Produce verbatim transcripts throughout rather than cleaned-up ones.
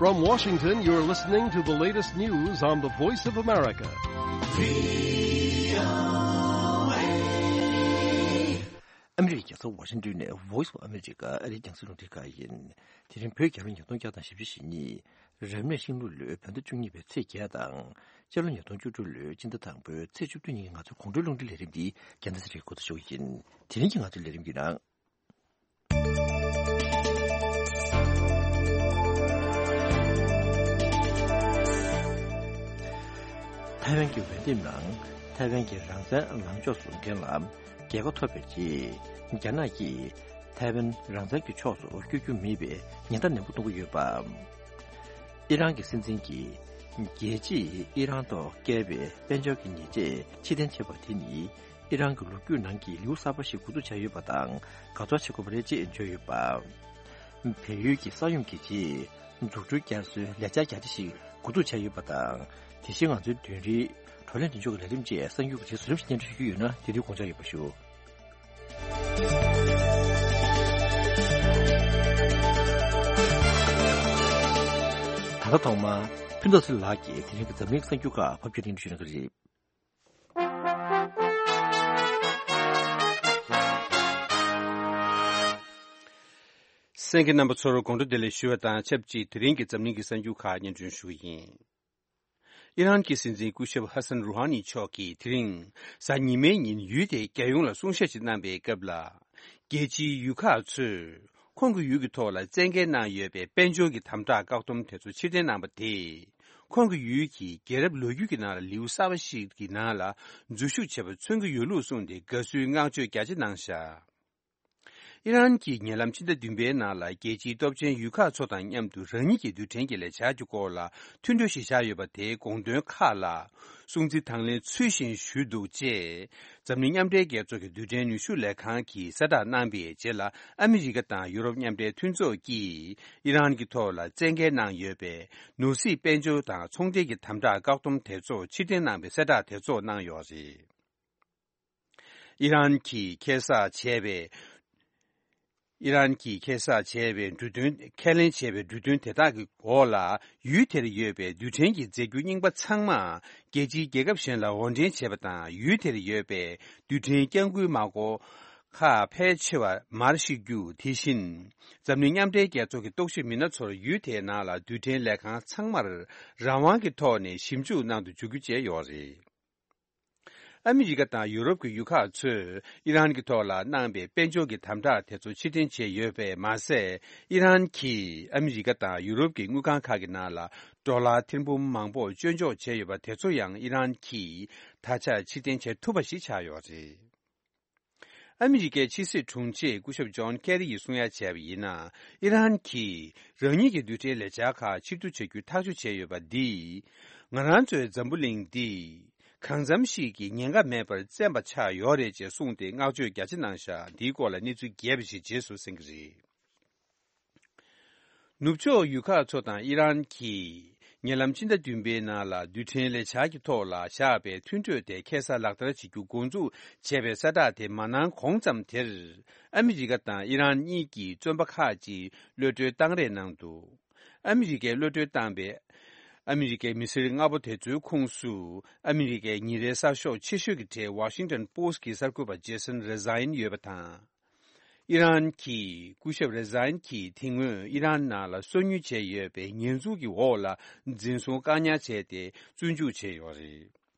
From Washington, you're listening to the latest news on the Voice of America. ཨ་མི་རི་ཀའི་རྒྱལ་ས་ཝ་ཤིང་ཏོན་ནས་Voice of America ཨ་རིའི་རྒྱང་སྲིང་རླུང་འཕྲིན་ཁང་ཡིན། དེ་རིང་བོད་རྒྱལ་ལོ་ཉིས་སྟོང་བརྒྱ་དང་བཞི་བཅུ་ཞེ་གཉིས། རབ་གནས་ཤིང་ལུག་ལོའི་བོད་ཟླ་བཅུ་གཉིས་པའི་ཚེས་བརྒྱད་དང་། སྤྱི་ལོ་ཉིས་སྟོང་བཅུ་དྲུག་ལོའི་སྤྱི་ཟླ་དང་པོའི་ཚེས་བཅུ་བདུན་ཉིན་གྱི་ང་ཚོའི་དགོང་དྲོའི་རླུང་འཕྲིན་ལས་རིམ་འདི་རྒྱལ་སྟོན་ས་རིག་གོ་ཐུ་ཞུ་གི་ཡིན། དེ་རིང་གི་ང་ཚོའི་ལས་རིམ་གྱི་ནང་། ཐའེ་ཝན་གྱི་འོས་འདེམས་ནང་ཐའེ་ཝན་གྱི་རང་བཙན་ལངས་ཕྱོགས་བཟུང་མཁན་ལ་རྒྱལ་ཁ་ཐོབ་པའི་རྗེས། རྒྱ་ནག་གིས་ཐའེ་ཝན་རང་བཙན་གྱི་ཕྱོགས་སུ་བསྐྱོད་རྒྱུ་མེད་པའི་ཉེན་བརྡ་ནན་པོ་གཏོང་གི་ཡོད་པ། ཨི་རན་གྱི་སྲིད་འཛིན་གྱིས་རྒྱལ་སྤྱིས་ཨི་རན་ཐོག་བཀལ་བའི་དཔལ་འབྱོར་གྱི་ཉེས་ཆད་ཕྱིར་འཐེན་བྱས་པ་དེ་ནི། ཨི་རན་གྱི་ལོ་རྒྱུས་ནང་གི་ལེའུ་གསར་པ་ཞིག་འགོ་འཛུགས་བྱས་ཡོད་པ་དང་། དགའ་ཚོར་བྱེད་དགོས་པ་རེད་ཅེས་བརྗོད་ཡོད་པ། བལ་ཡུལ་གྱི་ས་ཡོམ་གྱི་རྗེས། འཛུགས་སྐྲུན་བསྐྱར་གསོའི་ལས་འཆར་རྒྱ་ཆེ་ཞིག་འགོ་འཛུགས་བྱས་ཡོད་པ་དང་། དེ་བཞིན་ང་ཚོའི་བདུན་རེའི་བགྲོ་གླེང་མདུན་ལྗོངས་ཀྱི་ལས་རིམ་བཅས་གསར་འགྱུར་གྱི་གྲས་སུ་རིམ་བཞིན་སྙན་སྒྲོན་ཞུ་རྒྱུ་ཡོད་ན། དེ་དུས་དགོངས་འཇགས་ཡོད་པ་ཞུ། ད་ལྟ་ཐོག་མར་ཕུན་ཚོགས་ཚེ་རིང་ལགས་ཀྱིས་དེ་རིང་གི་འཛམ་གླིང་གསར་འགྱུར་ཁག་ཕབ་སྒྱུར་སྙན་སྒྲོན་ཞུ་གནང་གི་རེད། གསན་མཁན་རྣམ་པ་ཚོར་དགོང་དྲོ་བདེ་ལེགས་ཞུ་བ་དང་ཆབས་ཅིག་དེ་རིང་གི་འཛམ་གླིང་གི་གསར་འགྱུར་ཁག་སྙན་སྒྲོན་ཞུ་གི་ཡིན། ཨི་རན་གྱི་སྲིད་འཛིན་སྐུ་ཞབས་ཧ་སན་རུ་ཧ་ནི་མཆོག་གིས་དེ་རིང་གཟའ་ཉི་མའི་ཉིན་ཡུལ་དེའི་རྒྱལ་ཡོངས་ལ་གསུང་བཤད་ཅིག་གནང་པའི་སྐབས་ལ། རྒྱལ་སྤྱིའི་ཡུལ་ཁག་ཚོས་ཁོང་གི་ཡུལ་གྱི་ཐོག་ལ་བཙན་འགེལ་གནང་ཡོད་པའི་དཔལ་འབྱོར་གྱི་དམ་དྲག་བཀག་སྡོམ་དེ་ཚོ་ཕྱིར་འཐེན་གནང་པ་དེས། ཁོང་གི་ཡུལ་གྱི་རྒྱལ་རབས་ལོ་རྒྱུས་ཀྱི་ནང་ལ་ལེའུ་གསར་པ་ཞིག་གི་ནང་ལ་འཛུལ་ཞུགས་བྱེད་པ་མཚོན་གྱི་ཡོད་ལུགས་གསུངས་ཏེ། དགའ་བསུའི་བསྔགས་བརྗོད་རྒྱ་ཆེ་གནང་བཞག་ཨི་རན་གྱིས་ཉེ་ལམ་ཕྱི་ཟླ་བདུན་པའི་ནང་ལ་རྒྱལ་སྤྱིའི་སྟོབས་ཆེན་ཡུལ་ཁག་ཚོ་དང་མཉམ་དུ་རང་ཉིད་ཀྱི་རྡུལ་ཕྲན་གྱི་ལས་འཆར་གྱི་སྐོར་ལ་མཐུན་གྲོས་ཤིག་བཞག་ཡོད་པ་དེའི་དགོངས་དོན་ཁག་ལ་སྲུང་བརྩི་དང་ལེན་ཚུལ་བཞིན་ཞུས་འདུག་ཅེས་འཛམ་གླིང་མཉམ་འབྲེལ་རྒྱལ་ཚོགས་ཀྱི་རྡུལ་ཕྲན་ནུས་ཤུགས་ལས་ཁང་གིས་གསལ་བསྒྲགས་གནང་པའི་རྗེས་ལ། ཨ་མི་རི་ཀ་དང་ཡུ་རོབ་མཉམ་འབྲེལ་མཐུན་ཚོགས་ཀྱིས་ཨི་རན་གྱི་ཐོག་ལ་བཙན་འགེལ་གནང་ཡོད་པའི་ནོར་སྲིད་དཔལ་འབྱོར་དང་ཚོང་འབྲེལ་གྱི་དམ་དྲག་བཀག་སྡོམ་དེ་ཚོ་ཕྱིར་འཐེན་གནང་པའི་གསལ་བསྒྲགས་དེ་ཚོ་གནང་ཡོད་རེད། ཨི་རན་གྱིས་ཁྱད་བསགས་བྱས་པའི། ཨི་རན་གྱིས་ཁྱད་བསགས་བྱས་པའི་འབྲུ་དོན། ཁས་ལེན་བྱས་པའི་འབྲུ་དོན་དེ་དག་གི་འོག་ལ་ཡུལ་དེར་ཡོད་པའི་རྡུལ་ཕྲན་གྱི་རྫས་འགྱུར་རྙིང་པ་ཚང་མ་རྒྱལ་སྤྱིའི་རྒྱལ་ཁབ་གཞན་ལ་དབོར་འདྲེན་བྱས་པ་དང་། ཡུལ་དེར་ཡོད་པའི་རྡུལ་ཕྲན་བསྐྱང་འགུལ་མ་འགོག་ཁག་ཕལ་ཆེ་བ་མར་བཤིག་རྒྱུ། དེ་བཞིན་འཛམ་གླིང་མཉམ་འབྲེལ་རྒྱལ་ཚོགས་ཀྱི་རྟོག་ཞིབ་མི་སྣ་ཚོར་ཡུལ་དེའི་ནང་ལ་རྡུལ་ཕྲན་ལས་ཁང་ཚང་མར་རང་དབང་གི་ཐོག་ནས་ཞིབ་འཇུག་གནང་དུ་འཇུག་རྒྱུ་བཅས་ཡོད་རེད། ཨ་མི་རི་ཀ་དང་ཡུ་རོབ་ཀྱི་ཡུལ་ཁག་ཚོས་ཨི་རན་གྱི་ཐོག་ལ་གནང་པའི་དཔལ་འབྱོར་གྱི་དམ་དྲག་དེ་ཚོ་ཕྱིར་འཐེན་བྱས་ཡོད་པས་མ་ཟད། ཨི་རན་གྱིས་ཨ་མི་རི་ཀ་དང་ཡུ་རོབ་ཀྱི་དངུལ་ཁང་ཁག་གི་ནང་ལ་ཌོ་ལར་ཐེར་འབུམ་མང་པོ་སྤྱོད་འཇོག་བྱས་ཡོད་པ་དེ་ཚོ་ཡང་ཨི་རན་གྱིས་ད་ཆ་ཕྱིར་འཐེན་བྱེད་ཐུབ་པ་ཞིག་ཆགས་ཡོད་རེད། ཨ་མི་རི་ཀའི་ཕྱི་སྲིད་དྲུང་ཆེ་སྐུ་ཞབས་ཇོན་ཁེ་རི་ཡིས་གསུང་ཡ་བྱས་པ་ཡིན་ན། ཨི་རན་གྱིས་རང་ཉིད་ཀྱི་རྡུལ་ཕྲན་ལས་འཆར་ཁག་ཕྱིར་བསྡུ་བྱ་རྒྱུའི་ཐག་གཅོད་བྱས་ཡོད་པ་འདིས། ང་རང་ཚོའི་འཛམ་བུ་གླིང་འདི་གང་འཚམ་ཞིག་གི་ཉེན་ཁ་མེད་པར་བཙན་པ་ཆགས་ཡོད་རེད་ཅེས་གསུངས་ཏེ་བསྔགས་བརྗོད་རྒྱ་ཆེ་གནང་བཞག་འདིའི་སྐོར་ལ་གནས་ཚུལ་རྒྱས་པ་ཞིག་རྗེས་སུ་གསན་གྱི་རེད། ནུབ་ཕྱོགས་ཡུལ་ཁག་ཚོ་དང་ཨི་རན་གྱིས་ཉེ་ལམ་ཕྱི་ཟླ་བདུན་པའི་ནང་ལ་རྡུལ་ཕྲན་ལས་འཆར་གྱི་ཐོག་ལ་བཞག་པའི་མཐུན་གྲོས་དེ་ཁ་གསལ་ལག་བསྟར་བྱེད་རྒྱུ་འགོ་འཛུགས་བྱས་པའི་གསལ་བསྒྲགས་དེ་མ་གནང་གོང་ཙམ་དེར། ཨ་མི་རི་ཀ་དང་ཨི་རན་གཉིས་ཀྱིས་བཙོན་པ་ཁག་ཅིག་གློད་གྲོལ་བཏང་རེས་གནང་འདུག་ཨ་མི་རི་ཀས་གློད་གྲོལ་བཏང་པའི་ཨ་མི་རི་ཀའི་མི་སེར་ལྔ་པོ་དེ་ཚོའི་ཁོངས་སུ། ཨ་མི་རི་ཀའི་ཉིན་རེའི་གསར་ཤོག་ཆེ་ཤོས་ཀྱི་གྲས་Washington Post་གྱི་གསར་འགོད་པ་Jason Rezaian་ཡོད་པ་དང་། ཨི་རན་གྱི་སྐུ་ཞབས་རེ་ཛན་གྱིས་དེ་སྔོན་ཨི་རན་ནང་ལ་སོ་ཉུལ་བྱས་ཡོད་པའི་ཉེས་འཛུགས་ཀྱི་འོག་ལ་འཛིན་བཟུང་བཀག་ཉར་བྱས་ཏེ་བཙོན་འཇུག་བྱས་ཡོད་རེད།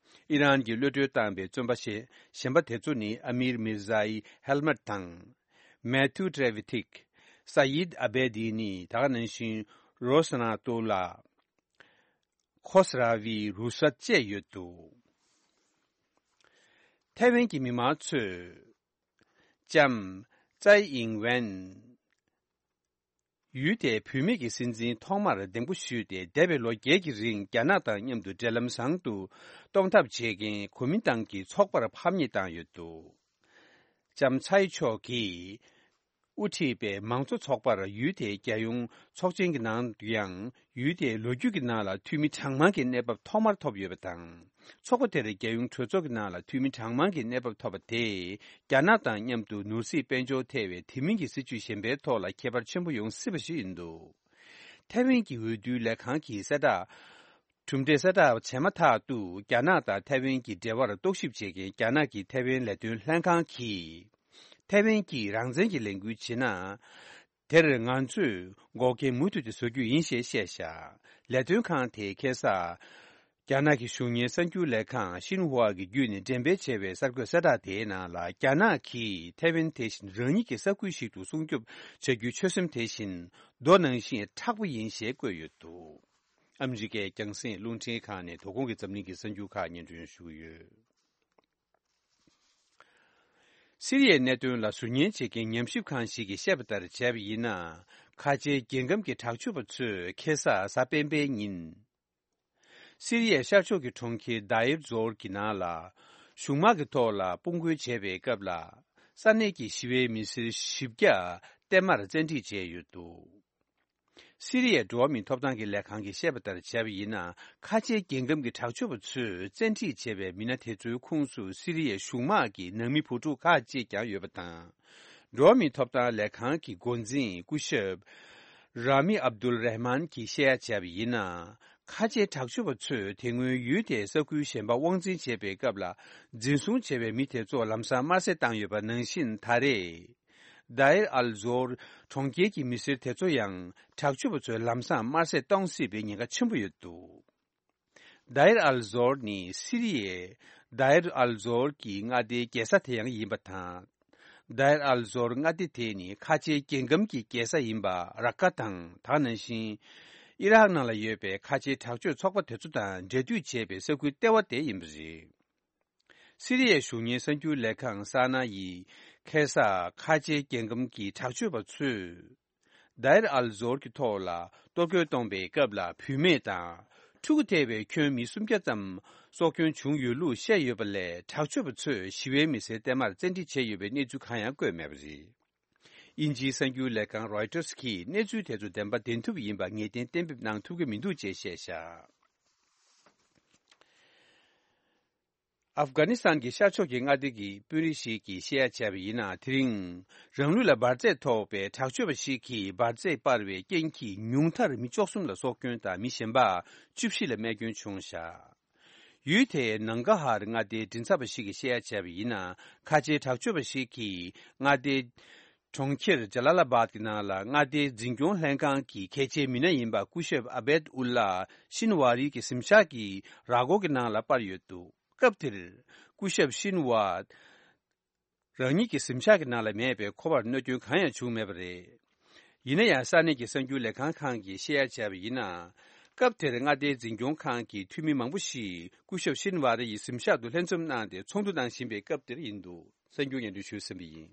ཨི་རན་གྱིས་གློད་གྲོལ་བཏང་པའི་བཙོན་པ་གཞན་པ་དེ་ཚོ་ནི་ཨ་མིར་མིར་ཛའི་ཧེལ་མད་དང་། མེ་ཐུ་ཏྲེ་ཝི་ཐིག་ས་ཡིད་ཨ་བེ་དི་ནི། ད་ག་ནང་བཞིན་རོ་སི་ན་ཏོ་ལ། ཁོ་སི་ར་ཝི་རུ་སད་བཅས་ཡོད་འདུག་ཐའེ་ཝན་གྱི་མི་མང་ཚོས་ལྕམ་ཙའེ་ཨིང་ཝེན་ཡུལ་དེའི་བུད་མེད་ཀྱི་སྲིད་འཛིན་ཐོག་མར་འདེམས་བསྐོ་ཞུས་ཏེ། འདས་པའི་ལོ་བརྒྱད་ཀྱི་རིང་རྒྱ་ནག་དང་མཉམ་དུ་འབྲེལ་ལམ་བཟང་དུ་གཏོང་ཐབས་བྱེད་མཁན་གོ་མིན་ཏང་གི་ཚོགས་པར་ཕམ་ཉེས་བཏང་ཡོད་འདུག་ལྕམ་ཚའེ་མཆོག་གིས་དབུ་ཁྲིད་པའི་མང་གཙོ་ཚོགས་པར་ཡུལ་དེའི་རྒྱལ་ཡོངས་ཚོགས་ཆེན་གྱི་ནང་དུ་ཡང་། ཡུལ་དེའི་ལོ་རྒྱུས་ཀྱི་ནང་ལ་འཐུས་མི་གྲངས་མང་གི་གནས་བབ་ཐོག་མར་ཐོབ་ཡོད་པ་དང་། ཚོགས་པ་དེར་རྒྱལ་ཡོངས་གྲོས་ཚོགས་ཀྱི་ནང་ལ་འཐུས་མི་གྲངས་མང་གི་གནས་བབ་ཐོབ་པ་དེས། རྒྱ་ནག་དང་མཉམ་དུ་ནོར་སྲིད་དཔལ་འབྱོར་ཐེ་བའི་དེ་མིན་གྱི་སྲིད་ཇུས་གཞན་པའི་ཐོག་ལ་ཁྱད་པར་ཆེན་པོ་ཡོང་སྲིད་པ་ཞིག་ཡིན་འདུག་ཐའེ་ཝན་གྱི་འོས་བསྡུའི་ལས་ཁང་གི་གསལ་བསྒྲགས། གྲུབ་འབྲས་གསལ་བསྒྲགས་བྱས་མ་ཐག་ཏུ། རྒྱ་ནག་དང་ཐའེ་ཝན་གྱི་འབྲེལ་བར་རྟོག་ཞིབ་བྱེད་མཁན་རྒྱ་ནག་གི་ཐའེ་ཝན་ལས་དོན་ལྷན་ཁང་གིས། ཐའེ་ཝན་གྱིས་རང་བཙན་གྱི་ལས་འགུལ་བྱེད་ན། དེར་ང་ཚོས་འགོག་རྐྱེན་མུ་མཐུད་དུ་བཟོ་རྒྱུ་ཡིན་ཞེས་བཤད་བཞག་ལས་དོན་ཁང་དེས་ཁ་སང་། རྒྱ་ནག་གི་གཞུང་གཉེར་གསར་འགྱུར་ལས་ཁང་ཤིན་ཧྭ་གི་བརྒྱུད་ནས་འགྲེམས་སྤེལ་བྱས་པའི་གསར་འགོད་གསལ་བསྒྲགས་དེའི་ནང་ལ། རྒྱ་ནག་གིས་ཐའེ་ཝན་དེ་བཞིན་རང་ཉིད་ཀྱི་ས་ཁུལ་ཞིག་ཏུ་སྲུང་སྐྱོབ་བྱ་རྒྱུའི་ཆོད་སེམས་དེ་བཞིན་མདོ་ནང་བཞིན་མཁྲེགས་པོ་ཡིན་ཞེས་བཀོད་ཡོད་འདུག་ཨ་མི་རི་ཀའི་རྒྱང་སྲིང་རླུང་འཕྲིན་ཁང་ནས་དོ་དགོང་གི་འཛམ་གླིང་གི་གསར་འགྱུར་ཁག་སྙན་སྒྲོན་ཞུ་གི་ཡོད། སི་རི་ཡའི་གནད་དོན་ལ་ཟུར་ཉན་བྱེད་མཁན་ཉམས་ཞིབ་ཁང་ཞིག་གིས་བཤད་པ་ལྟར་བྱས་པ་ཡིན་ན། ཁ་ཆེའི་རྒྱལ་ཁམས་ཀྱི་དྲག་སྤྱོད་པ་ཚོས་ཁ་སང་གཟའ་སྤེན་པའི་ཉིན། སི་རི་ཡའི་ཤར་ཕྱོགས་ཀྱི་གྲོང་ཁྱེར་དཱ་ཨིར་ཛོར་གྱི་ནང་ལ། གཞུང་དམག་གི་ཐོག་ལ་དཔུང་རྒོལ་བྱས་པའི་སྐབས་ལ། ས་གནས་ཀྱི་ཞི་བའི་མི་སེར་བཞི་བརྒྱ་བརྟན་མར་བཙན་ཁྲིད་བྱས་ཡོད་འདུག་སི་རི་ཡའི་འགྲོ་བ་མིའི་ཐོབ་ཐང་གི་ལས་ཁང་གིས་བཤད་པ་ལྟར་བྱས་པ་ཡིན་ན། ཁ་ཆེའི་རྒྱལ་ཁམས་ཀྱི་དྲག་སྤྱོད་པ་ཚོས་བཙན་ཁྲིད་བྱས་པའི་མི་སྣ་དེ་ཚོའི་ཁོངས་སུ་སི་རི་ཡའི་གཞུང་དམག་གི་ནང་མི་བུ་ཕྲུག་ཁག་ཅིག་ཀྱང་ཡོད་པ་དང་། འགྲོ་བ་མིའི་ཐོབ་ཐང་ལས་ཁང་གི་འགོ་འཛིན་སྐུ་ཞབས་ར་མི་ཨབ་དུལ་རེ་མན་གྱིས་བཤད་ཡ་བྱས་པ་ཡིན་ན། ཁ་ཆེའི་དྲག་སྤྱོད་པ་ཚོས་དེ་སྔོན་ཡུལ་དེའི་ས་ཁུལ་གཞན་པ་དབང་འཛིན་བྱེད་པའི་སྐབས་ལ། འཛིན་བཟུང་བྱས་པའི་མི་དེ་ཚོ་ལམ་སང་དམར་གསོད་བཏང་ཡོད་པ་ནང་བཞིན། ད་རེས་དཱ་ཨིར་ཨལ་ཛོར་གྲོང་ཁྱེར་གྱི་མི་སེར་དེ་ཚོ་ཡང་དྲག་སྤྱོད་པ་ཚོས་ལམ་སང་དམར་གསོད་གཏོང་སྲིད་པའི་ཉེན་ཁ་ཆེན་པོ་ཡོད་འདུག་དཱ་ཨིར་ཨལ་ཛོར་ནི་སི་རི་ཡའི་དཱ་ཨིར་ཨལ་ཛོར་གྱི་མངའ་སྡེའི་རྒྱལ་ས་དེ་ཡང་ཡིན་པ་དང་། དཱ་ཨིར་ཨལ་ཛོར་མངའ་སྡེ་དེ་ནི་ཁ་ཆེའི་རྒྱལ་ཁམས་ཀྱི་རྒྱལ་ས་ཡིན་པ་ར་ཀ་དང་། ད་ག་ནང་བཞིན་ཨི་རག་ནང་ལ་ཡོད་པའི་ཁ་ཆེའི་དྲག་སྤྱོད་ཚོགས་པ་དེ་ཚོ་དང་འབྲེལ་མཐུད་བྱས་པའི་ས་ཁུལ་ལྟེ་བ་དེ་ཡིན་པ་རེད། སི་རི་ཡའི་གཞུང་གཉེར་གསར་འགྱུར་ལས་ཁང་ས་ན་ཡིས་ཁ་སང་ཁ་ཆེའི་རྒྱལ་ཁམས་ཀྱི་དྲག་སྤྱོད་པ་ཚོས། དཱ་ཨིར་ཨལ་ཛོར་གྱི་ཐོག་ལ་གཏོར་རྒོལ་གཏོང་པའི་སྐབས་ལ། བུད་མེད་དང་ཕྲུ་གུ་ཐེ་བའི་ཁྱོན་མི་སུམ་བརྒྱ་ཙམ་སྲོག་སྐྱོན་བྱུང་ཡོད་ལུགས་བཤད་ཡོད་པ་ལས། དྲག་སྤྱོད་པ་ཚོས་ཞི་བའི་མི་སེར་བརྟན་མར་བཙན་ཁྲིད་བྱས་ཡོད་པའི་གནས་ཚུལ་གང་ཡང་བཀོད་མེད་པ་རེད། དབྱིན་ཇིའི་གསར་འགྱུར་ལས་ཁང་རོའི་ཊར་གྱིས་གནས་ཚུལ་དེ་ཚོ་བདེན་པ་བདེན་ཐུབ་ཡིན་པ་ངེས་གཏན་གཏན་འབེབས་གནང་ཐུབ་ཀྱི་མི་འདུག་ཅེས་བཤད་བཞག་ཨབ་གྷ་ནི་སི་ཐན་གྱི་ཤར་ཕྱོགས་ཀྱི་མངའ་སྡེ་གི་དཔོན་རིགས་ཤིག་གིས་བཤད་ཡ་བྱས་པ་ཡིན་ན། དེ་རིང་རང་ལུས་ལ་འབར་རྫས་ཐོགས་པའི་དྲག་སྤྱོད་པ་ཞིག་གིས་འབར་རྫས་སྤར་བའི་རྐྱེན་གྱིས་ཉུང་མཐར་མི་བཅུ་གསུམ་ལ་སྲོག་སྐྱོན་དང་། མི་གཞན་པ་བཅུ་བཞི་ལ་རྨས་སྐྱོན་བྱུང་བཞག་ཡུལ་དེའི་ནང་གྷ་ཧར་མངའ་སྡེའི་མགྲིན་ཚབ་པ་ཞིག་གིས་བཤད་ཡ་བྱས་པ་ཡིན་ན། ཁ་ཆེའི་དྲག་སྤྱོད་པ་ཞིག་གིས་མངའ་སྡེའི་གྲོང་ཁྱེར་ཇ་ལ་ལ་བཱད་ཀྱི་ནང་ལ་མངའ་སྡེའི་འཛིན་སྐྱོང་ལྷན་ཁང་གི་གལ་ཆེའི་མི་སྣ་ཡིན་པ་སྐུ་ཞབས་ཨ་བེད་ཨུལ་ལ་ཤིན་ཝ་རི་གི་གཟིམ་ཤག་གི་ར་སྐོར་གྱི་ནང་ལ་སྤར་ཡོད་འདུག་སྐབས་དེར་སྐུ་ཞབས་ཤིན་ཝ་རང་ཉིད་ཀྱི་གཟིམ་ཤག་གི་ནང་ལ་མེད་པས། ཁོ་པར་གནོད་སྐྱོན་གང་ཡང་བྱུང་མེད་པ་རེད། ཡིན་ན་ཡང་ས་གནས་ཀྱི་གསར་འགྱུར་ལས་ཁང་ཁང་གིས་བཤད་ཡ་བྱས་པ་ཡིན་ན། སྐབས་དེར་མངའ་སྡེའི་འཛིན་སྐྱོང་ཁང་གི་འཐུས་མི་མང་པོ་ཞིག་སྐུ་ཞབས་ཤིན་ཝ་རི་ཡི་གཟིམ་ཤག་ཏུ་ལྷན་འཛོམས་གནང་སྟེ་ཚོགས་འདུ་གནང་བཞིན་པའི་སྐབས་དེར་ཡིན་འདུག་གསར་འགྱུར་སྙན་སྒྲོན་ཞུས་ཟིན་པ་ཡིན།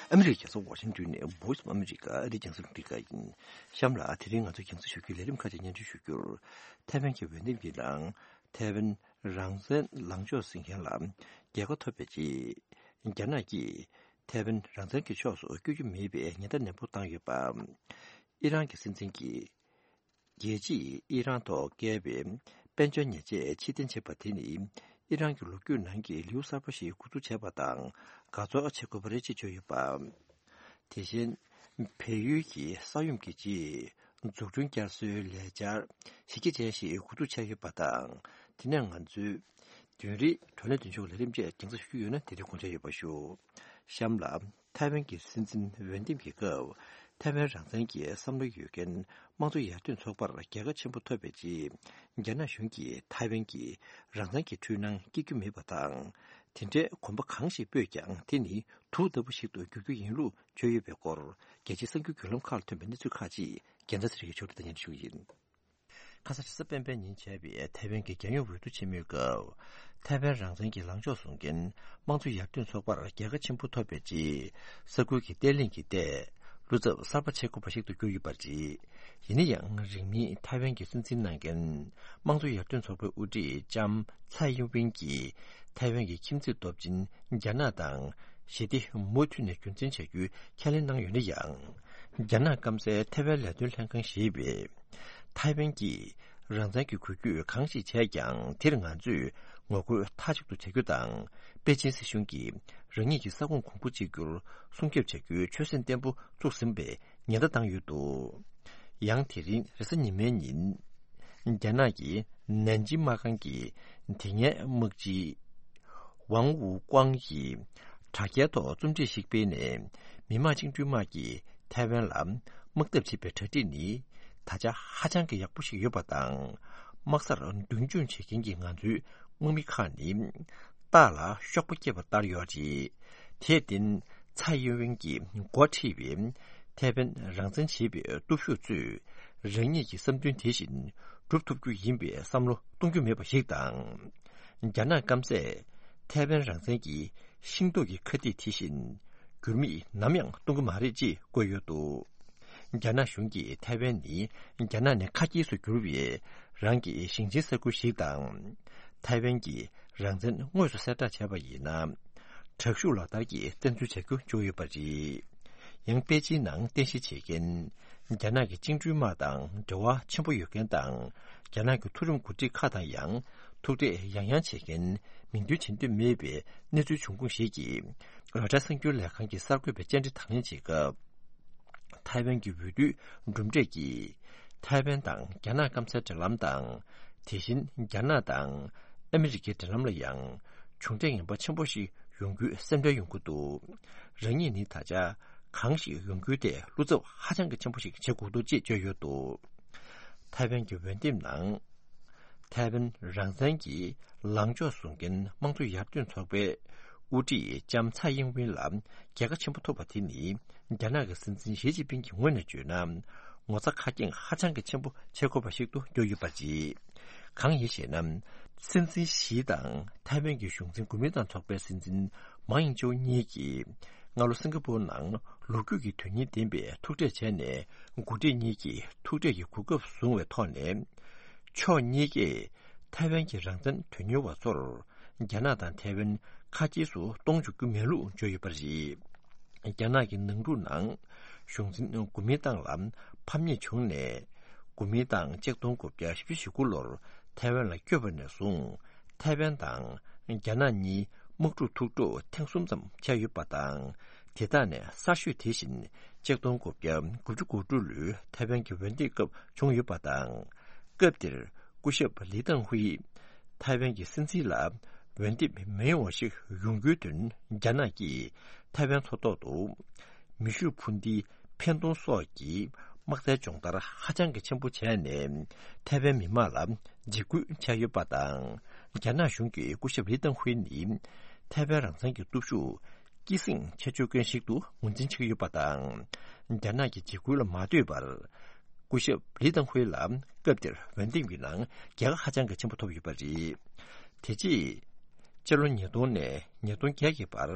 ཨ་མི་རི་ཀའི་རྒྱལ་ས་ཝ་ཤིང་ཏོན་ནས་Voice of America ཨ་རིའི་རྒྱང་སྲིང་རླུང་འཕྲིན་ཁང་ཡིན། གཤམ་ལ་དེ་རིང་ང་ཚོས་རྒྱང་སྲིང་ཞུ་རྒྱུའི་ལས་རིམ་ཁག་ཅིག་སྙན་སྒྲོན་ཞུ་རྒྱུར། ཐའེ་ཝན་གྱི་འོས་འདེམས་ཀྱི་ནང་ཐའེ་ཝན་རང་བཙན་ལངས་ཕྱོགས་ཟིན་མཁན་ལ་རྒྱལ་ཁ་ཐོབ་པའི་རྗེས། རྒྱ་ནག་གིས་ཐའེ་ཝན་རང་བཙན་གྱི་ཕྱོགས་སུ་བསྐྱོད་རྒྱུ་མེད་པའི་ཉེན་བརྡ་ནན་པོ་བཏང་ཡོད་པ། ཨི་རན་གྱི་སྲིད་འཛིན་གྱིས། རྒྱལ་སྤྱིས་ཨི་རན་ཐོག་བཀལ་བའི་དཔལ་འབྱོར་ཉེས་ཆད་ཕྱིར་འཐེན་བྱས་པ་དེ་ནི། ཨི་རན་གྱི་ལོ་རྒྱུས་ནང་གི་ལེའུ་གསར་པ་ཞིག་འགོ་འཛུགས་བྱས་པ་དང་། དགའ་ཚོར་བྱེད་དགོས་པ་རེད་ཅེས་བརྗོད་ཡོད་པ། དེ་བཞིན། བལ་ཡུལ་གྱི་ས་ཡོམ་གྱི་རྗེས། འཛུགས་སྐྲུན་བསྐྱར་གསོའི་ལས་འཆར་གཞི་རྒྱ་ཅན་ཞིག་འགོ་འཛུགས་བྱས་ཡོད་པ་དང་། དེ་ནས་ང་ཚོའི་བདུན་རེའི་བགྲོ་གླེང་མདུན་ལྕོག་ལས་རིམ་བཅས་རྒྱང་སྲིང་ཞུ་རྒྱུ་ཡོད་ན། དེ་རིང་དགོངས་འཆར་ཡོད་པ་ཞུ། གཤམ་ལ། ཐའེ་ཝན་གྱི་སྲིད་འཛིན་འོས་འདེམས་ཀྱི་སྐབས། ཐའེ་ཝན་རང་བཙན་གྱི་བསམ་བློ་ཡོད་མཁན་དམངས་གཙོ་ཡར་ཐོན་ཚོགས་པར་རྒྱལ་ཁ་ཆེན་པོ་ཐོབ་པའི་རྗེས། རྒྱ་ནག་གཞུང་གིས་ཐའེ་ཝན་གྱི་རང་བཙན་གྱི་འཁྲུལ་སྣང་སྐྱེ་རྒྱུ་མེད་པ་དང་། དེ་འདྲའི་གོམ་པ་གང་ཞིག་སྤོས་ཀྱང་། དེ་ནི་དུག་ལྟ་བུ་ཞིག་ཏུ་འགྱུར་རྒྱུ་ཡིན་ལུགས་བརྗོད་ཡོད་པའི་སྐོར། རྒྱལ་སྤྱིའི་གསར་འགྱུར་བརྒྱུད་ལམ་ཁག་ལ་ཐོན་པའི་གནས་ཚུལ་ཁག་ཅིག་རྒྱལ་མཚན་ཚེ་རིང་གིས་ཕྱོགས་སྒྲིག་དང་སྙན་སྒྲོན་ཞུ་གི་ཡིན། ཁ་སང་རེས་གཟའ་སྤེན་པའི་ཉིན་བྱས་པའི་ཐའེ་ཝན་གྱི་རྒྱལ་ཡོངས་འོས་བསྡུ་ཆེན་མོའི་སྐབས། ཐའེ་ཝན་རང་བཙན་གྱི་ལངས་ཕྱོགས་བཟུང་མཁན་དམངས་གཙོ་ཡར་ཐོན་ཚོགས་པར་རྒྱལ་ཁ་ཆེན་པོ་ཐོབ་པའི་རྗེས། ས་ཁུལ་གྱི་བརྟན་ལྷིང་གི་ཐད་བློ་འཚབ་གསར་པ་བྱེད་དགོས་པ་ཞིག་ཏུ་གྱུར་ཡོད་པ་རེད། ཡིན་ན་ཡང་། རིང་མིན་ཐའེ་ཝན་གྱི་སྲིད་འཛིན་གནང་མཁན་དམངས་གཙོ་ཡར་ཐོན་ཚོགས་པའི་དབུ་ཁྲིད་ལྕམ་ཚའེ་ཡིན་ཝིན་གྱིས་ཐའེ་ཝན་གྱི་ཁྱིམ་མཚེས་སྟོབས་ཆེན་རྒྱ་ནག་དང་ཞི་བདེ་མུ་མཐུད་ནས་རྒྱུན་འཛིན་བྱ་རྒྱུའི་ཁས་ལེན་གནང་ཡོད་ན་ཡང་། རྒྱ་ནག་སྐམ་སའི་ཐའེ་ཝན་ལས་དོན་ལྷན་ཁང་ཞེས་པས། ཐའེ་ཝན་གྱིས་རང་བཙན་གྱི་འགུལ་སྐྱོད་གང་ཞིག་བྱས་ཀྱང་། དེར་ང་ཚོས་ ངོ་རྒོལ་མཐའ་གཅིག་ཏུ་བྱ་རྒྱུ་དང་། པེ་ཅིན་སྲིད་གཞུང་གིས་རང་ཉིད་ཀྱི་ས་ཁོངས་གོང་བུ་གཅིག་གྱུར་སྲུང་སྐྱོབ་བྱ་རྒྱུའི་ཆོད་སེམས་བརྟན་པོ་བཙུགས་ཟིན་པའི་ཉེན་བརྡ་བཏང་ཡོད་འདུག། ཡང་དེ་རིང་རེས་གཟའ་ཉི་མའི་ཉིན། རྒྱ་ནག་གི་ནན་ཅིང་དམག་ཁང་གི་དེ་སྔའི་དམག་སྤྱི་ཝང་ཝུ་ཀོང་གིས་དྲ་རྒྱའི་ཐོག་རྩོམ་སྒྲིག་ཞིག་སྤེལ་ནས། མི་དམངས་བཅིངས་འགྲོལ་དམག་གིས་ཐའེ་ཝན་ལ་དམག་འཐབ་བྱེད་པའི་གྲ་སྒྲིག་ནི་ད་ཆ་ཧ་ཅང་གི་ཡག་པོ་ཞིག་ཡོད་པ་དང་། དམག་སར་མདུན་སྐྱོད་བྱེད་མཁན་གྱི་ང་ཚོའི་དམག་མི་ཁག་ནི་སྟག་ལ་གཤོག་པ་སྐྱེས་པ་ལྟར་ཡོད་རེད། དེར་བརྟེན། ཚའེ་ཡིན་ཝེན་གྱིས་འགོ་ཁྲིད་པའི་ཐའེ་ཝན་རང་བཙན་བྱེད་པའི་སྟོབས་ཤུགས་ཚོས་རང་ཉིད་ཀྱི་བསམ་འདུན་དེ་བཞིན་སྒྲུབ་ཐུབ་རྒྱུ་ཡིན་པའི་བསམ་བློ་གཏོང་རྒྱུ་མེད་པ་ཞིག་དང་། རྒྱ་ནག་སྐམ་སས་ཐའེ་ཝན་རང་བཙན་གྱི་ཤིང་ཏོག་གི་ཁ་གཏད་དེ་བཞིན་འགྱུར་མེད་ནམ་ཡང་གཏོང་གི་མ་རེད་ཅེས་བཀོད་ཡོད་འདུག། རྒྱ་ནག་གཞུང་གིས་ཐའེ་ཝན་ནི་རྒྱ་ནག་ནས་ཁ་གྱེས་སུ་གྱུར་བའི་རང་གི་ཞིང་ཆེན་ས་ཁུལ་ཞིག་དང་། ཐའེ་ཝན་གྱི་རང་བཙན་དངོས་སུ་གསལ་བསྒྲགས་བྱས་པ་ཡིན་ན། དྲག་ཤུགས་ལག་བསྟར་གྱིས་བཙན་འཛུལ་བྱ་རྒྱུ་བརྗོད་ཡོད་པ་རེད། ཡང་པེ་ཅིན་ནང་རྟེན་གཞི་བྱེད་མཁན་རྒྱ་ནག་གི་བཅིངས་འགྲོལ་དམག་དང་འབྲེལ་བ་ཆེན་པོ་ཡོད་མཁན་དང་། རྒྱ་ནག་གི་མཐོ་རིམ་འགོ་ཁྲིད་ཁག་དང་ཡང་ཐུག་འཕྲད་ཡང་ཡང་བྱེད་མཁན་མིང་འདོན་བྱེད་འདོད་མེད་པའི་གནས་ཚུལ་བྱུང་ཁུངས་ཤིག་གིས་རོའི་ཊར་གསར་འགྱུར་ལས་ཁང་གི་གསར་འགོད་པའི་བཅར་འདྲི་དང་ལེན་བྱེད་སྐབས། ཐའེ་ཝན་གྱི་འོས་བསྡུའི་གྲུབ་འབྲས་ཀྱིས་ཐའེ་ཝན་དང་རྒྱ་ནག་སྐམ་སའི་འབྲེལ་ལམ་དང་། དེ་བཞིན་རྒྱ་ནག་དང་ཨ་མི་རི་ཀའི་འབྲེལ་ལམ་ལ་ཡང་གྲུབ་འབྲས་ངན་པ་ཆེན་པོ་ཞིག་ཡོང་རྒྱུའི་སེམས་ཁྲལ་ཡོང་གི་འདུག། རང་ཉིད་ནི་ད་ཆ་གང་ཞིག་ཡོང་རྒྱུའི་ཐད་བློ་འཚབ་ཧ་ཅང་གི་ཆེན་པོ་ཞིག་བྱེད་དགོས་འདུག་ཅེས་བརྗོད་ཡོད་འདུག། ཐའེ་ཝན་གྱི་འོས་འདེམས་ནང་། ཐའེ་ཝན་རང་བཙན་གྱི་ལངས་ཕྱོགས་བཟུང་མཁན་དམངས་གཙོ་ཡར་ཐོན་ཚོགས་པའི་དབུ་ཁྲིད་ལྕམ་ཚའེ་ཡིན་ཝིན་ལ་རྒྱལ་ཁ་ཆེན་པོ་ཐོབ་པ་དེ་ནི། རྒྱ་ནག་གི་སྲིད་འཛིན་ཞི་ཅིན་ཕིང་གི་ངོས་ནས་བརྗོད་ན། ངོ་ཚ་ཁ་སྐྱེངས་ཧ་ཅང་གི་ཆེན་པོ་བྱེད་དགོས་པ་ཞིག་ཏུ་གྱུར་ཡོད་པ་རེད། གང་ཡིན་ཞེ་ན། སྲིད་འཛིན་ཞི་དང་ཐའེ་ཝན་གྱི་གཞུང་འཛིན་གོ་མིན་ཏང་ཚོགས་པའི་སྲིད་འཛིན་མཱ་ཡིང་ཅའོ་གཉིས་ཀྱིས་སྔ་ལོ་སིང་ག་པུར་ནང་ལོ་རྒྱུས་ཀྱི་དོན་སྙིང་ལྡན་པའི་ཐུག་འཕྲད་བྱས་ནས། འགོ་ཁྲིད་གཉིས་ཀྱིས་ཐུག་འཕྲད་ཀྱི་གོ་སྐབས་བཟུང་བའི་ཐོག་ནས། ཕྱོགས་གཉིས་ཀས་ཐའེ་ཝན་གྱི་རང་བཙན་དོན་གཉེར་བ་ཚོར་རྒྱ་ནག་དང་ཐའེ་ཝན་ཁ་གྱེས་སུ་གཏོང་འཇུག་རྒྱུ་མེད་ལུགས་བརྗོད་ཡོད་པ་རེད། རྒྱ་ནག་གི་ནང་འཁྲུག་ནང་གཞུང་འཛིན་གོ་མིན་ཏང་ལ་ཕམ་ཉེས་བྱུང་ནས། གོ་མིན་ཏང་ཆིག་སྟོང་དགུ་བརྒྱ་བཞི་བཅུ་ཞེ་དགུ་ལོར་ཐའེ་ཝན་ལ་བསྐྱོད་པ་ནས་བཟུང་། ཐའེ་ཝན་དང་རྒྱ་ནག་གཉིས་དམག་འཁྲུག་ཐུག་འཕྲད་ཐེངས་གསུམ་ཙམ་བྱས་ཡོད་པ་དང་། དེ་དག་ནས་གསར་ཤོས་དེ་བཞིན་ཆིག་སྟོང་དགུ་བརྒྱ་དགུ་བཅུ་གོ་དྲུག་ལོའི་ཐའེ་ཝན་གྱི་འོས་འདེམས་སྐབས་བྱུང་ཡོད་པ་དང་། སྐབས་དེར་སྐུ་ཞབས་ལི་ཏང་ཧུའེ་ཐའེ་ཝན་གྱི་སྲིད་འཛིན་ལ་འོས་འདེམས་མི་ཡོང་བ་ཞིག་ཡོང་རྒྱུའི་དོན། རྒྱ་ནག་གིས་ཐའེ་ཝན་མཚོ་ཐོག་ཏུ་མེ་ཤུགས་འཕུར་མདེལ་འཕེན་གཏོང་སོགས་ཀྱི་དམག་རྩལ་སྦྱོང་བརྡར་ཧ་ཅང་གི་ཆེན་པོ་བྱས་ནས། ཐའེ་ཝན་མི་དམངས་ལ་འཇིགས་སྐུལ་བྱས་ཡོད་པ་དང་། རྒྱ་ནག་གཞུང་གིས་སྐུ་ཞབས་ལི་ཏང་ཧུའེ་ནི་ཐའེ་ཝན་རང་བཙན་གྱི་སྟོབས་ཤུགས་སྐྱེད་སྲིང་བྱ་བཅུག་མཁན་ཞིག་ཏུ་ངོས་འཛིན་བྱེད་ཀྱི་ཡོད་པ་དང་། རྒྱ་ནག་གི་འཇིགས་སྐུལ་ལ་མ་ལྟོས་པར། སྐུ་ཞབས་ལི་ཏང་ཧུའེ་ལ་སྐབས་དེར་འོས་འདེམས་ཀྱི་ནང་རྒྱལ་ཁ་ཧ་ཅང་གི་ཆེན་པོ་ཐོབ་ཡོད་པ་རེད། དེ་རྗེས་སྤྱི་ལོ་ཉིས་སྟོང་ནས་ཉིས་སྟོང་བརྒྱད་ཀྱི་བར་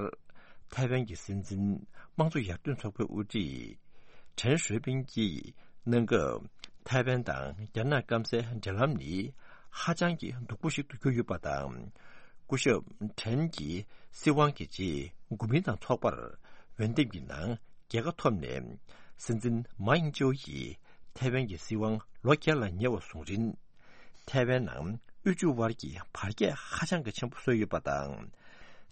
ཐའེ་ཝན་གྱི་སྲིད་འཛིན་དམངས་གཙོ་ཡར་ཐོན་ཚོགས་པའི་དབུ་ཁྲིད་ཁྲེན་ཧྲུའེ་པིན་གྱིས་གནང་སྐབས། ཐའེ་ཝན་དང་རྒྱ་ནག་སྐམ་སའི་འབྲེལ་ལམ་ནི་ཧ་ཅང་གི་སྡུག་པོ་ཞིག་ཏུ་གྱུར་ཡོད་པ་དང་། སྐུ་ཞབས་ཁྲེན་གྱི་སྲིད་དབང་གི་རྗེས་གོ་མིན་ཏང་ཚོགས་པར་འོས་འདེམས་ཀྱི་ནང་རྒྱལ་ཁ་ཐོབ་ནས། སྲིད་འཛིན་མཱ་ཡིང་ཅའོ་ཡིས་ཐའེ་ཝན་གྱི་སྲིད་དབང་ལོ་བརྒྱ་ལ་ཉེ་བ་བཟུང་རིང་། ཐའེ་ཝན་ནང་དབུལ་ཕྱུག་དབར་གྱི་བར་ཁྱད་ཧ་ཅང་གི་ཆེན་པོ་བཟོས་ཡོད་པ་དང་།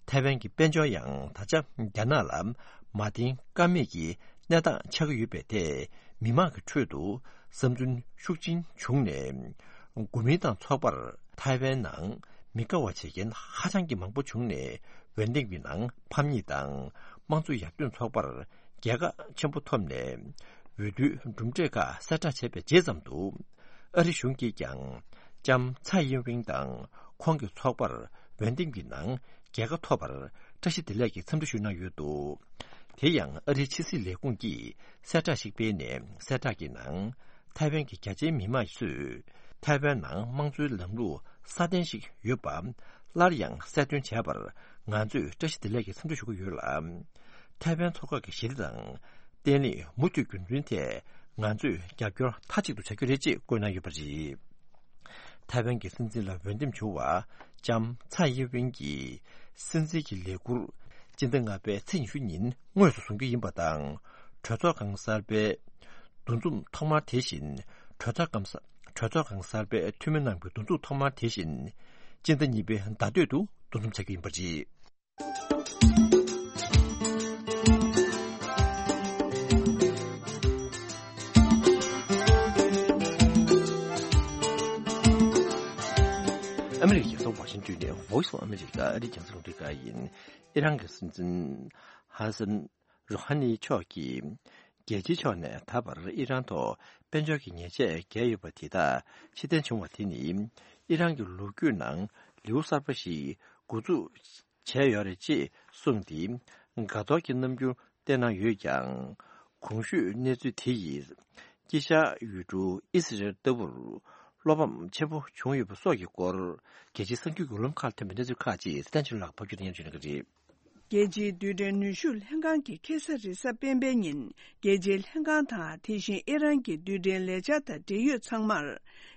ཐའེ་ཝན་གྱི་དཔལ་འབྱོར་ཡང་ད་ཆ་རྒྱ་ནག་ལ་མ་བརྟེན་ཀ་མེད་ཀྱི་གནས་སྟངས་ཆགས་ཀྱི་ཡོད་པའི་ཐད། མི་མང་གི་ཁྲོད་དུ་བསམ་ཚུལ་ཤུགས་ཆེན་བྱུང་ནས། གོ་མིན་ཏང་ཚོགས་པར་ཐའེ་ཝན་ནང་མི་དགའ་བ་བྱེད་མཁན་ཧ་ཅང་གི་མང་པོ་བྱུང་ནས། འོས་འདེམས་ཀྱི་ནང་ཕམ་ཉེས་དང་། དམངས་གཙོ་ཡར་ཐོན་ཚོགས་པར་རྒྱལ་ཁ་ཆེན་པོ་ཐོབ་ནས། འོས་བསྡུའི་གྲུབ་འབྲས་ཁག་གསལ་བསྒྲགས་བྱས་པའི་རྗེས་ཙམ་དུ། ཨ་རི་གཞུང་གིས་ཀྱང་ལྕམ་ཚའེ་ཡིན་ཝིང་དང་ཁོང་གི་ཚོགས་པར་འོས་འདེམས་ཀྱི་ནང་རྒྱལ་ཁ་ཐོབ་པར་བཀྲ་ཤིས་བདེ་ལེགས་ཀྱི་འཚམས་འདྲི་ཞུས་གནང་ཡོད་འདུག། དེ་ཡང་ཨ་རིའི་ཕྱི་སྲིད་ལས་ཁུངས་ཀྱིས་གསལ་བསྒྲགས་ཤིག་སྤེལ་ནས། གསལ་བསྒྲགས་ཀྱི་ནང་། ཐའེ་ཝན་གྱི་རྒྱ་ཆེའི་མི་དམངས་ཚོས་ཐའེ་ཝན་ནང་དམངས་གཙོའི་ལམ་ལུགས་སྲ་བརྟན་ཞིག་ཡོད་པ་སླར་ཡང་གསལ་སྟོན་བྱས་པར་ང་ཚོས་བཀྲ་ཤིས་བདེ་ལེགས་ཀྱི་འཚམས་འདྲི་ཞུ་གི་ཡོད་ལ། ཐའེ་ཝན་མཚོ་འགག་གི་ཞི་བདེ་དང་བརྟན་ལྷིང་མུ་མཐུད་རྒྱུན་འཛིན་ཐད་ང་ཚོས་རྒྱབ་སྐྱོར་མཐའ་གཅིག་ཏུ་བྱ་རྒྱུ་རེད་ཅེས་བཀོད་གནང་ཡོད་པ་རེད། ཐའེ་ཝན་གྱི་སྲིད་འཛིན་ལ་འོས་འདེམས་བྱུང་བ་ལྕམ་ཚའེ་ཡིན་ཝིན་གྱིས་སྲིད་འཛིན་གྱི་ལས་འཁུར་སྤྱི་ཟླ་ལྔ་པའི་ཚེས་ཉི་ཤུ་ཉིན་དངོས་སུ་བཟུང་རྒྱུ་ཡིན་པ་དང་། གྲོས་ཚོགས་ཁང་གསར་པའི་འདུ་འཛོམས་ཐོག་མ་དེ་བཞིན་གྲོས་ཚོགས་ཁང་གསར་གྲོས་ཚོགས་ཁང་གསར་པའི་འཐུས་མི་རྣམས་ཀྱི་འདུ་འཛོམས་ཐོག་མ་དེ་བཞིན་ སྤྱི་ཟླ་གཉིས་པའི་ཟླ་སྟོད་དུ་འདོན་ཐུབ་བྱ་རྒྱུ་ཡིན་པ་རེད། ཨ་མི་རི་ཀའི་རྒྱལ་ས་ཝ་ཤིང་ཏོན་ནས་Voice of America ཨ་རིའི་རྒྱང་སྲིང་རླུང་འཕྲིན་ཁང་ཡིན། ཨི་རན་གྱི་སྲིད་འཛིན་ཧ་སན་རུ་ཧ་ནི་མཆོག་གིས། རྒྱལ་སྤྱིའི་ཕྱོགས་ནས་ད་བར་ཨི་རན་ཐོག་དཔལ་འབྱོར་གྱི་ཉེས་ཆད་བཀལ་ཡོད་པ་དེ་དག་ཕྱིར་འཐེན་བྱུང་བ་དེ་ནི། ཨི་རན་གྱི་ལོ་རྒྱུས་ནང་ལེའུ་གསར་པ་ཞིག་འགོ་འཛུགས་བྱས་ཡོད་རེད་ཅེས་གསུངས་ཏེ། དགའ་གཏོར་གྱི་རྣམ་འགྱུར་བསྟན་གནང་ཡོད་ཀྱང་། གོང་ཞུས་གནས་ཚུལ་དེ་ཡིས། དཀྱིལ་ཤར་ཡུལ་གྲུ་ཨི་སི་རེལ་ལྟ་བུར། བློ་ཕམ་ཆེན་པོ་བྱུང་ཡོད་པ་སོགས་ཀྱི་སྐོར། རྒྱལ་སྤྱིའི་གསར་འགྱུར་བརྒྱུད་ལམ་ཁག་ཐོན་པའི་གནས་ཚུལ་ཁག་ཅིག་སི་ཏན་ཅུན་ལགས་ཕབ་སྒྱུར་དང་སྙན་སྒྲོན་ཞུ་གནང་གི་རེད། རྒྱལ་སྤྱིའི་རྡུལ་ཕྲན་ནུས་ཤུགས་ལྷན་ཁང་གིས་ཁ་སང་རེས་གཟའ་སྤེན་པའི་ཉིན། རྒྱལ་སྤྱིའི་ལྷན་ཁང་དང་། དེ་བཞིན་ཨི་རན་གྱི་རྡུལ་ཕྲན་ལས་འཆར་དང་འབྲེལ་ཡོད་ཚང་མར།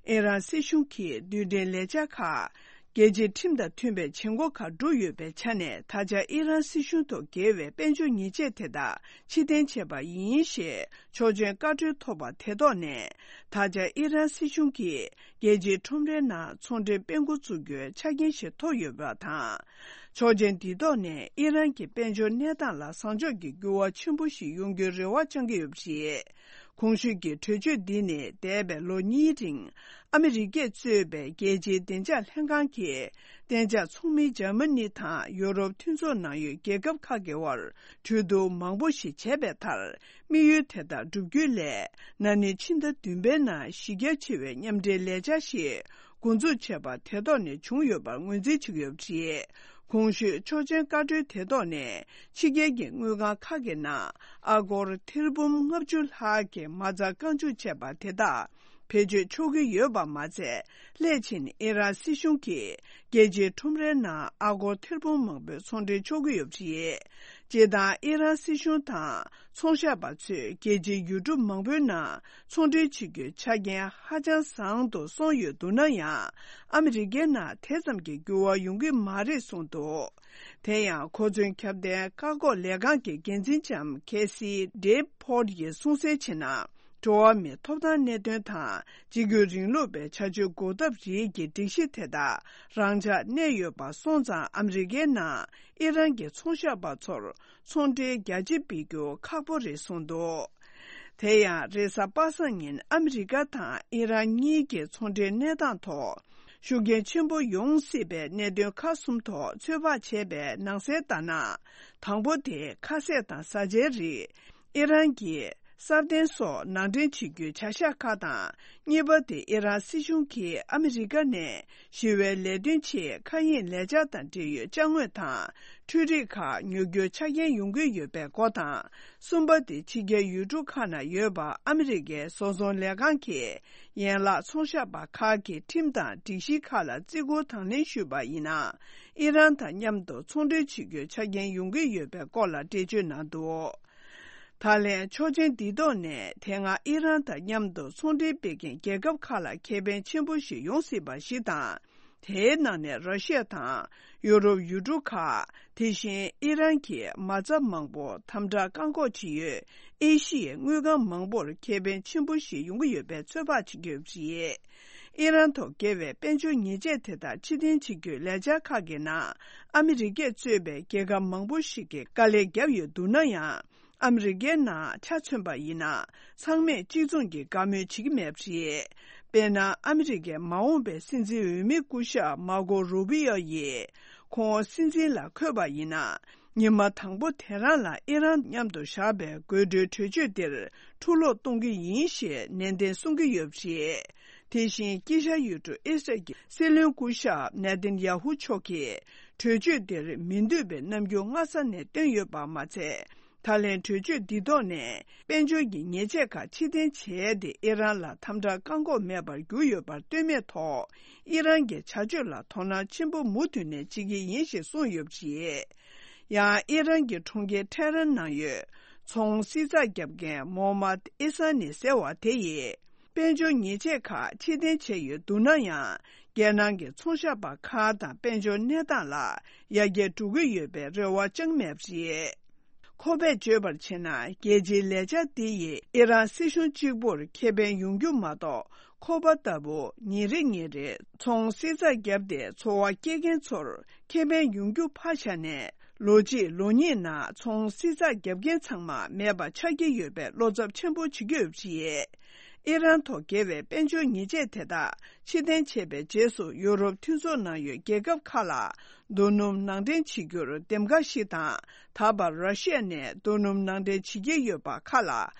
ཨི་རན་སྲིད་གཞུང་གིས་རྡུལ་ཕྲན་ལས་འཆར་ཁག་རྒྱལ་སྤྱིའི་ཁྲིམས་དང་མཐུན་པའི་བྱེད་སྒོ་ཁག་བསྒྲུབས་ཡོད་པའི་ཆ་ནས། ད་ཆ་ཨི་རན་སྲིད་གཞུང་ཐོག་འགེལ་བའི་དཔལ་འབྱོར་ཉེས་ཆད་དེ་དག་ཕྱིར་འཐེན་བྱས་པ་ཡིན་ཞེས། ཆོག་མཆན་བཀའ་འཁྲོལ་ཐོབ་པ་དེ་ཐོག་ནས། ད་ཆ་ཨི་རན་སྲིད་གཞུང་གིས་རྒྱལ་སྤྱིའི་ཁྲོམ་རའི་ནང་ཚོང་འབྲེལ་སྤེལ་འགོ་བཙུགས་རྒྱུའི་ཆ་རྐྱེན་ཞིག་ཐོབ་ཡོད་པ་དང་། ཆོག་མཆན་འདི་ཐོག་ནས་ཨི་རན་གྱི་དཔལ་འབྱོར་གནས་སྟངས་ལ་བཟང་ཕྱོགས་ཀྱི་འགྱུར་བ་ཆེན་པོ་ཞིག་ཡོང་རྒྱུའི་རེ་བ་བཅང་གི་ཡོད་པ་རེད། གོང་ཞུས་ཀྱི་གྲོས་ཆོད་འདི་ནི་འདས་པའི་ལོ་གཉིས་རིང་ཨ་མི་རི་ཀས་གཙོས་པའི་རྒྱལ་སྤྱིའི་བདེ་འཇགས་ལྷན་ཁང་གིས། གཏན་འཇགས་ཚོགས་མི་འཇར་མ་ནི་དང་ཡུ་རོབ་མཐུན་ཚོགས་ནང་ཡོད་རྒྱལ་ཁབ་ཁག་གི་དབར་གྲོས་བསྡུར་མང་པོ་ཞིག་བྱས་པའི་མཐར། དམིགས་ཡུལ་དེ་དག་བསྒྲུབ་རྒྱུའི་སླད། ན་ནིང་ཕྱི་ཟླ་བདུན་པའི་ནང་གཞི་རྒྱ་ཆེ་བའི་མཉམ་འབྲེལ་ལས་འཆར་ཞིག་འགོ་འཛུགས་བྱས་པ་དེ་ཐོག་ནས་བྱུང་ཡོད་པར་ངོས་འཛིན་བྱེད་ཀྱི་ཡོད་པ་རེད། གོང་ཞུས་ཆོག་མཆན་བཀའ་འཁྲོལ་དེ་ཐོག་ནས་ཕྱི་རྒྱལ་གྱི་དངུལ་ཁང་ཁག་གི་ནང་ཨ་སྒོར་ཐེར་འབུམ་ལྔ་བཅུ་ལྷག་གི་མ་རྩ་རྐང་བཅུག་བྱས་པ་དེ་དག་བེད་སྤྱོད་ཆོག་གི་ཡོད་པ་མ་ཚད། སླད་ཕྱིན་ཨི་རན་སྲིད་གཞུང་གིས་རྒྱལ་སྤྱིའི་ཁྲོམ་རའི་ནང་ཨ་སྒོར་ཐེར་འབུམ་མང་པོའི་ཚོང་འབྲེལ་ཆོག་གི་ཡོད་པ་རེད། སྤྱིར་བཏང་ཨི་རན་སྲིད་གཞུང་དང་ཚོང་ཤག་པ་ཚོས་རྒྱལ་སྤྱིའི་ཡུལ་གྲུ་མང་པོའི་ནང་ཚོང་འབྲེལ་བྱེད་རྒྱུའི་ཆ་རྐྱེན་ཧ་ཅང་བཟང་དུ་སོང་ཡོད་འདུག་ན་ཡང་། ཨ་མི་རི་ཀའི་ནང་དེ་ཙམ་གྱི་འགྱུར་བ་ཡོང་གི་མ་རེད་གསུངས་འདུག་དེ་ཡང་གོ་མཚོན་ཁྱབ་གདལ་བཀག་འགོག་ལས་ཁང་གི་འགན་འཛིན་ལྕམ་ཁེ་སི་ཌེབ་ཕོར་ཡིས་གསུངས་གསལ་བྱས་ན། འགྲོ་བ་མིའི་ཐོབ་ཐང་གནད་དོན་དང་། གཅིག་གྱུར་རིང་ལུགས་པའི་བྱ་སྤྱོད་འགོག་ཐབས་རིགས་ཀྱི་སྒྲིག་གཞི་དེ་དག་རང་འཇགས་གནས་ཡོད་པ་སོང་ཙང་། ཨ་མི་རི་ཀའི་ནང་ཨི་རན་གྱི་ཚོང་ཤག་པ་ཚོར་ཚོང་འབྲེལ་རྒྱ་ཆེ་སྤེལ་རྒྱུ་ཁག་པོ་རེད་གསུངས་འདུག་དེ་ཡང་རེས་གཟའ་པ་སངས་ཉིན་ཨ་མི་རི་ཀ་དང་ཨི་རན་གཉིས་ཀྱི་ཚོང་འབྲེལ་གནས་སྟངས་ཐོག་ཤུགས་རྐྱེན་ཆེན་པོ་ཡོང་སྲིད་པའི་གནད་དོན་ཁག་གསུམ་ཐོག་ཚོད་དཔག་བྱས་པའི་ནང་གསལ་ལྟར་ན། དང་པོ་དེ་ཁ་ཟས་དང་བཟའ་བཅའི་རིགས། ཨི་རན་གྱི་སྲ་བརྟན་སོགས་ནང་འདྲེན་བྱེད་རྒྱུའི་བྱ་གཞག་ཁག་དང་། གཉིས་པ་དེ་ཨི་རན་སྲིད་གཞུང་གིས་ཨ་མི་རི་ཀ་ནས་ཞི་བའི་ལས་དོན་ཆེད་མཁའ་དབྱིངས་ལས་འཆར་དང་འབྲེལ་ཡོད་ཅ་དངོས་དང་འཕྲུལ་རིག་ཁག་ཉོ་རྒྱུའི་ཆ་རྐྱེན་ཡོང་གི་ཡོད་པའི་སྐོར་དང་། གསུམ་པ་དེ་ཕྱི་རྒྱལ་ཡུལ་གྲུ་ཁག་ནང་ཡོད་པ་ཨ་མི་རི་ཀའི་བཟོ་ཚོང་ལས་ཁང་གིས་ཡན་ལག་ཚོང་ཤག་པ་ཁག་གི་ཁྲིམས་དང་སྒྲིག་གཞི་ཁག་ལ་བརྩི་བཀུར་དང་ལེན་ཞུས་པ་ཡིན་ན། ཨི་རན་དང་མཉམ་དུ་ཚོང་འབྲེལ་བྱེད་རྒྱུའི་ཆ་རྐྱེན་ཡོང་གི་ཡོད་པའི་སྐོར་ལ་འགྲེལ་བརྗོད་གནང་འདུག་ད་ལན་ཆོག་མཆན་འདི་ཐོག་ནས་དེ་སྔ་ཨི་རན་དང་མཉམ་དུ་ཚོང་འབྲེལ་སྤེལ་མཁན་རྒྱལ་ཁབ་ཁག་ལ་ཁེ་ཕན་ཆེན་པོ་ཞིག་ཡོང་སྲིད་པ་ཞིག་དང་། དེའི་ནང་ནས་ར་ཤི་ཡ་དང་ཡུ་རོབ་ཡུལ་གྲུ་ཁག་དེ་བཞིན་ཨི་རན་གྱི་མ་རྩ་མང་པོ་དམ་དྲག་བཀག་འགོག་བྱེད་ཡུལ་ཨེ་ཤི་ཡའི་དངུལ་ཁང་མང་པོར་ཁེ་ཕན་ཆེན་པོ་ཞིག་ཡོང་གི་ཡོད་པའི་ཚོད་དཔག་བྱེད་ཀྱི་ཡོད་པ་རེད། ཨི་རན་ཐོག་འགེལ་བའི་དཔལ་འབྱོར་ཉེས་ཆད་དེ་དག་ཕྱིར་འཐེན་བྱེད་རྒྱུའི་ལས་འཆར་ཁག་གི་ནང་ཨ་མི་རི་ཀས་གཙོས་པའི་རྒྱལ་ཁབ་མང་པོ་ཞིག་གིས་དཀའ་ལས་བརྒྱབ་ཡོད་འདུག་ན་ཡང་། ཨ་མི་རི་ཀའི་ནང་ཆ་མཚོན་པ་ཡིན་ན། ཚང་མས་གཅིག་མཚུངས་ཀྱི་བཀའ་མོལ་བྱེད་ཀྱི་མེད་པ་རེད། དཔེར་ན། ཨ་མི་རི་ཀའི་མ་འོངས་པའི་སྲིད་འཛིན་འོས་མི་སྐུ་ཞབས་མར་ཀོ་རུ་བི་ཡོ་ཡིས། ཁོང་སྲིད་འཛིན་ལ་འཁོད་པ་ཡིན་ན། ཉི་མ་དང་པོ་དེ་རང་ལ་ཨི་རན་མཉམ་དུ་བཞག་པའི་དགོད་བྲོའི་གྲོས་ཆོད་འདིར་འཁྲུག་སློང་གཏོང་གི་ཡིན་ཞེས་ནན་ཏན་གསུང་གི་ཡོད་པ་རེད། དེ་བཞིན་དཀྱིལ་ཤར་ཡུལ་གྲུ་ཨི་སི་རལ་གྱི་སྲིད་བློན་སྐུ་ཞབས་ནེ་ཐན་ཡ་ཧུ་མཆོག་གིས་གྲོས་ཆོད་འདིར་མི་འདོད་པའི་རྣམ་འགྱུར་སྔ་ས་ནས་བཏོན་ཡོད་པ་མ་ཚད། ད་ལན་གྲོས་ཆོད་འདི་ཐོག་ནས་དཔལ་འབྱོར་གྱི་ཉེས་ཆད་ཁག་ཕྱིར་འཐེན་བྱས་ཏེ། ཨི་རན་ལ་དམ་དྲག་བཀག་འགོག་མེད་པར་གྱུར་ཡོད་པར་ལྟོས་མེད་ཐོག་ཨི་རན་གྱི་བྱ་སྤྱོད་ལ་དོ་སྣང་ཆེན་པོ་མུ་མཐུད་ནས་བྱེད་ཀྱི་ཡིན་ཞེས་གསུངས་ཡོད་པ་རེད། ཡང་ཨི་རན་གྱི་གྲོང་ཁྱེར་ཐེ་རན་ནང་ཡོད་ཚོང་བསྲི་ཚགས་བརྒྱབ་མཁན་མོ་མད་ཨི་ས་ནི་ཟེར་བ་དེ་ཡིས། དཔལ་འབྱོར་ཉེས་ཆད་ཁག་ཕྱིར་འཐེན་བྱས་ཡོད་འདུག་ན་ཡང་། རྒྱལ་ནང་གི་ཚོང་ཤག་པ་ཁག་དང་དཔལ་འབྱོར་གནས་སྟངས་ལ་ཡར་རྒྱས་འགྲོ་གི་ཡོད་པའི་རེ་བ་བཅངས་མེད་པ་རེད། ཁོ་པས་བརྗོད་པར་བྱས་ན། རྒྱལ་སྤྱིའི་ལས་འཆར་འདི་ཡིས་ཨི་རན་སྲིད་གཞུང་གཅིག་པུར་ཁེ་ཕན་ཡོང་རྒྱུ་མ་གཏོགས། ཁོ་པ་ལྟ་བུ་ཉིན་རེ་ཉིན་རེ་ཚོང་བསྲི་ཚགས་བརྒྱབ་སྟེ་འཚོ་བ་སྐྱེལ་མཁན་ཚོར་ཁེ་ཕན་ཡོང་རྒྱུ་ཕར་བཞག་ནས། ལོ་གཅིག་ལོ་གཉིས་ནང་ཚོང་བསྲི་ཚགས་བརྒྱབ་མཁན་ཚང་མ་མེད་པ་ཆགས་ཀྱི་ཡོད་པའི་བློ་འཚབ་ཆེན་པོ་བྱེད་ཀྱི་ཡོད་པ་རེད། ཨི་རན་ཐོག་འགེལ་བའི་དཔལ་འབྱོར་ཉེས་ཆད་དེ་དག་ཕྱིར་འཐེན་བྱས་པའི་རྗེས་སུ། ཡུ་རོབ་མཐུན་ཚོགས་ནང་ཡོད་རྒྱལ་ཁབ་ཁག་ལ་རྡོ་སྣུམ་ནང་འདྲེན་བྱེད་རྒྱུར་འདེམས་ཀ་ཞིག་དང་། ད་བར་ར་ཤི་ཡ་ནས་རྡོ་སྣུམ་ནང་འདྲེན་བྱེད་ཀྱི་ཡོད་པ་ཁག་ལ་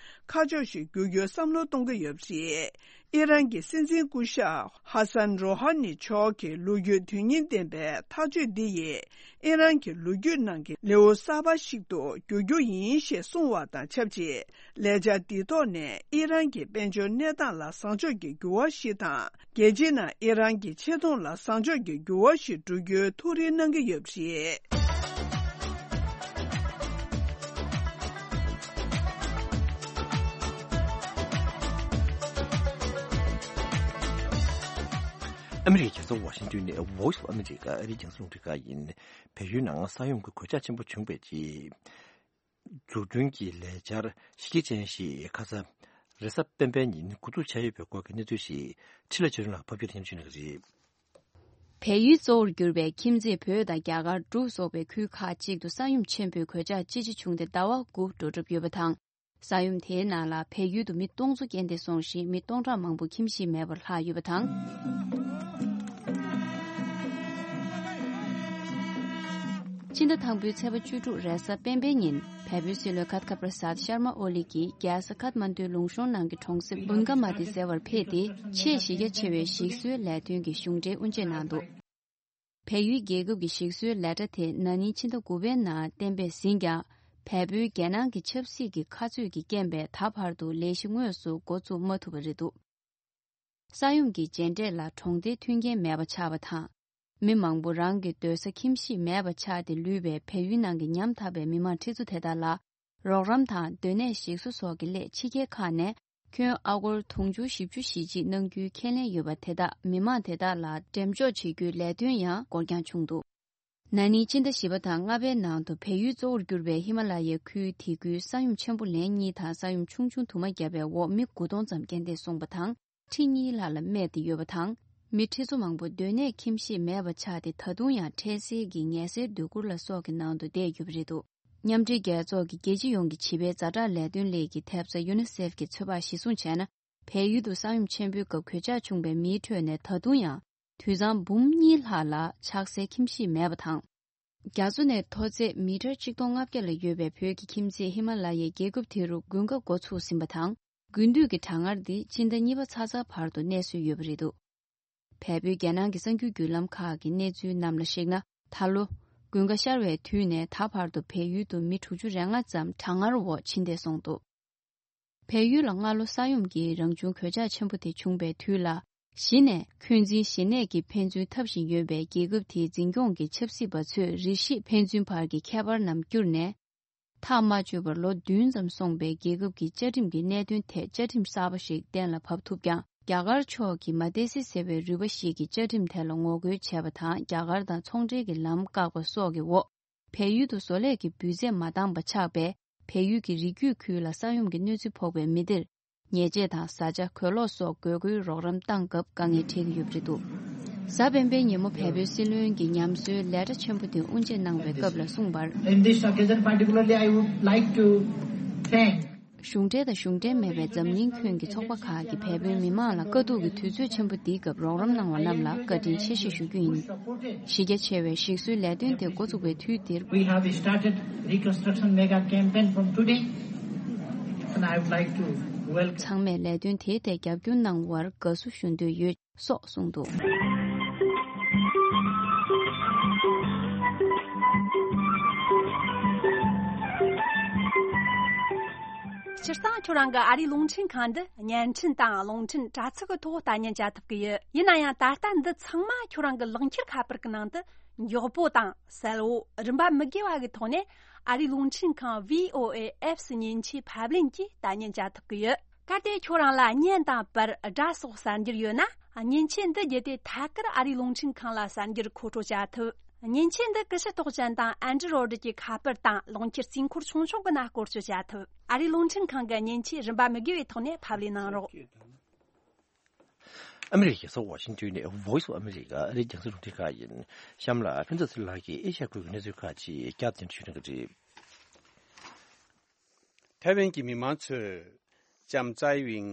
ཁ་ཕྱོགས་ཤིག་བསྒྱུར་རྒྱུའི་བསམ་བློ་གཏོང་གི་ཡོད་པ་རེད། ཨི་རན་གྱི་སྲིད་འཛིན་སྐུ་ཞབས་ཧ་སན་རོ་ཧ་ནི་མཆོག་གི་ལོ་རྒྱུས་དོན་སྙིང་ལྡན་པའི་ཐག་གཅོད་འདི་ཡིས། ཨི་རན་གྱི་ལོ་རྒྱུས་ནང་གི་ལེའུ་གསར་པ་ཞིག་ཏུ་འགྱུར་རྒྱུ་ཡིན་ཞེས་གསུངས་པ་དང་ཆབས་ཅིག་ལས་འཆར་འདིའི་ཐོག་ནས་ཨི་རན་གྱི་དཔལ་འབྱོར་གནས་སྟངས་ལ་བཟང་ཕྱོགས་ཀྱི་འགྱུར་བ་ཞིག་དང་། རྒྱལ་སྤྱིའི་ནང་ཨི་རན་གྱི་ཆེ་མཐོང་ལ་བཟང་ཕྱོགས་ཀྱི་འགྱུར་བ་ཞིག་འགྲོ་རྒྱུའི་ཐུགས་རེ་གནང་གི་ཡོད་པ་རེད། ཨ་མི་རི་ཀའི་རྒྱལ་ས་ཝ་ཤིང་ཏོན་ནས་Voice of America ཨ་རིའི་རྒྱང་སྲིང་རླུང་འཕྲིན་ཁང་ཡིན། བལ་ཡུལ་ནང་ས་ཡོམ་གྱི་གོད་ཆག་ཆེན་པོ་བྱུང་བའི་རྗེས། འཛུགས་སྐྲུན་གྱི་ལས་འཆར་གཞི་རྒྱ་ཅན་ཞིག་ཁ་ས་རེས་གཟའ་སྤེན་པའི་ཉིན་འགོ་འཛུགས་བྱས་ཡོད་པའི་སྐོར་གྱི་གནས་ཚུལ་ཞིག་འཕྲིན་ལས་ཆོས་སྒྲོན་ལགས་ཕབ་སྒྱུར་ཡང་ཞུ་གནང་གི་རེད། བལ་ཡུལ་གཙོ་བོར་གྱུར་པའི་ཁྱིམ་མཚེས་བོད་དང་རྒྱ་གར་འབྲུག་སོགས་པའི་ཁུལ་ཁག་ཅིག་ཏུ་ས་ཡོམ་ཆེན་པོའི་གོད་ཆག་ཅི་ཆེ་བྱུང་སྟེ་ཟླ་བ་དགུ་འགྲོ་གྲབས་ཡོད་པ་དང་། ས་ཡོམ་དེའི་ནང་ལ་བལ་ཡུལ་དུ་མི་སྟོང་ཚོ་རྐྱེན་འདས་སོང་ཞིང་། མི་སྟོང་ཕྲག་མང་པོ་ཁྱིམ་གཞིས་མེད་པར་ལྷག་ཡོད་པ་དང་། ཕྱི་ཟླ་དང་པོའི་ཚེས་པ་བཅུ་དྲུག་རེས་གཟའ་སྤེན་པའི་ཉིན། བལ་པོའི་སྲིད་བློན་ཁ་ཐ་ཁ་པྲ་སཱད་ཤར་མ་ཨོ་ལི་གིས་རྒྱལ་ས་ཁཐ་མན་ཌུའི་ལུང་གཤོང་ནང་གི་གྲོང་གསེབ་བུན་ག་མ་ཏི་ཟེར་བར་ཕེབས་ཏེ། ཆེས་གཞི་རྒྱ་ཆེ་བའི་ཞིག་གསོའི་ལས་དོན་གྱི་གཞུང་འབྲེལ་དབུ་འབྱེད་གནང་འདུག་བལ་ཡུལ་རྒྱལ་ཁབ་ཀྱི་ཞིག་གསོའི་ལས་གྲྭ་དེ་ན་ནིང་ཕྱི་ཟླ་དགུ་པའི་ནང་གཏན་འབེབས་ཟིན་ཀྱང་། བལ་པོའི་རྒྱལ་ནང་གི་ཆབ་སྲིད་ཀྱི་ཁ་རྩོད་ཀྱི་རྐྱེན་པས་ད་བར་དུ་ལས་གཞི་དངོས་སུ་འགོ་བཙུགས་མ་ཐུབ་པ་རེད་འདུག་ས་ཡོམ་གྱི་རྗེས་འབྲས་ལ་གྲོང་སྡེའི་མཐུན་རྐྱེན་མེད་པ་ཆགས་པ་དང་། མི་མང་པོ་རང་གི་སྡོད་ས་ཁྱིམ་གཞིས་མེད་པ་ཆགས་ཏེ་ལུས་པའི་བལ་ཡུལ་ནང་གི་ཉམ་ཐག་པའི་མི་མང་ཁྲི་ཚོ་དེ་དག་ལ། རོགས་རམ་དང་སྡོད་གནས་ཞིག་གསོ་སོགས་ཀྱི་སླད་ཕྱི་རྒྱལ་ཁག་ནས་ཁྱོན་ཨ་སྒོར་དུང་ཕྱུར་བཞི་བཅུ་ཞེ་གཅིག་གནང་རྒྱུའི་ཁས་ལེན་ཡོད་པ་དེ་དག་མི་མང་དེ་དག་ལ་འགྲེམས་འཇོག་བྱེད་རྒྱུའི་ལས་དོན་ཡང་འགོར་འགྱངས་བྱུང་འདུག་ན་ནིང་སྤྱི་ཟླ་བཞི་པ་དང་ལྔ་པའི་ནང་དུ་བལ་ཡུལ་གཙོ་བོར་གྱུར་པའི་ཧི་མ་ལ་ཡའི་ཁུལ་དེ་ཁུལ་ས་ཡོམ་ཆེན་པོ་ལན་གཉིས་དང་ས་ཡོམ་ཆུང་ཆུང་དུ་མ་བརྒྱབ་པའི་འོག་མི་དགུ་སྟོང་ཙམ་རྐྱེན་འདས་སོང་བ་དང་། ཁྲི་གཉིས་ལྷག་ལ་རྨས་ཏེ་ཡོད་པ་དང་། མི་ཁྲི་ཚོ་མང་པོ་སྡོད་གནས་ཁྱིམ་གཞིས་མེད་པ་ཆགས་ཏེ། ད་དུང་ཡང་འཕྲལ་སེལ་གྱི་ངལ་སེལ་སྡོད་གུར་ལ་སོགས་ཀྱི་ནང་དུ་བསྡད་ཡོད་པ་རེད་འདུག་མཉམ་འབྲེལ་རྒྱལ་ཚོགས་ཀྱི་རྒྱལ་སྤྱི་ཡོངས་ཀྱི་བྱིས་པའི་ཛ་དྲག་ལས་དོན་ལས་ཀྱི་ཐེབས་རྩ་ཡུ་ནི་སེབ་ཀྱི་ཚོད་དཔག་གཞིར་བཟུང་བྱས་ན། བལ་ཡུལ་དུ་ས་ཡོམ་ཆེན་པོའི་སྐབས་གོད་ཆག་བྱུང་བའི་མིའི་ཁྲོད་ནས་ད་དུང་ཡང་དུད་ཚང་འབུམ་གཉིས་ལྷག་ལ་ཆགས་སའི་ཁྱིམ་གཞིས་མེད་པ་དང་། རྒྱ་མཚོ་ནས་མཐོ་ཚད་མི་ཊར་ཆིག་སྟོང་ལྔ་བརྒྱ་ལ་ཡོད་པའི་བོད་ཀྱི་ཁྱིམ་མཚེས་ཧི་མ་ལ་ཡའི་རྒྱལ་ཁབ་དེ་རུ་དགུན་ཁ་འགོ་ཚུགས་ཟིན་པ་དང་། དགུན་དུས་ཀྱི་གྲང་ངར་འདི་སྤྱི་ཟླ་གཉིས་པ་ཚ་ཚ་བར་དུ་གནས་སྲོལ་ཡོད་པ་རེད་འདུག་བལ་པོའི་རྒྱལ་ནང་གི་གསར་འགྱུར་བརྒྱུད་ལམ་ཁག་གི་གནས་ཚུལ་རྣམས་ལ་གཞིགས་ན། ད་ལོ་དགུན་ཁ་ཤར་བའི་དུས་ནས་ད་བར་དུ་བལ་ཡུལ་དུ་མི་དྲུག་ཅུ་རེ་ལྔ་ཙམ་གྲང་ངར་འོག་ཕྱིན་བསྡད་སོང་འདུག་བལ་ཡུལ་ལ་སྔ་ལོ་ས་ཡོམ་གྱིས་རང་བྱུང་གོད་ཆག་ཆེན་པོ་དེ་བྱུང་བའི་དུས་ལ། གཞི་ནས་འཁོན་འཛིན་ཞི་གནས་ཀྱི་ཕན་ཚུན་འཐབ་བཞིན་ཡོད་པའི་རྒྱལ་ཁབ་དེའི་འཛིན་སྐྱོང་གི་ཆབ་སྲིད་པ་ཚོས་རིགས་ཤིག་ཕན་ཚུན་བར་གྱི་ཁྱད་པར་རྣམས་བསྐྱུར་ནས། ཐག་མ་ཆོད་པར་ལོ་བདུན་ཙམ་སོང་པའི་རྒྱལ་ཁབ་ཀྱི་བཅའ་ཁྲིམས་ཀྱི་གནད་དོན་ཐད་བཅའ་ཁྲིམས་གསར་པ་ཞིག་གཏན་ལ་ཕབ་ཐུབ་ཀྱང་། རྒྱ་གར་ཕྱོགས་ཀྱིས་མ་ཏེ་སི་ཟེར་བའི་རུས་པ་ཞིག་གི་བཅའ་ཁྲིམས་དེ་ལ་ངོ་རྒོལ་བྱས་པ་དང་། རྒྱ་གར་དང་ཚོང་འབྲེལ་གྱི་ལམ་བཀག་པ་སོགས་ཀྱི་འོག་བལ་ཡུལ་དུ་བཟོ་ལས་ཀྱི་འབུལ་ཚད་མ་འདང་བ་ཆགས་པས། བལ་ཡུལ་གྱི་རི་རྒྱུད་ཁུལ་ལ་ས་ཡོམ་གྱི་གནོད་འཚེ་ཕོག་པའི་མི་སྡེར། ཉལ་ཆས་དང་བཟའ་བཅའ། གོས་ལོག་སོགས་དགོས་མཁོའི་རོགས་རམ་བཏང་སྐབས་དཀའ་ངལ་འཕྲད་ཀྱི་ཡོད་པ་རེད་འདུག་གཟའ་སྤེན་པའི་ཉིན་མོ་བལ་པོའི་སྲིད་བློན་གྱི་ཉམས་གསོའི་ལས་གྲྭ་ཆེན་པོ་དེ་དབུ་འབྱེད་གནང་བའི་སྐབས་ལ་གསུངས་པར། In this occasion particularly, I would like to thank གཞུང་འབྲེལ་དང་གཞུང་འབྲེལ་མེད་པའི་འཛམ་གླིང་ཁྱོན་གྱི་ཚོགས་པ་ཁག་གིས་བལ་པོའི་མི་མང་ལ་དཀའ་སྡུག་གི་དུས་ཚོད་ཆེན་པོ་འདིའི་སྐབས་རོགས་རམ་གནང་བ་རྣམས་ལ་བཀའ་དྲིན་ཆེ་ཞེས་ཞུ་རྒྱུ་ཡིན། གཞི་རྒྱ་ཆེ་བའི་ཞིག་གསོའི་ལས་དོན་དེ་འགོ་བཙུགས་པའི་དུས་འདིར། We have started reconstruction mega campaign from today, and I would like to welcome ཚང་མས་ལས་དོན་དེའི་ཐད་རྒྱབ་སྐྱོར་གནང་བར་དགའ་བསུ་ཞུ་འདོད་ཡོད། སོགས་གསུངས་འདུག་སྤྱིར་བཏང་ཁྱོད་རང་གི་ཨ་རིའི་རླུང་འཕྲིན་ཁང་འདི་བརྙན་འཕྲིན་དང་རླུང་འཕྲིན་དྲ་ཚིགས་ཀྱི་ཐོག་ལྟ་ཉན་བྱ་ཐུབ་ཀྱི་ཡོད། ཡིན་ན་ཡང་ད་ལྟ་འདི་ཚང་མ་ཁྱོད་རང་གི་ལག་འཁྱེར་ཁ་པར་གྱི་ནང་དུ་མགྱོགས་པོ་དང་གསལ་བོ་རིན་པ་མི་དགོས་པ་གི་ཐོག་ནས་ཨ་རིའི་རླུང་འཕྲིན་ཁང་V O A Apps མཉེན་ཆས་ཕབ་ལེན་གྱིས་ལྟ་ཉན་བྱ་ཐུབ་ཀྱི་ཡོད། གལ་ཏེ་ཁྱོད་རང་ལ་བརྙན་དང་པར་སྒྲ་སོགས་གསར་འགྱུར་ཡོད་ན། མཉེན་ཆས་འདི་བརྒྱུད་དེ་ཐད་ཀར་ཨ་རིའི་རླུང་འཕྲིན་ཁང་ལ་གསར་འགྱུར་མཁོ་སྤྲོད་བྱ་ཐུབ། མཉེན་ཆས་འདི་ཀུ་ཤུ་རྟགས་ཅན་དང་ཨན་ཌི་རོ་ཡིཌ་ཀྱི་ཁ་པར་དང་རླུང་འཁྱེར་རྩིས་འཁོར་ཆུང་ཆུང་གི་ནང་བཀོལ་སྤྱོད་བྱ་ཐུབ། ཨ་རིའི་རླུང་འཕྲིན་ཁང་གི་མཉེན་ཆས་རིན་པ་མི་དགོས་པའི་ཐོག་ནས་ཕབ་ལེན་གནང་རོགས། ཨ་མི་རི་ཀའི་རྒྱལ་ས་ཝ་ཤིང་ཏོན་ནས་Voice of America ཨ་རིའི་རྒྱང་སྲིང་རླུང་འཕྲིན་ཁང་ཡིན། གཤམ་ལ་ཕན་ཚུན་ཚོད་ལགས་ཀྱིས་ཨེ་ཤ་ཡ་ཁུལ་གྱི་གནས་ཚུལ་ཁག་ཅིག་བསྐྱར་ཟློས་ཞུ་གནང་གི་རེད། ཐའེ་ཝན་གྱི་མི་མང་ཚོས་ལྕམ་ཙའེ་ཝིང་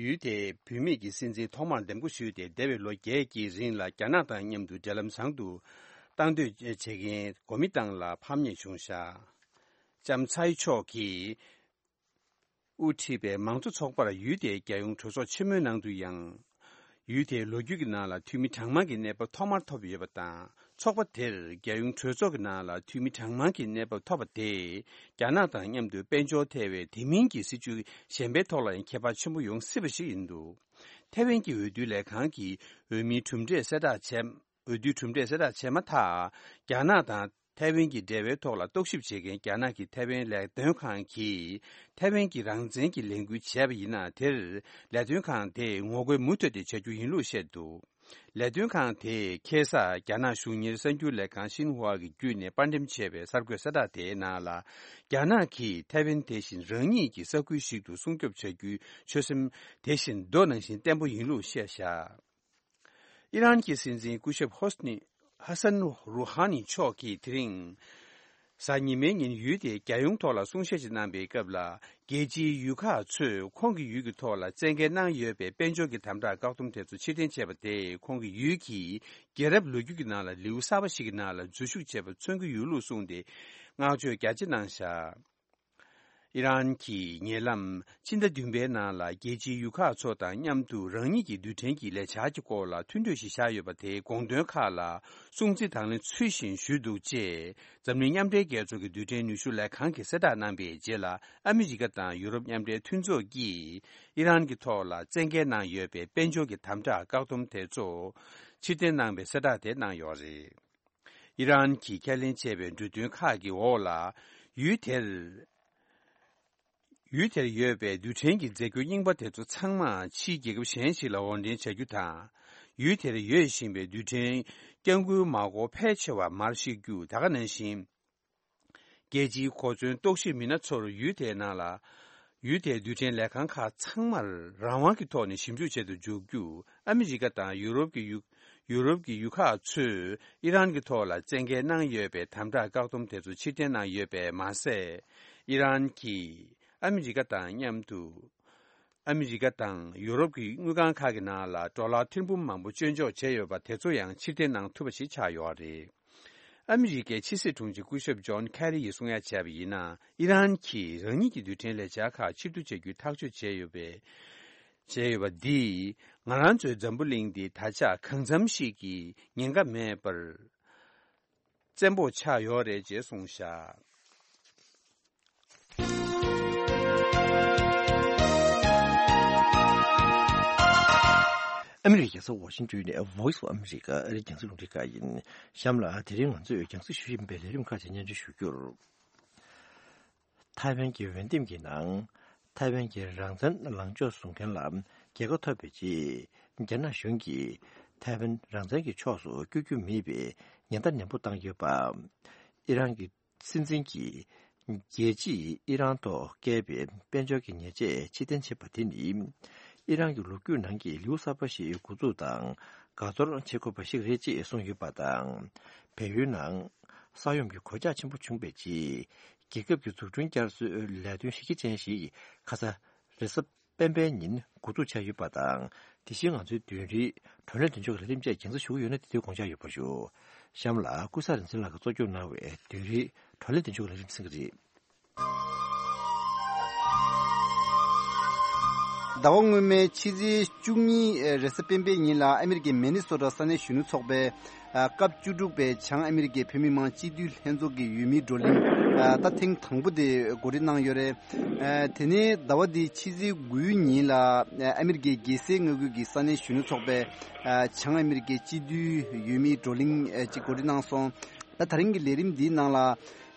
ཡུལ་དེའི་བུད་མེད་ཀྱི་སྲིད་འཛིན་ཐོག་མར་འདེམས་བསྐོ་ཞུས་ཏེ་འདས་པའི་ལོ་བརྒྱད་ཀྱི་རིང་ལ་རྒྱ་ནག་དང་མཉམ་དུ་འབྲེལ་ལམ་བཟང་དུ་གཏང་འདོད་བྱེད་མཁན་གོ་མིན་ཏང་ལ་ཕམ་ཉེས་བྱུང་བཞག་ལྕམ་ཚའེ་མཆོག་གིས་དབུ་ཁྲིད་པའི་མང་གཙོ་ཚོགས་པར་ཡུལ་དེའི་རྒྱལ་ཡོངས་གྲོས་ཚོགས་ཆེན་མོའི་ནང་དུ་ཡང་། ཡུལ་དེའི་ལོ་རྒྱུས་ཀྱི་ནང་ལ་འཐུས་མི་གྲངས་མང་གི་གནས་བབ་ཐོག་མར་ཐོབ་ཡོད་པ་དང་། ཚོགས་པ་དེར་རྒྱལ་ཡོངས་གྲོས་ཚོགས་ཀྱི་ནང་ལ་འཐུས་མི་གྲངས་མང་གི་གནས་བབ་ཐོབ་པ་དེས་རྒྱ་ནག་དང་མཉམ་དུ་དཔལ་འབྱོར་ཐེ་བའི་དེ་མིན་གྱི་སྲིད་ཇུས་གཞན་པའི་ཐོག་ལ་ཡང་ཁྱད་པར་ཆེན་པོ་ཡོང་སྲིད་པ་ཞིག་ཡིན་འདུག་ཐའེ་ཝན་གྱི་འོས་བསྡུའི་ལས་ཁང་གིས་འོས་མིའི་གྲུབ་འབྲས་གསལ་བསྒྲགས་བྱས། འོས་བསྡུའི་གྲུབ་འབྲས་གསལ་བསྒྲགས་བྱས་མ་ཐག་རྒྱ་ནག་དང་ཐའེ་ཝན་གྱི་འབྲེལ་བའི་ཐོག་ལ་རྟོག་ཞིབ་བྱེད་མཁན་རྒྱ་ནག་གི་ཐའེ་ཝན་ལས་དོན་ཁང་གིས་ཐའེ་ཝན་གྱི་རང་བཙན་གྱི་ལས་འགུལ་བྱས་པ་ཡིན་ན། དེར་ལས་དོན་ཁང་དེས་ངོ་རྒོལ་མུ་མཐུད་དེ་བྱ་རྒྱུ་ཡིན་ལུགས་བཤད་འདུག་ལས་དོན་ཁང་དེས་ཁ་སང་རྒྱ་ནག་གཞུང་གཉེར་གསར་འགྱུར་ལས་ཁང་ཤིན་ཧྭ་གི་བརྒྱུད་ནས་པར་འགྲེམས་བྱས་པའི་གསར་འགོད་གསལ་བསྒྲགས་དེའི་ནང་ལ། རྒྱ་ནག་གིས་ཐའེ་ཝན་དེ་བཞིན་རང་ཉིད་ཀྱི་ས་ཁུལ་ཞིག་ཏུ་སྲུང་སྐྱོབ་བྱ་རྒྱུའི་ཆོད་སེམས་དེ་བཞིན་མདོ་ནང་བཞིན་བརྟན་པོ་ཡིན་ལུགས་བཤད་བཞག་ཨི་རན་གྱི་སྲིད་འཛིན་སྐུ་ཞབས་ཧོ་སི་ནི། ཧ་སན་རུ་ཧ་ནི་མཆོག་གིས་དེ་རིང་། གཟའ་ཉི་མའི་ཉིན་ཡུལ་དེའི་རྒྱལ་ཡོངས་ཐོག་ལ་གསུང་བཤད་ཅིག་གནང་པའི་སྐབས་ལ། རྒྱལ་སྤྱིའི་ཡུལ་ཁག་ཚོས་ཁོང་གི་ཡུལ་གྱི་ཐོག་ལ་བཙན་འགེལ་གནང་ཡོད་པའི་དཔལ་འབྱོར་གྱི་དམ་དྲག་བཀག་སྡོམ་དེ་ཚོ་ཕྱིར་འཐེན་བྱས་པ་དེས་ཁོང་གི་ཡུལ་གྱིས་རྒྱལ་རབས་ལོ་རྒྱུས་ཀྱི་ནང་ལ་ལེའུ་གསར་པ་ཞིག་གི་ནང་ལ་འཛུལ་ཞུགས་བྱས་པ་མཚོན་གྱི་ཡོད་ལུགས་གསུངས་ཏེ། བསྔགས་བརྗོད་རྒྱ་ཆེ་གནང་བཞག་ཨི་རན་གྱི་ཉེ་ལམ་ཕྱི་ཟླ་བདུན་པའི་ནང་ལ་རྒྱལ་སྤྱིའི་ཡུལ་ཁག་ཚོ་དང་མཉམ་དུ་རང་ཉིད་ཀྱི་རྡུལ་ཕྲན་གྱི་ལས་འཆར་གྱི་སྐོར་ལ་མཐུན་གྲོས་ཤིག་བཞག་ཡོད་པ་དེའི་དགོངས་དོན་ཁག་ལ་སྲུང་བརྩི་དང་ལེན་ཚུལ་བཞིན་ཞུས་འདུག་ཅེས་འཛམ་གླིང་མཉམ་འབྲེལ་རྒྱལ་ཚོགས་ཀྱི་རྡུལ་ཕྲན་ནུས་ཤུགས་ལས་ཁང་གིས་གསལ་བསྒྲགས་གནང་པའི་རྗེས་ལ། ཨ་མི་རི་ཀ་དང་ཡུ་རོབ་མཉམ་འབྲེལ་མཐུན་ཚོགས་ཀྱིས་ཨི་རན་གྱི་ཐོག་ལ་བཙན་འགེལ་གནང་ཡོད་པའི་དཔལ་འབྱོར་གྱི་དམ་དྲག་བཀག་སྡོམ་དེ་ཚོ་ཕྱིར་འཐེན་གནང་པའི་གསལ་བསྒྲགས་དེ་གནང་ཡོད་རེད། ཨི་རན་གྱིས་ཁས་ལེན་བྱས་པའི་འབྲུ་དོན་ཁག་གི་འོག་ལ། ཡུལ་དེར། ཡུལ་དེར་ཡོད་པའི་རྡུལ་ཕྲན་གྱི་རྫས་འགྱུར་རྙིང་པ་དེ་ཚོ་ཚང་མ་ཕྱིའི་རྒྱལ་ཁབ་གཞན་ཞིག་ལ་དབོར་འདྲེན་བྱ་རྒྱུ་དང་། ཡུལ་དེར་ཡོད་བཞིན་པའི་རྡུལ་ཕྲན་སྐྱབས་མགོན་མ་འགོར་ཕལ་ཆེ་བ་མར་བཤིག་རྒྱུ། ད་ག་ནང་བཞིན། རྒྱལ་སྤྱིའི་གོ་མཚོན་རྟོག་ཞིབ་མི་སྣ་ཚོར་ཡུལ་དེའི་ནང་ལ། ཡུལ་དེའི་རྡུལ་ཕྲན་ལས་ཁང་ཁག་ཚང་མར་རང་དབང་གི་ཐོག་ནས་ཞིབ་འཇུག་བྱེད་དུ་འཇུག་རྒྱུ། ཨ་མི་རི་ཀ་དང་ཡུ་རོབ་ཀྱི་ཡུ། ཡུ་རོབ་ཀྱི་ཡུལ་ཁག་ཚོས་ཨི་རན་གྱི་ཐོག་ལ་བཙན་འགེལ་གནང་ཡོད་པའི་དམ་དྲག་བཀག་སྡོམ་དེ་ཚོ་ཕྱིར་འཐེན་གནང་ཡོད་པས་མ་ཟད། ཨི་རན་གྱིས་ཨ་མི་རི་ཀ་དང་མཉམ་དུ། ཨ་མི་རི་ཀ་དང་ཡུ་རོབ་ཀྱི་དངུལ་ཁང་ཁག་གི་ནང་ལ་ཌོ་ལར་ཐེར་འབུམ་མང་པོ་བཅོལ་འཇོག་བྱས་ཡོད་པ་དེ་ཚོ་ཡང་ཕྱིར་འཐེན་གནང་ཐུབ་པ་ཞིག་ཆགས་ཡོད་རེད། ཨ་མི་རི་ཀའི་ཕྱི་སྲིད་དྲུང་ཆེ་སྐུ་ཞབས་ཇོན་ཁེ་རི་ཡིས་གསུང་ཡ་བྱས་པ་ཡིན་ན། ཨི་རན་གྱིས་རང་ཉིད་ཀྱི་རྡུལ་ཕྲན་ལས་འཆར་ཁག་ཕྱིར་བསྡུ་བྱ་རྒྱུའི་ཐག་གཅོད་བྱས་ཡོད་པས། བྱས་ཡོད་པ་འདིས་ང་རང་ཚོའི་འཛམ་བུ་གླིང་འདི་ད་ཆ་གང་འཚམ་ཞིག་གི་ཉེན་ཁ་མེད་པར་བཙན་པོ་ཆགས་ཡོད་རེད་ཅེས་གསུངས་བཞག་ཨ་མི་རི་ཀའི་རྒྱལ་ས་ཝ་ཤིང་ཏོན་ནས་Voice of America ཨ་རིའི་རྒྱང་སྲིང་རླུང་འཕྲིན་ཁང་ཡིན། གཤམ་ལ་དེ་རིང་ང་ཚོས་རྒྱང་སྲིང་ཞུ་བཞིན་པའི་ལས་རིམ་ཁག་ཅིག་སྙན་སྒྲོན་ཞུ་རྒྱུར། ཐའེ་ཝན་གྱི་འོས་འདེམས་ཀྱི་ནང་། ཐའེ་ཝན་གྱི་རང་བཙན་ལངས་ཕྱོགས་བཟུང་མཁན་ལ་རྒྱལ་ཁ་ཐོབ་པའི་རྗེས། རྒྱ་ནག་གཞུང་གིས་ཐའེ་ཝན་རང་བཙན་གྱི་ཕྱོགས་སུ་བསྐྱོད་རྒྱུ་མེད་པའི་ཉེན་བརྡ་ནན་པོ་བཏང་ཡོད་པ། ཨི་རན་གྱི་སྲིད་འཛིན་གྱིས་རྒྱལ་སྤྱིས་ཨི་རན་ཐོག་བཀལ་བའི་དཔལ་འབྱོར་གྱི་ཉེས་ཆད་ཕྱིར་འཐེན་བྱས་པ་དེ་ནི། ཨི་རན་གྱི་ལོ་རྒྱུས་ནང་གི་ལེའུ་གསར་པ་ཞིག་འགོ་འཛུགས་དང་དགའ་ཚོར་བྱེད་དགོས་པ་ཞིག་རེད་ཅེས་གསུངས་ཡོད་པ་དང་། བལ་ཡུལ་ནང་ས་ཡོམ་གྱི་གོད་ཆག་ཆེན་པོ་བྱུང་བའི་རྗེས། རྒྱལ་ཁབ་ཀྱི་འཛུགས་སྐྲུན་བསྐྱར་གསོའི་ལས་དོན་གཞི་རྒྱ་ཅན་ཞིག་ཁ་ས་རེས་གཟའ་སྤེན་པའི་ཉིན་འགོ་འཛུགས་བྱས་ཡོད་པ་དང་། དེ་བཞིན་ང་ཚོའི་བདུན་རེའི་བགྲོ་གླེང་མདུན་ལྕོག་གི་ལས་རིམ་བཅས་རྒྱང་སྲིང་ཞུ་གི་ཡོད་ན། དེ་དུས་དགོངས་འཇགས་ཡོད་པ་ཞུ། གཤམ་ལ་ཀུན་བཟང་རིག་འཛིན་ལགས་ཀྱིས་གཙོ་སྐྱོང་གནང་བའི་བདུན་རེའི་བགྲོ་གླེང་མདུན་ལྕོག་གི་ལས་རིམ་གསན་གྱི་རེད། ཟླ་བ་སྔོན་མའི་ཕྱི་ཚེས་བཅུ་གཉིས་རེས་གཟའ་སྤེན་པའི་ཉིན་ལ་ཨ་མི་རི་ཀའི་མི་ནི་སོ་ཊ་ས་གནས་གཞོན་ནུ་ཚོགས་པས། ཨ། སྐབས་བཅུ་དྲུག་པའི་བྱང་ཨ་མི་རི་ཀའི་བོད་མི་མང་སྤྱི་འཐུས་ལྷན་ཚོགས་ཀྱི་འོས་མིའི་བགྲོ་གླེང་། ཨ། ད་ཐེངས་དང་པོ་དེ་གོ་སྒྲིག་གནང་ཡོད་རེད། ཨ། དེ་ནས་ཟླ་བ་འདིའི་ཕྱི་ཚེས་དགུའི་ཉིན་ལ་ཨ་མི་རི་ཀའི་རྒྱལ་སའི་མངའ་ཁུལ་གྱི་ས་གནས་གཞོན་ནུ་ཚོགས་པས། ཨ། བྱང་ཨ་མི་རི་ཀའི་སྤྱི་འཐུས་འོས་མིའི་བགྲོ་གླེང་ཨ་ཅིག་གོ་སྒྲིག་གནང་སོང་། ད་ད་རིང་གི་ལས་རིམ་འདིའི་ནང་ལ།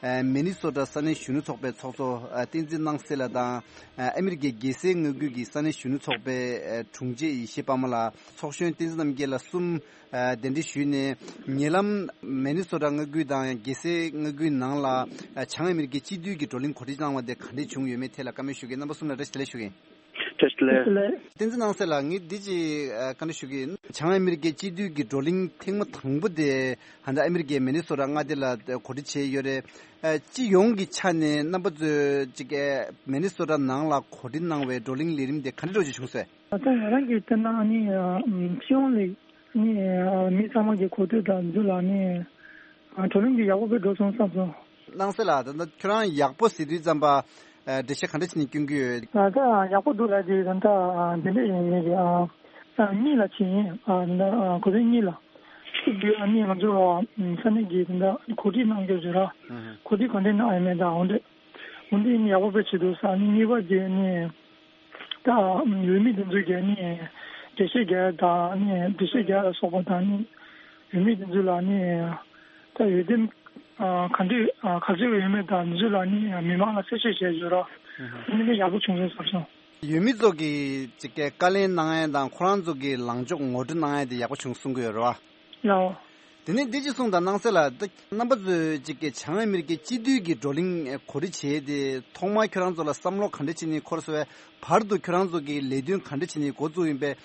ཨ། མི་ནི་སོ་ཊ་ས་གནས་གཞོན་ནུ་ཚོགས་པའི་ཚོགས་གཙོ་ཨ་བསྟན་འཛིན་སྣང་གསལ་ལགས་དང་། ཨ། ཨ་མི་རི་ཀའི་རྒྱལ་སའི་མངའ་ཁུལ་གྱི་ས་གནས་གཞོན་ནུ་ཚོགས་པའི་ཨ་དྲུང་ཆེ་ཡེ་ཤེས་དཔའ་མོ་ལགས། ཚོགས་གཞོན་བསྟན་འཛིན་རྣམ་རྒྱལ་ལགས་གསུམ། ཨ། གདན་འདྲེན་ཞུས་ནས། ཉེ་ལམ་མི་ནི་སོ་ཊ་མངའ་ཁུལ་དང་རྒྱལ་སའི་མངའ་ཁུལ་ནང་ལ་ཨ་བྱང་ཨ་མི་རི་ཀའི་སྤྱི་འཐུས་ཀྱི་བགྲོ་གླེང་གོ་སྒྲིག་གནང་བ་དེ་ག་འདྲས་བྱུང་ཡོད་མེད་ཐད་ལ་བཀའ་མོལ་ཞུ་གི་ཡིན། རྣམ་པ་གསུམ་ལ་བཀྲ་ཤིས་བདེ་ལེགས་ཞུ་གི་ཡིན། བཀྲ་ཤིས་བདེ་ལེགས། བསྟན་འཛིན་སྣང་གསལ་ལགས། ངས་འདི་ཅིག་ཨ་བཀའ་འདྲི་ཞུ་གི་ཡིན། བྱང་ཨ་མི་རི་ཀའི་སྤྱི་འཐུས་ཀྱི་བགྲོ་གླེང་ཐེངས་མ་དང་པོ་དེ་ཧ་ད་ཨ་མི་རི་ཀའི་མི་ནི་སོ་ཊ་མངའ་སྡེ་ལ་གོ་སྒྲིག་བྱས་ཡོད་རེད། ཨ་སྤྱི་ཡོངས་ཀྱི་ཆ་ནས་རྣམ་པ་ཚོས་ཅིག་ཨ་མི་ནི་སོ་ཊ་ནང་ལ་གོ་སྒྲིག་གནང་བའི་བགྲོ་གླེང་ལས་རིམ་དེ་ག་འདྲ་འདྲ་ཅིག་བྱུང་སོང་། ད་ལྟ་ང་རང་གིས་བལྟས་ན་ཨ་ནི་ཨ་སྤྱི་ཡོངས་ལ་ཨ་ནི་ཨ་མི་ཚང་མ་གི་གོ་ཐོས་དང་འདི་ལ་ཨ་ནི་ཨ་བགྲོ་གླེང་འདི་ཡག་པོ་དཔེ་འགྲོ་སོང་བསམ་སོང་། སྣང་གསལ་ལགས། ད་ལྟ་ཁྱོད་རང་ཡག་པོ་ཟེར་དུས་ཙམ་པ་ཨ་འགྲེལ་བཤད་ག་འདྲ་བྱས་ནས་སྐྱོན་གྱི་ཡོད། ད་ལྟ་ཡག་པོ་འདུག་ལབ་དུས་ད་ལྟ་ཨ་འདི་འདྲ་ཡིན་ངེས་ཀྱི་ཨ་ཨ་གཉིས་ལ་ཕྱིན་ཡིན། ཨ་ད་ཨ་གོ་ཐོས་གཉིས་ལ་ཕྱིན་དུས་ཨ་ནི་ང་ཚོ་ཨ་ས་གནས་ཀྱི་ད་ལྟ་གོ་སྒྲིག་གནང་རྒྱུ་ཟེར་ར། ཨུ་ཧུ། གོ་སྒྲིག་ག་འདྲ་གནང་ཡོད་མེད་དང་འོ་འདྲ་འོ་འདྲ་ཡིན་ཡག་པོ་དཔེ་བྱེད་འདུག་ས། ཨ་ནི་གཉིས་པ་དེ་ཨ་ནི་ད་འོས་མི་དེ་ཚོ་གི་ཨ་ནི་འགྲེལ་བཤད་རྒྱག་ཡ་དང་ཨ་ནི་འགྲེལ་བཤད་རྒྱག་ཡ་ལ་སོགས་པ་དང་ཨ་ནི་འོས་མི་དེ་ཚོ་ལ་ཨ་ནི་ད་འོས་འདེམས་ཨ་ག་འདྲ་ཨ་ག་ཚོད་ཡོད་མེད་དང་དེ་ཚོ་ལ་ཨ་ནི་མི་མང་ལ་གསལ་བཤད་བྱས་ཡོད་ར། ཨ་ནི་དཔེ་ཡག་པོ་བྱུང་སོང་བསམ་སོང་། འོས་མི་ཚོ་གིས་ཅིག་གི་བཀའ་ལན་གནང་ཡ་དང་ཁོ་རང་ཚོ་གི་ལངས་ཕྱོགས་ངོ་སྤྲོད་གནང་ཡ་དེ་ཡག་པོ་བྱུང་གསུང་གི་ཡོད་རེད་བ། ལའོ། དེ་ནས་འདི་ཅིག་གསུངས་དང་། སྣང་གསལ་ལགས། ད་རྣམ་པ་ཚོས་ཅིག་གི་བྱང་ཨ་མི་རི་ཀའི་སྤྱི་འཐུས་ཀྱི་བགྲོ་གླེང་གོ་སྒྲིག་བྱས་ཏེ་ཐོག་མར་ཁྱོད་རང་ཚོ་ལ་བསམ་བློ་ག་འདྲ་བྱས་ནས་འཁོར་སོང་བས། བར་དུ་ཁྱོད་རང་ཚོ་གི་ལས་དོན་ག་འདྲ་བྱས་ནས་འགོ་བཙུགས་ཡིན་པས།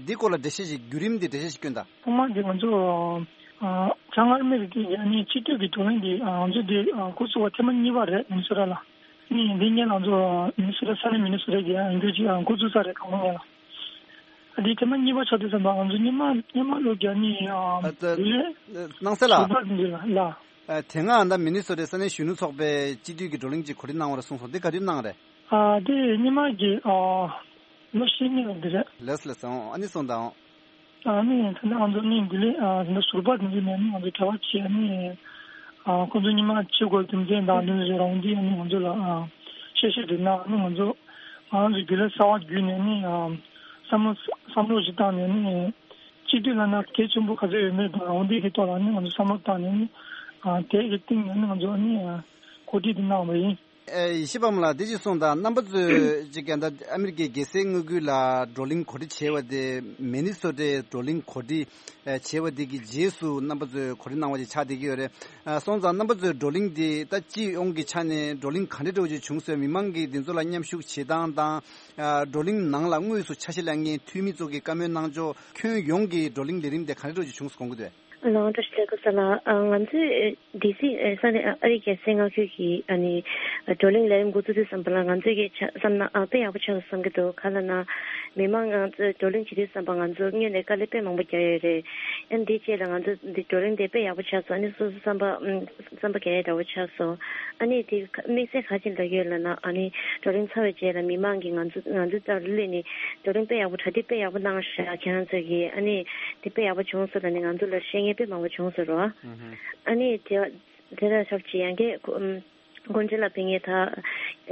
འདི་སྐོར་ལ་འགྲེལ་བཤད་ཞིག་བརྒྱུད་རིམ་འདི་འགྲེལ་བཤད་ཞིག་སྐྱོན་དང་། ཐོག་མར་འདི་ང་ཚོ་ཨ་བྱང་ཨ་མི་རི་ཀའི་ཨ་ནི་སྤྱི་འཐུས་ཀྱི་བགྲོ་གླེང་འདི་ཨ་ང་ཚོ་འདི་ཨ་འགོ་བཙུགས་པ་ཐེངས་མ་གཉིས་པ་རེད། མི་ནི་སོ་ཊ་ལ། ཨ་ནི་འདི་སྔོན་ལ་ང་ཚོ་མི་ནི་སོ་ཊ་ས་གནས་མི་ནི་སོ་ཊ་གི་ཨ་འགོ་ཅིག་ཨ་འགོ་བཙུགས་ས་རེད། གང་གོང་སྔོན་ལ། ཨ་འདི་ཐེངས་མ་གཉིས་པ་ཆགས་དུས་ཙམ་པ་ང་ཚོ་སྔོན་མ་སྔོན་མ་ལོ་བརྒྱ་ནི་ཨ་ཨ་ད་ལས་སྣང་གསལ་ལགས། ཟུར་པ་འདི་ལ་ལ། ཨ་དེ་སྔ་ད་མི་ནི་སོ་ཊའི་ས་གནས་གཞོན་ནུ་ཚོགས་པའི་སྤྱི་འཐུས་ཀྱི་བགྲོ་གླེང་ཅིག་གོ་སྒྲིག་གནང་བ་རེད་གསུངས་སོང་། འདི་ག་དུས་གནང་རེད། ཨ་དེ་སྔོན་མ་གི་ཨ་ལོ་ཤས་སྔོན་ལ་འདི་རེད། ལགས་སོ་ལགས་སོ། ཨ་ནི་གསུངས་དང་། ཨ་ནི་ད་ནི་ང་ཚོ་ནི་འདི་ལས་ཨ་ད་ནི་ཟུར་པ་འདི་ཚོ་ནས་ནི་ང་ཚོ་གྲྭ་པ་ཆེ་ཨ་ནི་ཨ་ཁོང་ཚོ་ཉི་མ་ཆེ་དགོས་རྒྱུ་མཚན་དང་འདི་ཚོ་རང་འདི་ཨ་ནི་ང་ཚོ་ལ་ཨ་བཤད་བཤད་འདུག་ན། ཨ་ནི་ང་ཚོ་ང་རང་ཚོ་རྒྱུན་ལས་གསར་པ་བརྒྱུད་ནས་ནི་ཨ་བསམ་བློ་བསམ་བློ་ཞིག་བཏང་ནས་ནི་སྤྱི་འཐུས་ལབ་ན་གལ་ཆེན་པོ་ག་ཚོད་ཡོད་མེད་དང་འོ་འདི་གི་ཐོག་ལ་ནི་ང་ཚོ་བསམ་བློ་བཏང་ནས་ནི་ཨ་དེ་གི་སྟེང་ནས་ནི་ང་ཚོ་ནི་ཨ་གོ་སྒྲིག་འདི་གནང་བ་ཡིན། ཨེ་ཡེ་ཤེས་དཔལ་མོ་ལགས། འདི་ཅིག་གསུངས་དང་། རྣམ་པ་ཚོས་ཅིག་ཀྱང་ད་ཨ་མི་རི་ཀའི་རྒྱལ་སའི་མངའ་ཁུལ་ལ་བགྲོ་གླེང་གོ་སྒྲིག་བྱས་པ་དེ། མི་ནི་སོ་ཊའི་བགྲོ་གླེང་གོ་སྒྲིག་ཨེ་བྱས་པ་དེ་གི་རྗེས་སུ་རྣམ་པ་ཚོས་གོ་སྒྲིག་གནང་བ་ཅིག་ཆགས་བསྡད་ཀྱི་ཡོད་རེད། ཨ་སོང་ཙང་རྣམ་པ་ཚོའི་བགྲོ་གླེང་འདི་ད་སྤྱི་ཡོངས་ཀྱི་ཆ་ནས་བགྲོ་གླེང་ག་འདྲ་འདྲ་བོ་ཅིག་བྱུང་སོང་། མི་མང་གིས་འདི་ཚོ་ལ་མཉམ་ཞུགས་བྱེད་སྟངས་དང་། ཨ་བགྲོ་གླེང་ནང་ལ་དངོས་སུ་ཆ་ཤས་ལེན་མཁན་འཐུས་མི་ཚོ་གིས་བཀའ་མོལ་གནང་ཕྱོགས། ཁྱོན་ཡོངས་ཀྱི་བགྲོ་གླེང་ལས་རིམ་དེ་ག་འདྲ་འདྲ་བོ་ཅིག་བྱུང་སོང་དགོངས་ཀྱི་འདུག། ལགས་བཀྲ་ཤིས་བདེ་ལེགས། ང་ཚོས་ཨ་ཌི་སི་ས་གནས་ཨ་རིའི་རྒྱལ་སའི་མངའ་ཁུལ་གྱི་ཨ་ནི་བགྲོ་གླེང་ལས་རིམ་འགོ་བཙུགས་དུས་ཙམ་པ་ལ་ང་ཚོས་ཀྱི་ཆ་བསམ་ན་ཨ་དཔེ་ཡག་པོ་ཆགས་སོང་བསམ་གྱི་འདུག། ག་ལབ་ན་མི་མང་ང་ཚོས་བགྲོ་གླེང་བྱེད་དུས་ཙམ་པ་ང་ཚོ་སྔོན་ནས་དཀའ་ལས་དཔེ་མང་པོ་བརྒྱབ་ཡོད་རེད། ཨ་ནི་དེའི་རྗེས་ལ་ང་ཚོ་འདི་བགྲོ་གླེང་དེ་དཔེ་ཡག་པོ་ཆགས་སོང་། ཨ་ནི་སོ་སོ་བསམ་པ་ཨམ་བསམ་པ་རྒྱག་ཡས་འདྲ་བོ་ཆགས་སོང་། ཨ་ནི་དེ་དམིགས་བསལ་ག་རེ་ལབ་ཀྱི་ཡོད་ལབ་ན་ཨ་ནི་བགྲོ་གླེང་ཚར་བའི་རྗེས་ལ་མི་མང་གིས་ང་ཚོ་ང་ཚོ་ལྟར་སླེབས་ནས་བགྲོ་གླེང་དཔེ་ཡག་པོ་གྲ་སྒྲིག་དཔེ་ཡག་པོ་གནང་ཤག་ཁྱེད་རང་ཚོ་གིས་ཨ་ནི་དེ་དཔེ་ཡག་པོ་བྱུང་སོང་ལབ་ནས་ང་ཚོ་ལ་བཤད་མཁན་དཔེ་མང་པོ་བྱུང་སོང་རོ། ཨ་ནི་དེ་དེ་ལ་ཞབས་ཕྱི་ཡང་གི་ཨམ་སྐུ་མགྲོན་ལ་ཕེབས་མཁན་ད་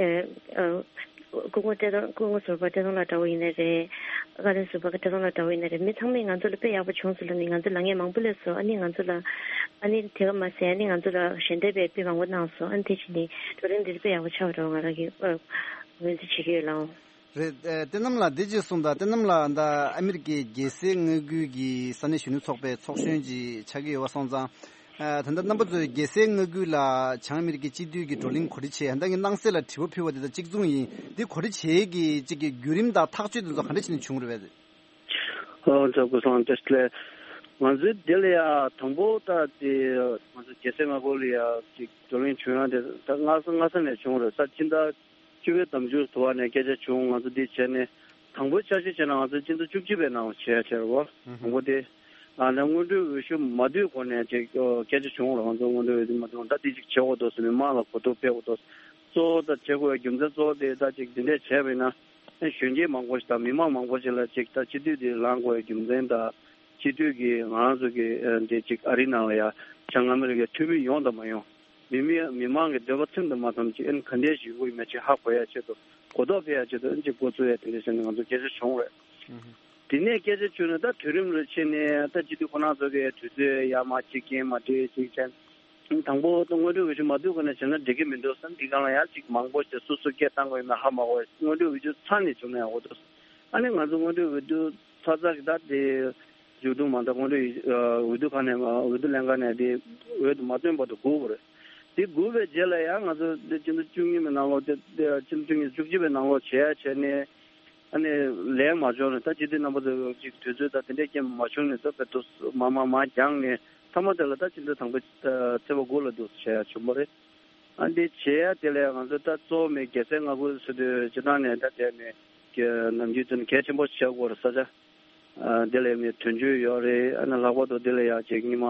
ཨེ་ཨ་སྐུ་ངོ་བཀྲས་མཐོང་སྐུ་ངོ་ཟུར་པ་བཀྲས་མཐོང་ལགས་འདྲ་བོ་ཡིན་ནའི་རེད། བཀའ་བློན་ཟུར་པ་བཀྲས་མཐོང་ལགས་འདྲ་བོ་ཡིན་ནའི་རེད། མི་ཚང་མས་ང་ཚོ་ལ་དཔེ་ཡག་པོ་བྱུང་སོང་ལབ་ནས་ང་ཚོ་ལ་ངས་མང་པོ་སླེབས་སོང་། ཨ་ནི་ང་ཚོ་ལ་ཨ་ནི་དེ་ག་མ་ཟད་ཨ་ནི་ང་ཚོ་ལ་ཞལ་འདེབས་དཔེ་མང་པོ་གནང་སོང་། ཨ་ནི་དེ་བྱས་ནས་བགྲོ་གླེང་འདི་དཔེ་ཡག་པོ་ཆགས་པ་འདྲ་བོ་ང་རང་གིས་ཨ་ངོས་འཛིན་བྱེད་ཀྱི་ཡོད་ལགས། རེད། ཨེ་བསྟན་ནམ་ལགས་འདི་ཅིག་གསུངས་དང་། བསྟན་ནམ་ལགས་ད་ཨ་མི་རི་ཀའི་རྒྱལ་སའི་མངའ་ཁུལ་གྱི་ས་གནས་གཞོན་ནུ་ཚོགས་པའི་ཚོགས་གཞོན་ཅིག་ཆགས་ཀྱི་ཡོད་པ་སོང་ཙང་། ཨེ་ད་ལྟ་རྣམ་པ་ཚོས་རྒྱལ་སའི་མངའ་ཁུལ་ལ་བྱང་ཨ་མི་རི་ཀའི་སྤྱི་འཐུས་ཀྱི་བགྲོ་གླེང་གོ་སྒྲིག་བྱས། ད་ངས་སྣང་གསལ་ལ་དྲི་བ་ཕུལ་བ་དེ་དང་གཅིག་མཚུངས་ཡིན། འདི་གོ་སྒྲིག་བྱེད་ཀྱི་གཅིག་གི་བརྒྱུད་རིམ་དང་ཐག་གཅོད་དེ་ཚོ་ག་འདྲ་བྱས་ནས་བྱུང་རེད་པས། ཨོ་ཛ་སྐུ་གསུམ་བཀྲ་ཤིས་བདེ་ལེགས། ང་ཚོའི་འདི་ལ་ཡ་དང་པོ་ད་དེ་ང་ཚོ་རྒྱལ་སའི་མངའ་ཁུལ་ལ་ཡ་ཅིག་བགྲོ་གླེང་བྱུང་ཡ་དེ་ད་སྔ་ས་སྔ་ས་ནས་བྱུང་རེད། ས་ཕྱི་ཟླ་བཅུ་པའི་ཟླ་མཇུག་དུ་བ་ནས་སྐད་ཆ་བྱུང་། ང་ཚོ་འདི་བྱས་ནས་དང་པོའི་འཆར་གཞི་བྱས་ན་ང་ཚོ་སྤྱི་ཟླ་བཅུ་གཅིག་པའི་ནང་བྱས་ཡ་བྱས་རེད་བ། དང་པོ་དེ་ཨ་ནི་སྔོན་འགྲོའི་འོས་ཤོག་མ་བསྡུས་གོང་ནས་ཅིག་སྐད་ཆ་བྱུང་རེད། ང་ཚོ་སྔོན་འགྲོའི་འོས་བསྡུ་མ་བསྡུས་གོང་ད་འདི་ཅིག་བྱེད་དགོས་འདུག་ཟེར་ནས་མི་མང་ལ་གོ་རྟོགས་སྤེལ་དགོས་འདུག། གཙོ་བོ་ད་བྱེད་དགོས་པའི་རྒྱུ་མཚན་གཙོ་བོ་དེ་ད་ཅིག་འདི་འདྲས་བྱས་པ་ཡིན་ན། གཞོན་སྐྱེས་མང་པོ་ཞིག་དང་མི་མང་མང་པོ་ཞིག་ལ་ཅིག་ད་སྤྱི་འཐུས་དེ་ལངས་དགོས་པའི་རྒྱུ་མཚན་དང་། སྤྱི་འཐུས་ཀྱི་ང་རང་ཚོ་གི་ཨ་འདི་ཅིག་ཨ་རི་ནང་ལ་ཡ་བྱང་ཨ་མི་རི་ཀའི་འཐུས་མི་ཡོང་དང་མ་ཡོང་། མི་མི་མི་མང་གི་འདོད་པ་ཚིམ་དང་མ་ཚིམ་ཅིག་ཨ་ནི་ག་འདྲས་ཞིག་ཡོང་གི་ཡོད་མེད་ཅིག་ཧ་གོ་ཡ་ཆེད་དུ་གོ་རྟོགས་སྤེལ་ཡ་ཆེད་དུ་ཨ་ནི་ཅིག་འགོ་བཙུགས་ཡ་དེ་འདྲས་བྱས་ནས་ང་ཚོ་སྐད་ཆ་བྱུང་རེད། དེ་ནས་སྐད་ཆ་བྱུང་ནས་ད་དུས་རིམ་རེ་ཕྱིན་ནས་ད་སྤྱི་འཐུས་ཁོ་རང་ཚོ་གི་དུས་ཚོད་ཡར་མར་གཅིག་རྐྱེན་མ་འགྲིག་ཅིག་བྱས། དང་པོ་ད་སྔོན་འགྲོའི་འོས་ཤོག་མ་བསྡུས་གོང་ནས་བྱས་ན་འགྲིག་གི་མི་འདུག་བསམ། འདི་སྒང་ལ་ཡང་ཅིག་མང་པོ་ཞིག་སོ་སོ་སྐད་བཏང་དགོས་ཡིན་ན་ཧ་མ་གོ་བས། སྔོན་འགྲོའི་འོས་བསྡུ་ཚར་ནས་བྱུང་ན་ཡག་པོ་འདུག། ཨ་ནི་ང་ཚོ་སྔོན་འགྲོའི་འོས་བསྡུ་ཚར་ཚར་གི་ད་དེ་མཇུག་བསྡོམས་མ་ད་སྔོན་འགྲོའི་འོས་བསྡུ་ཁང་ནས་འོས་བསྡུ་ལྷན་ཁང་ནས་དེ་འོས་བསྡུ་མ་བཏོན་བར་དུ་སྒུག་དགོས་རེད། དེ་སྒུག་པའི་རྗེས་ལ་ཡང་ང་ཚོ་དེ་སྤྱི་ཟླ་བཅུ་གཉིས་པའི་ནང་ལོགས་དེ་དེ་སྤྱི་ཟླ་བཅུ་གཅིག་པའི་ནང་ལོགས་བྱས་བྱས་ནས། ཨ་ནི་ལན་མ་བྱུང་ནས་ད་སྤྱི་འཐུས་རྣམ་པ་ཚོ་ཅིག་དུས་ཚོད་དང་དེ་འདྲས་ཀྱང་མ་བྱུང་ནས་ད་བེད་དུ་མ་མ་མ་འགྱངས་ནས་མཐའ་མ་དེ་ལ་ད་སྤྱི་འཐུས་དང་པོ་ད་ཚེས་པ་དགུ་ལ་འདུག་བྱས་ཡ་བྱུང་བ་རེད། ཨ་འདི་བྱས་ཡ་དེ་ལས་ང་ཚོ་ད་གཙོ་བོ་མེད་རྒྱལ་སའི་མངའ་ཁུལ་ཟེར་དུས་སྤྱི་བཏང་ནས་ད་དེ་ནས་ནམ་རྒྱུན་དུ་གལ་ཆེན་པོ་བྱེད་དགོས་རེད་ས་ཆ། ཨ་དེ་ལས་ནས་དོན་གཅོད་ཡོད་རེད། ཨ་ནི་ལྷག་པར་དུ་དེ་ལ་ཡ་ཅིག་ཉི་མ་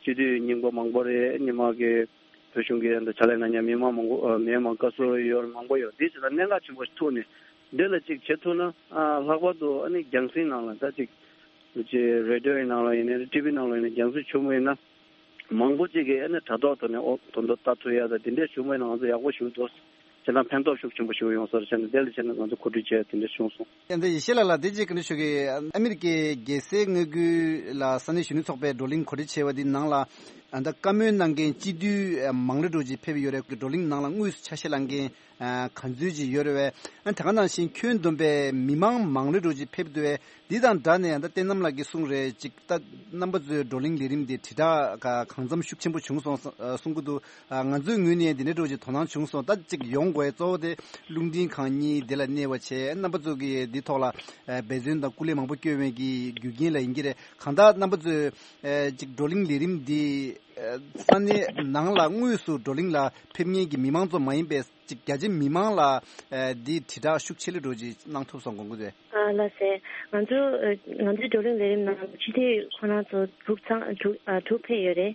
སྤྱི་འཐུས་རྙིང་པ་མང་པོ་རེད། ཉི་མ་གི་བོད་གཞུང་གི་འདི་ཕྱག་ལས་གནང་མཁན་མི་མང་མང་པོ་ཨ་མི་མང་བཀའ་ཟུར་ཡོད་རེད། མང་པོ་ཡོད། དེ་ཚོ་ལ་གནད་འགག་ཆེན་པོ་ཐུག་ནས་འདི་ལ་ཅིག་བྱེད་ཐུབ་ན་ཨ་ལྷག་པར་དུ་ཨ་ནི་རྒྱང་སྲིང་ནང་ལ་ད་ཅིག་ཅིག་རེ་ཌི་ཡོ་ཡི་ནང་ལ་ཡིན་ནའི་ཊི་ཝི་ནང་ལ་ཡིན་ནའི་རྒྱང་སྲིང་བྱུང་བ་ཡིན་ན་མང་པོ་ཅིག་གིས་ཨ་ནི་དྲ་ཐོག་ཐོག་ནས་ཨོ་དོན་དུ་ལྟ་ཐུབ་ཡ་ད་དེ་འདྲས་བྱུང་བ་ཡིན་ན་ང་ཚོ་ཡག་པོ་ཞིག་འདུག་བྱས་ན་ཕན་ཐོགས་ཤུགས་ཆེན་པོ་ཞིག་ཡོང་ས་རེད། བྱས་ན་དེ་ལ་བྱས་ན་ང་ཚོ་གོ་སྒྲིག་བྱས་དེ་འདྲ་བྱུང་སོང་། ཡང་ད་ཡེ་ཤེས་ལགས་ལ་དེ་རྗེས་བཀའ་འདྲི་ཞུ་གི། ཨ་མི་རི་ཀའི་རྒྱལ་སའི་མངའ་ཁུལ་ལ་ས་གནས་གཞོན་ནུ་ཚོགས་པའི་བགྲོ་གླེང་གོ་སྒྲིག་བྱས་པ་འདི་ནང་ལ་ཨ་ད་བཀའ་མོལ་གནང་མཁན་སྤྱི་འཐུས་མང་ལེ་འགྲོ་ཅིག་ཕེབས་ཡོད་རེད། བགྲོ་གླེང་ནང་ལ་དངོས་སུ་ཆ་ཤས་བླངས་མཁན་ག་ཚོད་ཅིག་ཡོད་རེད་བས། ཨ་ད་ག་ནང་བཞིན་ཁྱོན་བསྡོམས་པའི་མི་མང་མང་ལེ་འགྲོ་ཅིག་ཕེབས་འདུག་བས། འདི་དང་སྦྲགས་ནས་ད་བསྟན་རྣམ་ལགས་ཀྱིས་གསུངས་རེད་ཅིག་ད་རྣམ་པ་ཚོའི་བགྲོ་གླེང་ལས་རིམ་འདི་དྲིལ་བསྒྲགས་གང་འཚམ་ཤུགས་ཆེན་པོ་བྱུང་སོང་གསུང་གི་འདུག་ང་ཚོའི་ངོས་ནས་འདི་འདྲ་འདྲ་བོ་ཅིག་དོ་སྣང་བྱུང་སོང་། ད་ཅིག་ཡོང་དགོས་གཙོ་བོ་དེ་རླུང་འཕྲིན་ཁང་གཉིས་འདི་ལ་གནས་པ་བྱས། རྣམ་པ་ཚོ་གིས་འདི་ཐོག་ལ་འབད་བརྩོན་དང་སྐུ་ལས་མང་པོ་བསྐྱོན་པའི་གི་རྒྱུ་རྐྱེན་ལ་ཡིན་གྱི་རེད། གང་ལྟར་རྣམ་པ་ཚོས་ཅིག་བགྲོ་གླེང་ལས་རིམ་འདི་ས་གནས་ནང་ལ་དངོས་སུ་བགྲོ་གླེང་ལ་ཕེབས་མཁན་གྱི་མི་མང་ཚོ་མ་ཡིན་པའི་ཅིག་རྒྱ་ཆེ་མི་མང་ལ་ཨ་འདི་དྲིལ་བསྒྲགས་ཤུགས་ཆེ་ལེ་འགྲོ་ཅིག་གནང་ཐུབ་སོང་དགོངས་ཀྱི་རེད། ཨ་ལགས་སེ། ང་ཚོ་ཨ་ང་ཚོའི་བགྲོ་གླེང་ལས་རིམ་ནང་སྤྱི་འཐུས་ཁོ་རང་ཚོ་དྲུག་ཚང་དྲུག་ཨ་དྲུག་ཕེབས་ཡོད་རེད།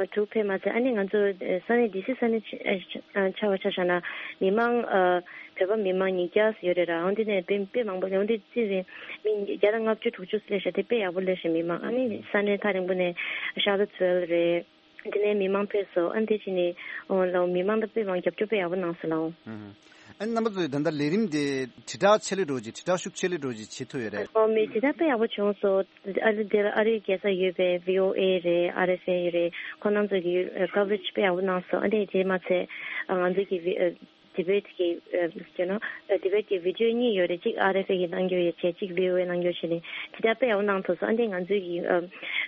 ཨ་དྲུག་ཕེབས་མ་ཚད་ཨ་ནི་ང་ཚོ་ཨ་ས་གནས་ཌི་སི་ས་གནས་ཆ་ཨ་ཆ་བ་ཆ་བཞག་ན་མི་མང་ཨ་བོད་པ་མི་མང་ཉིས་བརྒྱ་ཙམ་ཡོད་རེད་ར། འོན་ཏེ་ནས་དཔེ་དཔེ་མང་པོ་འོན་ཏེ་རྩིས་རེད། མི་བརྒྱ་དང་ལྔ་བཅུ་དྲུག་ཅུ་སླེབས་ཤག་དེ་དཔེ་ཡག་པོ་སླེབས་ཤག་མི་མང་ཨ་ནི་ས་གནས་ཐག་རིང་པོ་ནས་ཤར་ལ་ཚུལ་རེད། དེ་ནས་མི་མང་ཕེབས་སོང་། ཨ་ནི་དེ་བྱས་ནས་ཨོ་ལའོ་མི་མང་ད་དཔེ་མང་རྒྱབ་སྐྱོར་དཔེ་ཡག་པོ་གནང་སོང་ལའོ། ཨ་ནི་རྣམ་པ་ཚོས་ད་ལྟ་ལས་རིམ་དེ་དྲིལ་བསྒྲགས་ཆེ་ལེ་འགྲོ་ཅིག་དྲིལ་བསྒྲགས་ཤུགས་ཆེ་ལེ་འགྲོ་ཅིག་བྱེད་ཐུབ་ཡོད་རེད། ཨོ་མི་དྲིལ་བསྒྲགས་དཔེ་ཡག་པོ་བྱུང་སོང་། ཨ་རི་དེར་ཨ་རིའི་རྒྱལ་ས་ཡོད་པའི་བྷི་ཨོ་ཨེ་རེད། ཨར་ཨེཕ་ཨེ་རེད། ཁོང་རྣམ་ཚོ་གིས་ཀ་བ་རེཇ་དཔེ་ཡག་པོ་གནང་སོང་། ཨ་ནི་དེ་མ་ཚད་ང་ཚོ་གི་བྷི་ཨ་ཌི་བེཊ་གི་ཨ་ཡོ་ནོ་ཨ་ཌི་བེཊ་གི་བི་ཌི་ཡོ་གཉིས་ཡོད་རེད། གཅིག་ཨར་ཨེཕ་ཨེ་གི་གནང་རྒྱུ་ཡོད་བྱས་གཅིག་བྷི་ཨོ་ཨེ་གནང་རྒྱུ་བྱས་ནས་དེ་འདྲ་དཔེ་ཡག་པོ་གནང་ཐུབ་སོང་། ཨ་ནི་ང་ཚོའི་གི་ཨ་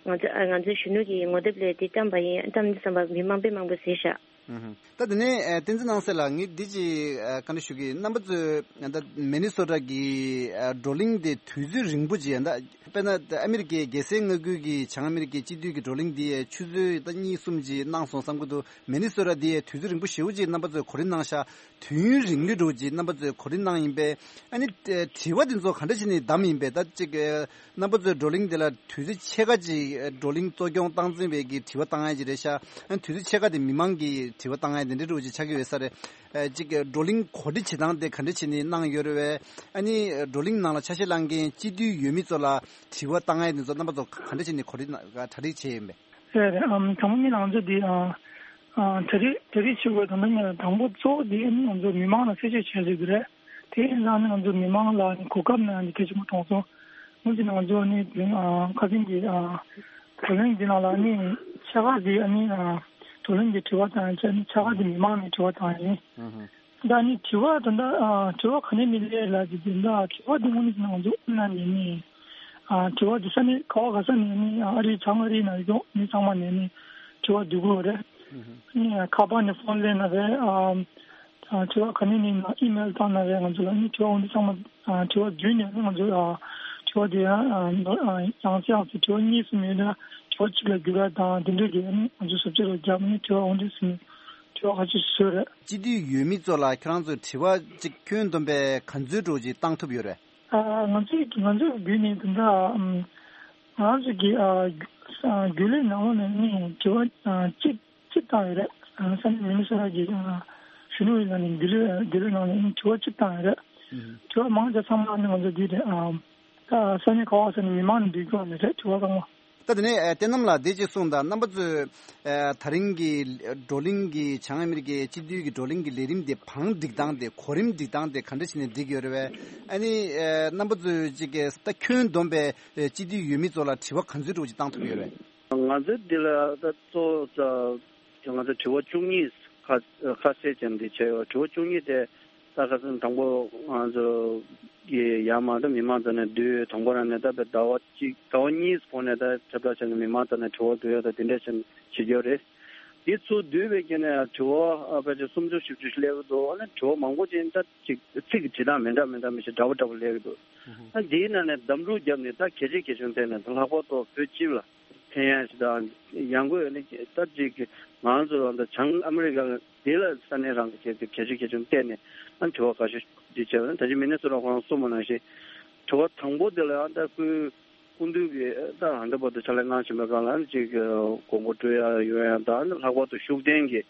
ང་ཚོ་ཨ་ང་ཚོའི་གཞོན་ནུ་གི་ངོ་དེབ་ལས་དེ་བཀྲམ་པ་ཡིན། བཀྲམ་འདི་བསམ་པ་མི་མང་དཔེ་མང་པོས་གཟིགས་ཤག་ཨུ་ཧུ། ད་དེ་ནས་ཨ་བསྟན་འཛིན་སྣང་གསལ་ལགས་ངས་འདི་ཅིག་ཨ་བཀའ་འདྲི་ཞུ་གི་ཡིན། རྣམ་པ་ཚོས་ད་མི་ནི་སོ་ཊ་གི་ཨ་བགྲོ་གླེང་དེ་དུས་ཚོད་རིང་པོ་ཅིག་ཡིན། ད་དཔེར་ན་ཨ་མི་རི་ཀའི་རྒྱལ་སའི་མངའ་ཁུལ་གྱི་བྱང་ཨ་མི་རི་ཀའི་སྤྱི་འཐུས་ཀྱི་བགྲོ་གླེང་འདི་ཆུ་ཚོད་ད་གཉིས་གསུམ་ཅིག་གནང་སོང་བསམ་གྱི་འདུག་མི་ནི་སོ་ཊ་འདི་དུས་ཚོད་རིང་པོ་ཞེ་པོ་ཅིག་རྣམ་པ་ཚོས་གོ་རིམ་གནང་ཤག་དུས་ཡུན་རིང་ལོས་འགྲོ་ཅིག་རྣམ་པ་ཚོས་གོ་རིམ་གནང་ཡིན་པས། ཨ་ནི་དྲི་བ་འདི་ཚོ་ག་འདྲ་བྱས་ནས་བདམས་ཡིན་པས། ད་ཅིག་རྣམ་པ་ཚོའི་བགྲོ་གླེང་འདི་ལ་དུས་ཚོད་ཕྱེད་ཀ་ཅིག་བགྲོ་གླེང་གཙོ་སྐྱོང་སྟངས་འཛིན་པའི་གི་དྲི་བ་བཏང་ཡ་ཅིག་རེད་ཤག་ཨ་ནི་དུས་ཚོད་ཕྱེད་ཀ་དེ་མི་མང་གི་དྲི་བ་བཏང་ཡ་དེ་འདྲ་འདྲ་བོ་ཅིག་ཆགས་ཀྱི་ཡོད་ས་རེད། ཨ་ཅིག་བགྲོ་གླེང་གོ་སྒྲིག་བྱེད་སྟངས་དེ་ག་འདྲ་བྱས་ནས་གནང་ཡོད་རེད་བས། ཨ་ནི་བགྲོ་གླེང་ནང་ལ་ཆ་ཤས་བླངས་མཁན་སྤྱི་འཐུས་འོས་མི་ཚོ་ལ་དྲི་བ་བཏང་ཡ་དེ་ཚོ་རྣམ་པ་ཚོ་ག་འདྲ་བྱས་ནས་གོ་སྒྲིག་གྲ་སྒྲིག་བྱས་ཡིན་པས། རེད་རེད། ཨམ་དང་པོ་ནི་ང་ཚོ་འདི་ཨ་ཨ་གྲ་སྒྲིག་གྲ་སྒྲིག་བྱེད་དགོས། དང་པོ་ནི་དང་པོ་གཙོ་བོ་འདི་ནི་ང་ཚོ་མི་མང་ལ་གསལ་བཤད་བྱས་ཟེར་གི་རེད། དེ་ཡིན་ཙང་ནི་ང་ཚོ་མི་མང་ལ་ནི་གོ་སྐབས་ནི་ཨ་ནི་གལ་ཆེན་པོ་མཐོང་སོང་། སྔོན་ཆད་ནི་ང་ཚོ་ནི་དེ་རིང་ཨ་ཁ་སང་གི་ཨ་བགྲོ་གླེང་འདི་ནང་ལ་ནི་ཕྱེད་ཀ་འདི་ཨ་ནི་ཨ་བགྲོ་གླེང་གི་དྲི་བ་དང་བཅས་ནི་ཕྱེད་ཀ་འདི་མི་མང་ནས་དྲི་བ་བཏང་ཡིན། ཨུ་ཧུ། ད་ནི་དྲི་བ་ད་ལྟ་ཨ་དྲི་བ་ག་ནས་ནི་སླེབས་ལ་ཅིག་དེ་འདྲ་དྲི་བ་འདི་དངོས་གནས་ང་ཚོ་ཨ་ནི་ནི་ཨ་དྲི་བ་འདི་ས་གནས་ག་བ་ག་ས་ནས་ནི་ཨ་རི་བྱང་ཨ་རིའི་ནང་ཡོད་མི་ཚང་མ་ནས་ནི་དྲི་བ་འདི་དགོས་རེད། ཨུ་ཧུ། ནི་ཁ་པར་ནས་ཕོན་སླེབས་ན་རེད། ཨ་ཨ་དྲི་བ་ག་ནས་ནི་ཨི་མེལ་བཏང་ན་རེད། ང་ཚོ་ལ་ནི་དྲི་བ་འོ་འདི་ཚང་མ་ཨ་དྲི་བ་བརྒྱུད་ནས་ནི་ང་ཚོ་ཨ་དྲི་བ་འདི་ཡང་ཨ་ཡང་སེ་ཡང་སེ་དྲི་བ་གཉིས་སུ་མེད་ན་དྲི་བ་གཅིག་ལ་བསྒྱུར་ར་དང་དེ་འདྲ་གི་ནི་ང་ཚོ་ཟབ་ཆ་རུ་བརྒྱབ་ནི་དྲི་བ་འོ་འདི་སུ་ནི་དྲི་བ་ཁ་ཤས་ཤིག་བཟོས་རེད། སྤྱི་འཐུས་འོས་མི་ཚོ་ལ་ཁྱེད་རང་ཚོས་དྲི་བ་གཅིག་ཁྱོན་བསྡོམས་པའི་ག་ཚོད་འདྲ་བོ་ཅིག་བཏང་ཐུབ་ཡོད་རེད། ཨ་ང་ཚོས་ང་ཚོའི་བརྒྱུད་ནས་དེ་འདྲ་ཨམ་ང་ཚོ་གི་ཨ་རྒྱུ་ཨ་རྒྱུན་ལས་ནང་ལོགས་ནས་ནི་དྲི་བ་ཨ་གཅིག་གཅིག་བཏང་ཡོད་རེད། ཨ་ས་གནས་མི་ནི་སོ་ཊ་གི་ཨ་གཞོན་ནུ་ཡིན་ན་ནི་རྒྱུན་ལས་རྒྱུན་ལས་ནང་ནས་ནི་དྲི་བ་གཅིག་བཏང་ཡོད་རེད། ཨུ་དྲི་བ་མང་ཆེ་ཚང་མ་ནི་ང་ཚོ་འདི་རེད། ཨ་ད་ས་གནས་ག་བ་ས་ནས་མི་མང་ནས་འདི་སྐྱོང་ནས་རེད་དྲི་བ་ཚང་མ། ད་དེ་ནས་ཨ་བསྟན་རྣམ་ལགས་འདི་ཅིག་གསུངས་དང་། རྣམ་པ་ཚོས་ཨ་དེ་རིང་གི་བགྲོ་གླེང་གི་བྱང་ཨ་མི་རི་ཀའི་སྤྱི་འཐུས་ཀྱི་བགྲོ་གླེང་གི་ལས་རིམ་དེ་བང་སྒྲིག་སྟངས་དེ་གོ་རིམ་སྒྲིག་སྟངས་དེ་ག་འདྲ་བྱས་ནས་སྒྲིག་ཡོད་རེད་བས། ཨ་ནི་ཨ་རྣམ་པ་ཚོས་ཅིག་གི་ད་ཁྱོན་བསྡོམས་པའི་ཨ་སྤྱི་འཐུས་འོས་མི་ཚོ་ལ་དྲི་བ་ག་ཚོད་འདྲ་བོ་ཅིག་བཏང་ཐུབ་ཡོད་རེད། ང་ཚོའི་འདི་ལ་ད་གཙོ་བོ་ང་ཚོ་དྲི་བ་བཅུ་གཉིས་ཁ་ཁ་གསལ་ཅན་འདི་བྱས་ཡོད། དྲི་བ་བཅུ་གཉིས་དེ་ད་ཁ་སང་དང་པོ་ང་ཚོ་གི་ཡར་མར་ད་མི་མང་ཚོ་ནས་བསྡུས། དང་པོ་རང་ནས་ད་བའི་ཟླ་བ་གཅིག་ཟླ་བ་གཉིས་གོང་ནས་ད་ཁྱབ་བསྒྲགས་བྱས་ནས་མི་མང་ཚོ་ནས་དྲི་བ་བསྡུ་ཡ་ད་དེ་འདྲས་བྱས་ནས་བྱེད་རྒྱུ་རེད། དེ་ཚོ་བསྡུས་པའི་རྐྱེན་ནས་དྲི་བ་ཨ་ཕལ་ཆེར་སུམ་ཅུ་བཞི་བཅུ་ཞིག་སླེབས་ཀྱི་འདུག་ཨ་ནི་དྲི་བ་མང་པོ་ཅིག་ད་ཅིག་ཚིག་གི་བྲིས་སྟངས་མི་འདྲ་མི་འདྲ་མི་ཞིག་འདྲ་པོ་འདྲ་པོ་སླེབས་ཀྱི་འདུག་ཨ་འདིའི་ནང་ནས་བདམས་སྒྲུག་བརྒྱབ་ནས་ད་གལ་ཆེ་གལ་ཆུང་བལྟས་ནས་ད་ལྷག་པར་དུ་བོད་སྤྱི་ལ་ཕན་ཡག་ཞིག་དང་ཡང་སྒོས་ནི་ད་ཅིག་ང་ཚོ་ད་བྱང་ཨ་མི་རི་ཀ་འདི་ལ་ས་གནས་རང་གི་གལ་ཆེ་གལ་ཆུང་བལྟས་ནས་ཨ་དྲི་བ་ཁ་ཤས་འདི་བྱས་པ་ད་ཅི་མི་ནི་སུ་ར་ཁོ་རང་གསུངས་པ་ནང་བཞིན་དྲི་བ་དང་པོ་འདི་ལ་ཡང་ད་སྐུའི་སྐུ་མདུན་གྱིས་ད་ཧ་འདི་བར་དུ་ཕྱག་ལས་གནང་བཞིན་པའི་སྒང་ལ་ཅིག་དགོངས་པ་སྤྲོད་ཡ་ཡོད་ཡ་དང་ལྷག་པར་དུ་ཤུགས་ལྡན་གྱི་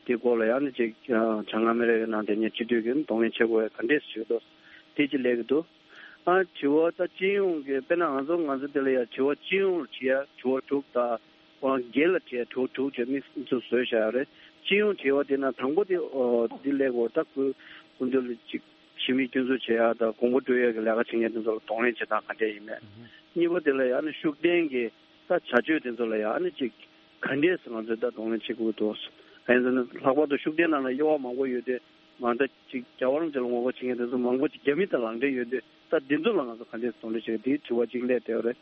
དེ་སྐོར་ལ་ཡང་ནི་ཅིག་བྱང་ཨ་མི་རི་ཀའི་ནང་དེ་ཉིད་སྤྱི་འཐུས་ཀྱིས་གདོང་ལེན་བྱེད་དགོས་ག་འདྲས་ཞུས་འདུག་དེ་ཅི་ལས་ཀྱི་འདུག་ཨ་དྲི་བ་ད་སྤྱི་ཡོངས་ཀྱི་དཔེར་ན་ང་ཚོ་ང་ཚོ་དེ་ལ་ཡ་དྲི་བ་སྤྱི་ཡོངས་ལ་དྲི་ཡ་དྲི་བ་དྲུག་དང་ཁོ་རང་སྒེར་ལ་དྲི་ཡ་དྲི་བ་དྲུག་བྱས་དམིགས་སུ་བཟོས་བཞག་ཡ་རེད། སྤྱི་ཡོངས་དྲི་བ་དེ་ན་དང་པོ་དེ་ཨོ་འདི་ལས་གོ་ད་ཁོའི་སྐུ་མདུན་ལ་ཅིག་ཞི་བའི་སྐྱོན་འཛུགས་བྱེད་ཡ་དང་དགོངས་པ་སྤྲོད་ཡ་གི་ལས་ཀ་བྱེད་མཁན་དེ་ཚོ་ལ་གདོང་ལེན་བྱེད་སྟངས་ག་འདྲས་ཡིན་མེད། གཉིས་པ་དེ་ལ་ཡ་ནི་ཤུགས་ལྡན་གྱི་ད་བྱ་སྤྱོད་དེ་ཚོ་ལ་ཡང་ནི་ཅིག་ག་འདྲས་སེ་ང་ཚོས་ད་གདོང་ལེན་བྱེད་དགོས་འདུག་ཨ་ཡིན་ཟེར་ན་ལྷག་པར་དུ་ཤུགས་ལྡན་ནང་ལ་དབྱེ་བ་མང་པོ་ཡོད་དུས་མ་ད་ཅིག་རྒྱལ་བ་རིན་པོ་ཆེ་ལ་ངོ་རྒོལ་བྱེད་མཁན་དེ་ཚོ་མང་པོ་ཅིག་རྒྱ་མི་དང་ལག་འབྲེལ་ཡོད་དུས་ད་འདི་ཚོ་ལ་ང་ཚོ་ག་འདྲས་གདོང་ལེན་བྱེད་དགོས་འདི་དྲི་བ་གཅིག་སླེབས་བསྡད་ཡོད་རེད།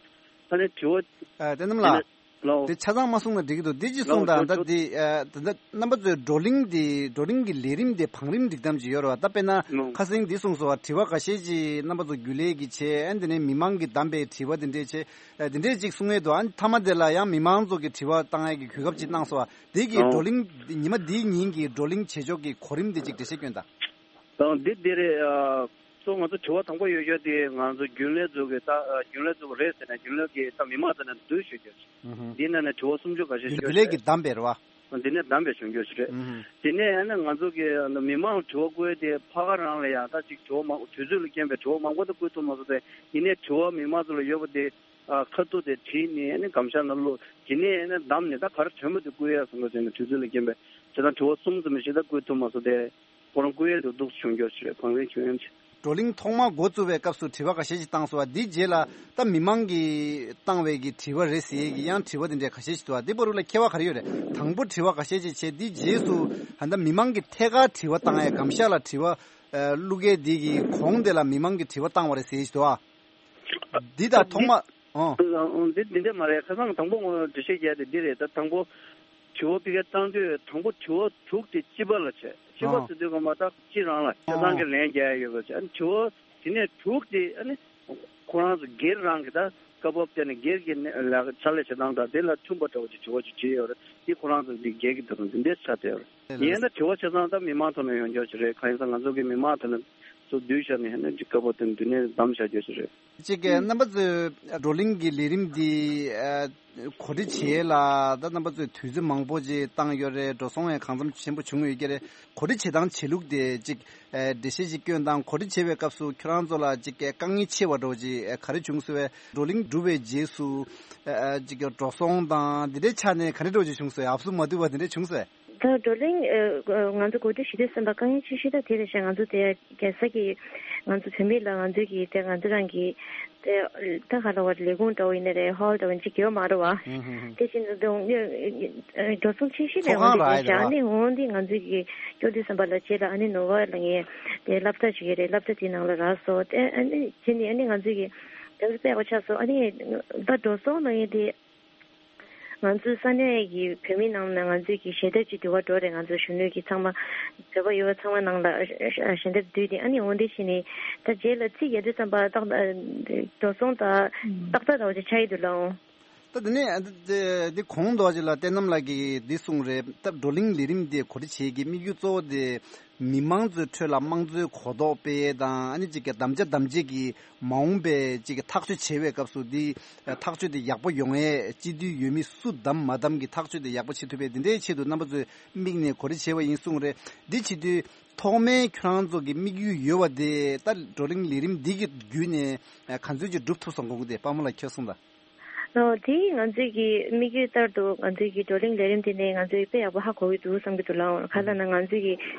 ད་ནི་དྲི་བ་ཨ་བསྟན་ནམ་ལགས། ལའོ། དེ་ཆ་ཚང་མ་གསུངས་ན་འགྲིག་གི་འདུག་འདི་ཅི་གསུངས་ལའོ་དང་ད་ལའོ་འདི་ཨ་ད་ལྟ་རྣམ་པ་ཚོའི་བགྲོ་གླེང་འདི་བགྲོ་གླེང་གི་ལས་རིམ་དེ་བང་རིམ་སྒྲིག་སྟངས་ཅིག་ཡོད་རེད་བ། ད་དཔེར་ན་ལའོ་ཁ་སང་འདི་གསུངས་སོང་བ། དྲི་བ་འགའ་ཤས་ཅིག་རྣམ་པ་ཚོ་རྒྱུན་ལས་ཀྱིས་བྱས། ཨ་ནི་དེ་ནས་མི་མང་གིས་བདམས་པའི་དྲི་བ་དེ་འདྲས་བྱས། ཨ་དེ་འདྲས་ཅིག་གསུང་ཡས་འདུག་ཨ་ནི་མཐའ་མ་དེ་ལ་ཡང་མི་མང་ཚོ་གི་དྲི་བ་བཏང་ཡས་ཀྱི་གོ་སྐབས་ཅིག་གནང་སོང་བ། དེ་གི་ལའོ་བགྲོ་གླེང་ཉི་མ་འདིའི་ཉིན་གྱི་བགྲོ་གླེང་བྱེད་ཕྱོགས་ཀྱི་གོ་རིམ་དེ་ཅིག་འགྲེལ་བཤད་སྐྱོན་དང་། དང་འདི་འདི་རེད། ཨ་གཙོ་ང་ཚོ་དྲི་བ་དང་པོ་ཡོད་ཤོས་དེ་ང་ཚོ་རྒྱུན་ལས་ཚོ་གི་ད་ཨ་རྒྱུན་ལས་ཚོ་རེད་ཟེར་ནས་རྒྱུན་ལས་ཀྱི་ད་མི་མང་ཚོ་ནས་བསྡུས་ཞུ་རྒྱུ། ཨུ་ཧུ། འདི་ནང་ནས་དྲི་བ་སུམ་ཅུ་འགའ་ཤས་ཞུ་རྒྱུ་རྒྱུན་ལས་ཀྱིས་རེད། བདམས་པ་རེད་བ། འདི་ནས་བདམས་པའི་གཞུང་སྐྱོར་ཞིག་རེད། ཨུ་ཧུ། དེ་ནས་ཡང་ན་ང་ཚོ་གི་མི་མང་དྲི་བ་བཀོད་དེ་ཕ་ག་རང་ལ་ཡང་ད་ཅིག་དྲི་བ་མང་དུས་ཚོད་ལ་རྐྱེན་པས་དྲི་བ་མང་པོ་དེ་བཀོད་ཐུབ་མ་སོང་སྟེ་ཡིན་ནའི་དྲི་བ་མི་མང་ཚོ་ལ་ཡོད་པ་དེ་ཨ་ཁ་ཐུག་དེ་བྲིས་ནས་ཨ་ནི་སྒམ་ཤག་ནང་བླུགས་དེ་ནས་ཨ་ནི་བདམས་ནས་ད་ག་རེ་དྲན་པ་དེ་བཀོད་ཡ་བཟོ་འདྲ་བྱས་ནས་དུས་ཚོད་ལ་རྐྱེན་པས་དེ་དང་དྲི་བ་གསུམ་ཙམ་ཞིག་ད་བཀོད་ཐུབ་མ་སོང་སྟེ་ཁོ་རང་བཀོད་ཡ་དེ་སྡུག་ཅུང་སྐྱོ་ཞིག་རེད། གང་རེད་ཁྱོད་ཡང་ཆེ། བགྲོ་གླེང་ཐོག་མ་འགོ་བཙུགས་པའི་སྐབས་སུ་དྲི་བ་འགའ་ཤས་ཤིག་བཏང་སོང་བ། འདིའི་རྗེས་ལ་ད་མི་མང་གིས་བཏང་བའི་གི་དྲི་བ་རེད་ཟེར་གི་ཡང་དྲི་བ་དེ་འདྲའི་ཁ་ཤས་ཤིག་འདུག་བ། འདི་བར་དུ་ལ་ཁྱད་པར་ག་རེ་ཡོད་རེད། དང་པོ་དྲི་བ་འགའ་ཤས་ཤིག་བྱས། འདིའི་རྗེས་སུ་ད་ལྟ་མི་མང་གིས་ཐད་ཀར་དྲི་བ་བཏང་ཡ་སྒམ་ཤག་ལ་དྲི་བ་ཨ་བླུག་མཁན་འདི་གི་གོང་དེ་ལ་མི་མང་གིས་དྲི་བ་བཏང་བ་རེད་ཟེར་གི་འདུག་བ། འདི་དང་ཐོག་མ་ཨོ། འདི་འདི་འདྲ་མ་རེད། ཁ་སང་དང་པོ་ངོ་འགྲེལ་བཤད་རྒྱག་དེ་འདི་རེད། ད་དང་པོ་དྲི་བ་ཕ་གིར་བཏང་དུས་དང་པོ་དྲི་བ་དྲུག་དེ་སྤྱི་པ་ལ་བྱས། སྤྱི་པ་ཨོ། ཟེར་དུས་སྒང་མ་ད་སྤྱི་རང་ལ་ཆ་ཚང་གི་ལན་རྒྱག་ཡ་ཡོད་པ་བྱས། ཨ་ནི་དྲི་བ་དེ་ནས་དྲུག་དེ་ཨ་ནི་ཁོ་རང་ཚོ་སྒེར་རང་གི་ད་སྐབས་བབ་དེ་ནས་སྒེར་གྱི་ནས་ལ་ཕྱག་ལས་བྱེད་སྟངས་དང་དེ་ལ་མཐུན་པ་འདྲ་བོ་ཅིག་དྲི་བ་ཅིག་བྱས་ཡོད་རེད། དེ་ཁོ་རང་ཚོ་འདི་སྒེར་གྱི་དོ་དམ་དེ་འདྲས་ཆགས་བསྡད་ཡོད་རེད། ཡིན་ན་དྲི་བ་ཆ་ཚང་ད་མི་མང་ཐོག་ནས་ཡོང་རྒྱུ་ཞིག་རེད། གང་ཡིན་ཟེར་ང་ཚོ་གི་མི་མང་ཐོག་ནས་ཚོ་བསྡུས་བཞག་ནས་ཡང་ན་སྐབས་བབ་དེ་འདི་ནས་བདམས་བཞག་རྒྱུ་ཞིག་རེད། གཅིག་གི་རྣམ་པ་ཚོས་བགྲོ་གླེང་གི་ལས་རིམ་འདི་ཨ་གོ་སྒྲིག་བྱེད་ཡས་ལ་ད་རྣམ་པ་ཚོས་དུས་ཚོད་མང་པོ་ཅིག་བཏང་ཡོད་རེད། འགྲོ་སོང་ཡང་གང་འཚམ་ཆེན་པོ་བྱུང་ཡོད་ཀྱི་རེད། གོ་སྒྲིག་བྱེད་སྟངས་བྱེད་ལུགས་དེ་གཅིག་ཨ་འགྲེལ་བཤད་ཅིག་སྐྱོན་དང་། གོ་སྒྲིག་བྱེད་པའི་སྐབས་སུ་ཁྱོད་རང་ཚོ་ལ་གཅིག་གི་དཀའ་ངལ་ཆེ་བ་འདྲ་བོ་ཅིག་ཨ་ག་རེ་བྱུང་སོང་བས། བགྲོ་གླེང་གྲུབ་པའི་རྗེས་སུ་ཨ་གཅིག་གི་འགྲོ་སོང་དང་འདི་འདྲའི་ཆ་ནས་ག་འདྲ་འདྲ་བོ་ཅིག་བྱུང་སོང་བས། ཨབ་སུ་མ་བསྡུས་པ་འདི་འདྲ་བྱུང་སོང་བས། ད་བགྲོ་གླེང་ཨ་ང་ཚོ་གོ་སྒྲིག་ཞུ་དུས་ཙམ་པ་དཀའ་ངལ་ཆེ་ཤོས་ད་དེ་རེད་ཤག་ང་ཚོ་དེ་རྒྱལ་ས་གི་ང་ཚོ་བུད་མེད་ལ་ང་ཚོའི་གི་དེ་ང་ཚོ་རང་གི་དེ་ད་ག་ལ་བ་ལས་ཁུངས་འདྲ་བོ་ཡིན་ན་རེད། ཧོལ་འདྲ་བོ་ཅིག་ཡོད་མ་རེད་བ། ཧུམ་ཧུམ་ཧུམ། དེ་བཞིན་དུ་འགྲོ་སོང་ཆེ་ཤོས་ནས་ཚོགས་ཁང་ང་ཚོ་རག་ཡ་རེད་བ། ཨ་ནི་འོང་འདི་ང་ཚོའི་གི་སྐྱོ་དུས་ཙམ་པ་ལ་རྗེས་ལ་ཨ་ནི་ནོར་བ་ལ་ངས་དེ་སློབ་གྲྭ་ཞིག་ཡོད་རེད། སློབ་གྲྭ་དེའི་ནང་ལ་རག་སོང་། དེ་ཨ་ནི་དེ་ནི་ཨ་ནི་ང་ཚོའི་གི་དེ་ཚོ་དཔེ་ཡག་པོ་ཆགས་སོང་། ཨ་ནི་ད་འགྲོ་སོང་ལ་ངས་དེ། ང་ཚོའི་ས་གནས་ཀྱི་བོད་མི་ནང་ནས་ང་ཚོའི་གི་ཞལ་འདེབས་ཅིག་བསྡུ་བ་འགྲོ་རེད། ང་ཚོའི་གཞོན་ནུ་གི་ཚང་མ་བོད་པ་ཡོད་པ་ཚང་མ་ནང་ལ་ཞལ་འདེབས་བསྡུས་ཏེ། ཨ་ནི་འོ་འདི་བྱས་ནས་ད་རྗེས་ལ་རྩིས་རྒྱག་དུས་ཙམ་པ་ཏག་འགྲོ་སོང་ད་ཏག་ཏག་འདྲ་བོ་ཅིག་ཆགས་ཡི་འདུག་ལགས། ད་དེ་ནས་འདི་གོང་དུ་ཅིག་ལ་བསྟན་ནམ་ལགས་ཀྱིས་འདི་གསུངས་རེད། ད་བགྲོ་གླེང་ལས་རིམ་འདི་གོ་སྒྲིག་བྱེད་ཀྱི་དམིགས་ཡུལ་གཙོ་བོ་དེ། མི་མང་ཚོའི་ཁྲོད་ལ་དམངས་གཙོའི་གོ་རྟོགས་སྤེལ་ཡས་དང་། ཨ་ནི་གཅིག་གི་དམ་བཅའ་དམ་བཅའ་གི་མ་འོངས་པའི་གཅིག་གི་ཐག་གཅོད་བྱེད་པའི་སྐབས་སུ་འདི་ཐག་གཅོད་དེ་ཡག་པོ་ཡོང་ཡས། སྤྱི་འཐུས་འོས་མི་སུ་བདམས་མ་བདམས་ཀྱི་ཐག་གཅོད་དེ་ཡག་པོ་བྱེད་ཐུབ་པའི་འདི་འདྲའི་ཆེད་དུ་རྣམ་པ་ཚོས་དམིགས་ནས་གོ་སྒྲིག་བྱས་པ་ཡིན་གསུངས་རེད། འདི་བྱེད་དུས་ཐོག་མའི་ཁྱོད་རང་ཚོ་གི་དམིགས་ཡུལ་ཡོད་པ་དེ་ད་བགྲོ་གླེང་ལས་རིམ་འདི་གི་བརྒྱུད་ནས་ག་ཚོད་ཅིག་འགྲུབ་ཐུབ་སོང་དགོངས་ཀྱི་དེ་དཔལ་མོ་ལགས་ཁྱོད་གསུངས་དང་། ཨོ། དེ་ང་ཚོའི་གི་དམིགས་ཡུལ་ལྟར་དུ་ང་ཚོའི་གི་བགྲོ་གླེང་ལས་རིམ་དེ་ནས་ང་ཚོས་དཔེ་ཡག་པོ་ཧ་གོ་གི་འདུག་བསམ་གི་འདུག་ལགས། ག་ལ་ན་ང་ཚོའི་གི་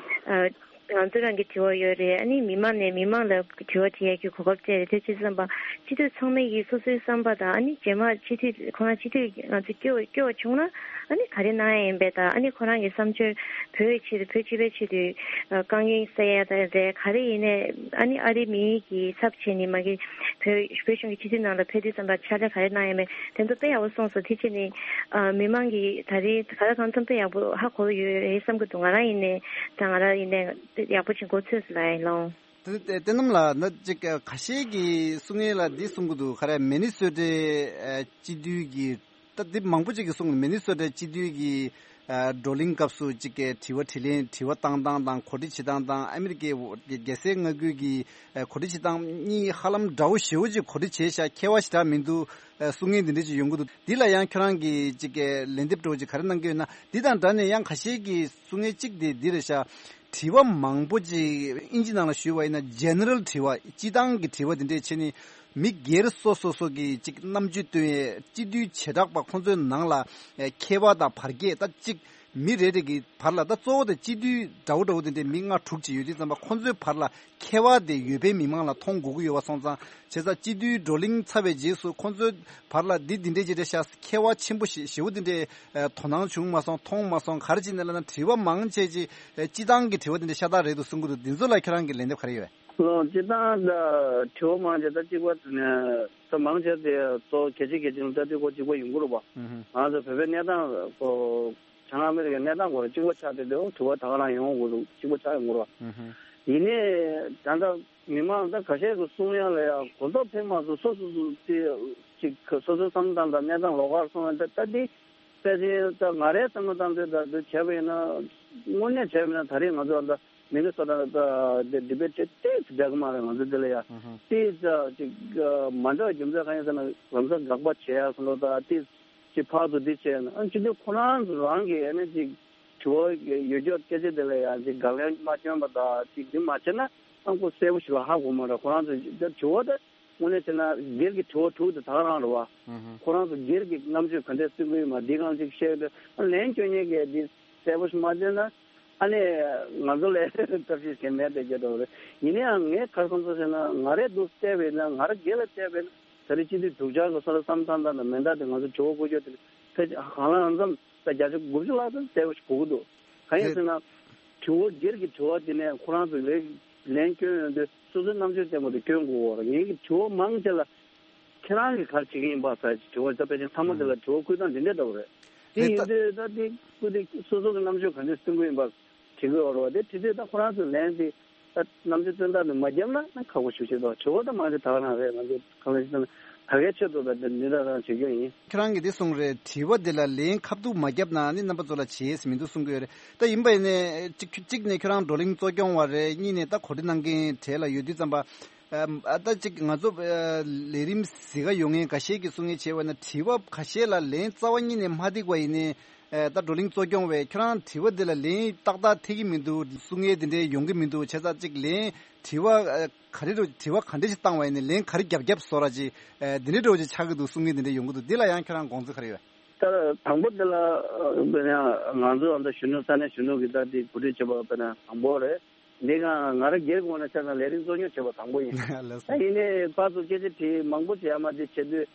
ཨ་ང་ཚོ་རང་གི་དྲི་བ་ཡོད་རེད། ཨ་ནི་མི་མང་ནས་མི་མང་ལ་དྲི་བ་དྲི་ཡས་ཀྱི་གོ་སྐབས་སྤྲད་རེད། དེ་བྱས་ཙམ་པ་སྤྱི་འཐུས་ཚང་མས་གི་སོ་སོའི་བསམ་པ་དང་། ཨ་ནི་རྗེས་མ་སྤྱི་འཐུས་ཁོ་རང་སྤྱི་འཐུས་ང་ཚོ་སྐྱོ་སྐྱོ་བ་བྱུང་ན་ ཨ་ནི་ག་རེ་གནང་ཡ་ཡིན་པས་དང་ཨ་ནི་ཁོ་རང་གི་བསམ་སྤྱོད་བོད་ཆེད་དུ་བོད་སྤྱི་པའི་ཆེད་དུ་དཀའ་ངལ་སེལ་ཡ་དང་རེད། ག་རེ་ཡིན་ནའི་ཨ་ནི་ཨ་རི་མིའི་གི་ཚབ་བྱས་ནས་མ་གི་བོད་བོད་གཞུང་གི་སྤྱི་འཐུས་ནང་ལ་ཕེབས་དུས་ཙམ་པ་ཕྱག་ལས་ག་རེ་གནང་ཡ་མེད་དེ་ཚོ་དཔེ་ཡག་པོ་གསུངས་སོང་། དེ་བྱས་ནས་མི་མང་གི་ད་རེས་ག་ལ་གང་འཚམ་དཔེ་ཡག་པོ་ཧ་གོ་ཡོད་རེད་བསམ་གི་འདུག་ང་རང་ཡིན་ནའི་དང་ང་རང་ཡིན་ནའི་ཡག་པོ་ཅིག་གོ་ཚོད་ལ་ཡིན་ལོང་། དེ་དེ་བསྟན་ནམ་ལགས་ན་ཅིག་ཁ་ཤས་ཀྱིས་གསུང་ཡས་ལ་འདི་གསུང་གི་འདུག་ག་རེ་མི་ནི་སོ་ཊའི་སྤྱི་འཐུས་ཀྱི་ད་འདི་མང་པོ་ཅིག་གིས་གསུང་གི་མི་ནི་སོ་ཊའི་སྤྱི་འཐུས་ཀྱི་བགྲོ་གླེང་སྐབས་སུ་ཅིག་དྲི་བ་དྲིས་ལན་དྲི་བ་བཏང་སྟངས་དང་གོ་སྒྲིག་བྱེད་སྟངས་དང་ཨ་མི་རི་ཀའི་རྒྱལ་སའི་མངའ་ཁུལ་གྱི་གོ་སྒྲིག་བྱེད་སྟངས་གཉིས་ཧ་ལམ་འདྲ་བོ་ཞེ་པོ་ཅིག་གོ་སྒྲིག་བྱས་ཤག་ཁྱད་པར་ཞེ་དྲག་མི་འདུག་གསུང་མཁན་འདི་འདྲ་ཅིག་ཡོང་གི་འདུག་འདི་ལ་ཡང་ཁྱོད་རང་གིས་ཅིག་ལན་འདེབས་འདྲ་བོ་ཅིག་ག་རེ་གནང་གི་ཡོད་ན། འདི་དང་འདྲ་ནས་ཡང་ཁ་ཤས་ཀྱིས་གསུང་མཁན་གཅིག་དེ་འདི་རེད་ཤག་དྲི་བ་མང་པོ་ཅིག་ཨིན་ཇི་ནང་ལ་ཞུས་པ་ཡིན་ན་ཇེ་ནེ་རལ་དྲི་བ་སྤྱི་བཏང་གི་དྲི་བ་དེ་འདྲས་བྱས་ནས་མི་སྒེར་སོ་སོ་སོ་གི་ཅིག་རྣམ་དཔྱོད་སྟོན་ཡས་སྤྱི་འཐུས་བྱེ་བྲག་པ་ཁོང་ཚོའི་ནང་ལ་ཁྱད་པར་དང་བར་ཁྱད་ད་ཅིག་མི་རེ་རེ་གི་བར་ལ་ད་གཙོ་བོ་དེ་སྤྱི་འཐུས་འདྲ་བོ་འདྲ་བོ་དེ་འདྲས་མི་ལྔ་དྲུག་ཅིག་ཡོད་དུས་ཙམ་པ་ཁོང་ཚོའི་བར་ལ་ཁྱད་པར་དེ་ཡོད་པའི་མི་མང་ལ་མཐོང་དགོས་ཀྱི་ཡོད་པ་སོང་ཙང་བྱས་ཙང་སྤྱི་འཐུས་བགྲོ་གླེང་ཚར་བའི་རྗེས་སུ་ཁོང་ཚོའི་བར་ལ་འདི་འདི་འདྲས་ཅིག་རེད་ཤག་ཁྱད་པར་ཆེན་པོ་ཞེ་ཞེ་པོ་འདི་འདྲས་དོ་སྣང་བྱུང་མ་སོང་མཐོང་མ་སོང་ག་རེ་བྱས་ནས་ལབ་ན་དྲི་བ་མང་ཆེ་ཅིག་སྤྱི་བཏང་གི་དྲི་བ་འདི་འདྲས་ཤ་སྟག་རེད་འདུག་གསུང་གི་འདུག་འདི་ཚོ་ལ་ཁྱེད་རང་གིས་ལན་འདེབས་ག་རེ་ཡོད། ལོ་སྤྱི་བཏང་ད་དྲི་བ་མང་ཆེ་ད་གཅིག་པ་ད་མང་ཆེ་དེ་གཙོ་བོ་གལ་ཆེ་གལ་ཆེ་ལ་ལྟ་དུས་ཁོ་གཅིག་པ་ཡོང་གི་རེད་པ། ང་ཚོ་བོད་པའི་གནས་སྟངས་ཁོ་བྱང་ཨ་མི་རི་ཀའི་གནས་སྟངས་སྐོར་གཅིག་པ་ཆགས་བསྡད་དུས་དྲི་བ་ད་ག་རང་ཡོང་དགོས་འདུག་གཅིག་པ་ཆགས་ཡོང་གི་རེད་པ། ཡིན་ནའི་ད་ལྟ་མི་མང་ད་ཁ་ཤས་ཀྱིས་གསུང་ཡ་ལ་ཡང་གོ་རྟོགས་ཕེབས་མ་སོང་སོ་སོ་སོ་ཅིག་སོ་སོའི་བསམ་བློ་བཏང་དང་གནས་སྟངས་ལོགས་ཀར་སོང་བ་ད་ལྟ་འདི་དཔེ་ཆའི་ད་ང་རའི་བསམ་བློ་བཏང་དུས་ད་འདི་བྱས་པ་ཡིན་ན་དངོས་གནས་བྱས་པ་ཡིན་ན་ད་རེས་ང་ཚོ་ད་མི་ནི་སོ་ཊ་ད་འདི་ཌི་བེ་ཊི་དེ་ཏོག་ཙམ་འདྲ་གི་མ་རེད། ང་ཚོ་འདི་ལ་ཡ་ཏོག་ཙམ་ཅིག་མ་འདྲ་བ་རྒྱུ་མཚན་གང་ཡིན་ཟེར་ན་ལམ་སང་དགག་པ་བྱེད་ཡ་སོང་ལོ་ད་ཏོག་ཙམ་ཅིག་ཕར་ཚུར་འདི་བྱས་ན་ཨ་ཅི་འདི་ཁོ་རང་ཚོ་རང་གི་ཨ་ནི་ཅིག་དྲི་བ་ཡོད་ཀྱོག་སྐད་ཆ་དེ་ལ་ཡང་ཅིག་དགག་ལན་མ་བསྐྱོན་པ་དང་ཅིག་འདི་མ་བྱས་ན་ཨང་ཁོ་གསལ་པོ་ཞིག་ལ་ཧ་གོ་མ་རེད། ཁོ་རང་ཚོ་དྲི་བ་དེ་དངོས་གནས་བྱས་ན་སྒེར་གྱི་དྲི་བ་དྲུག་དེ་ད་ག་རང་རེད་བ། ཁོ་རང་ཚོ་སྒེར་གྱི་རྣམ་དཔྱོད་ག་འདྲས་སྟོན་གྱི་ཡོད་མ་འདི་གང་ཅིག་བཤད་དེ་ལན་སྐྱོན་མཁན་གྱི་འདི་གསལ་པོ་ཞིག་མ་བྱས་ན་ཨ་ནི་ང་ཚོ་ལ་ཐབས་ཤེས་གཞན་མེད་པའི་རྒྱ་འདྲ་བ་རེད། ཡིན་ན་ཡང་ངས་ག་རེ་བསམ་སོང་ཟེར་ན་ང་རས་འདུག་བལྟས་པས་ན་ང་ར་སྒེར་ལ་བལྟས་པས་ན་ད་རེས་སྤྱི་འཐུས་དྲུག་ཆར་གྱི་སོ་སོ་བསམ་བཏང་སྟངས་དང་མེ་མདའ་དེ་ང་ཚོ་དྲི་བ་བཀོད་རྒྱུ་དེ་ཕལ་ཆེར་གང་ལ་ཙམ། ད་བརྒྱ་ཆ་དགུ་བཅུ་ལྷག་ཙམ་གསལ་པོ་ཞིག་གོ་གི་འདུག་གང་ཡིན་ཟེར་ན། དྲི་བ་སྒེར་གྱི་དྲི་བ་དེ་ནས་ཁོ་རང་ཚོ་ལས་ལན་སྐྱོན་ཡོང་དུས་སོ་སོའི་རྣམ་དཔྱོད་ལྡན་པ་དེ་སྐྱོན་དགོས་པ་རེད། ངེད་ཀྱི་དྲི་བ་མང་ཆེ་ལ་ཁྱེད་རང་གིས་ག་རེ་བྱེད་ཀྱི་ཡིན་པ་ཟེར་དྲི་བ་ད་ཕལ་ཆེར་ཚང་མ་དེ་ལ་དྲི་བ་བཀོད་སྟངས་འདི་འདྲ་འདྲ་པོ་རེད། དེ་ཡིན་དུས་ད་དེ་བཀོད་དེ་སོ་སོ་གི་རྣམ་དཔྱོད་ག་འདྲས་སྟོན་གྱི་ཡིན་པ་དྲི་གི་ཡོད་རེད་བ། དེ་དྲི་དུས་ད་ཁོ་རང་ཚོའི་ལན་དེ། ད་རྣམ་དཔྱོད་སྟོན་སྟངས་དེ་མ་བརྒྱབ་ན་ཁག་པོ་ཞིག་ཆགས་འདུག་དྲི་བ་ད་མང་ཆེ་ད་ག་རང་རེད། ང་ཚོ་གང་ལ་ཞིག་ད་གའི་ཆེད་དུ་ད་འདི་འདྲ་རང་བྱེད་རྒྱུ་ཡིན། ཁྱེད་རང་གིས་འདི་གསུངས་རེད། དྲི་བ་འདི་ལ་ལན་ཁ་ཐུག་མ་བརྒྱབ་ན་ནི་རྣམ་པ་ཚོ་ལ་བྱེད་ཡས་མི་འདུག་གསུང་གི་ཡོད་རེད། ད་ཡིན་པ་ཡིན་ནའི་གཅིག་གཅིག་ནས་ཁྱེད་རང་བགྲོ་གླེང་གཙོ་སྐྱོང་བ་རེད། གཉིས་ནས་ད་གོ་སྒྲིག་གནང་མཁན་གྲས་ལ་ཡོད་དུས་ཙམ་པ། ཨ་ད་གཅིག་ང་ཚོ་ལས་རིམ་གཟིགས་ག་ཡོང་མཁན་འགའ་ཤས་ཀྱིས་གསུང་མཁན་བྱས་པ་ན་དྲི་བ་ཁ་ཤས་ལ་ལན་རྩ་བ་ཉིད་ནས་མ་འགྲིག་པ་ཡིན་ནའི། ཨེ་ད་བགྲོ་གླེང་གཙོ་སྐྱོང་བས་ཁྱོད་རང་དྲི་བ་འདི་ལ་ལན་ཏག་ཏག་ཐེབས་ཀྱི་མི་འདུག་གསུང་ཡས་འདི་འདྲའི་ཡོང་གི་མི་འདུག་བྱས་ཙང་གཅིག་ལན་དྲི་བ་ཨེ་ག་རེ་རུ་དྲི་བ་ག་འདྲ་ཞིག་བཏང་བ་ཡིན་ནའི་ལན་ག་རེ་རྒྱབ་རྒྱབ་བཟོ་ར་ཅིག་ཨེ་འདི་འདྲའི་འདྲ་བོ་ཅིག་ཆགས་ཀྱི་འདུག་གསུང་ཡས་འདི་འདྲའི་ཡོང་གི་འདུག་འདི་ལ་ཡང་ཁྱོད་རང་དགོངས་ཚུལ་ག་རེ་ཡོད། ད་དང་པོ་འདི་ལ་དཔེར་ན་ང་ཚོ་ཨ་ད་གཞོན་ནུ་ས་གནས་གཞོན་ནུ་གི་ད་དེ་གོ་སྒྲིག་བྱེད་པ་དཔེར་ན་དང་པོ་རེད། འདི་ག་ང་རང་སྒེར་ངོས་ནས་བཤད་ན་ལས་རིམ་གཙོ་སྐྱོང་བྱེད་པ་དང་པོ་ཡིན། ལགས་སོ། ད་ཡིན་ནའི་ཕར་ཚུར་སྐད་ཆ་དྲིས་མང་པོ་བྱས་མ་དེ་བྱེད་དུས།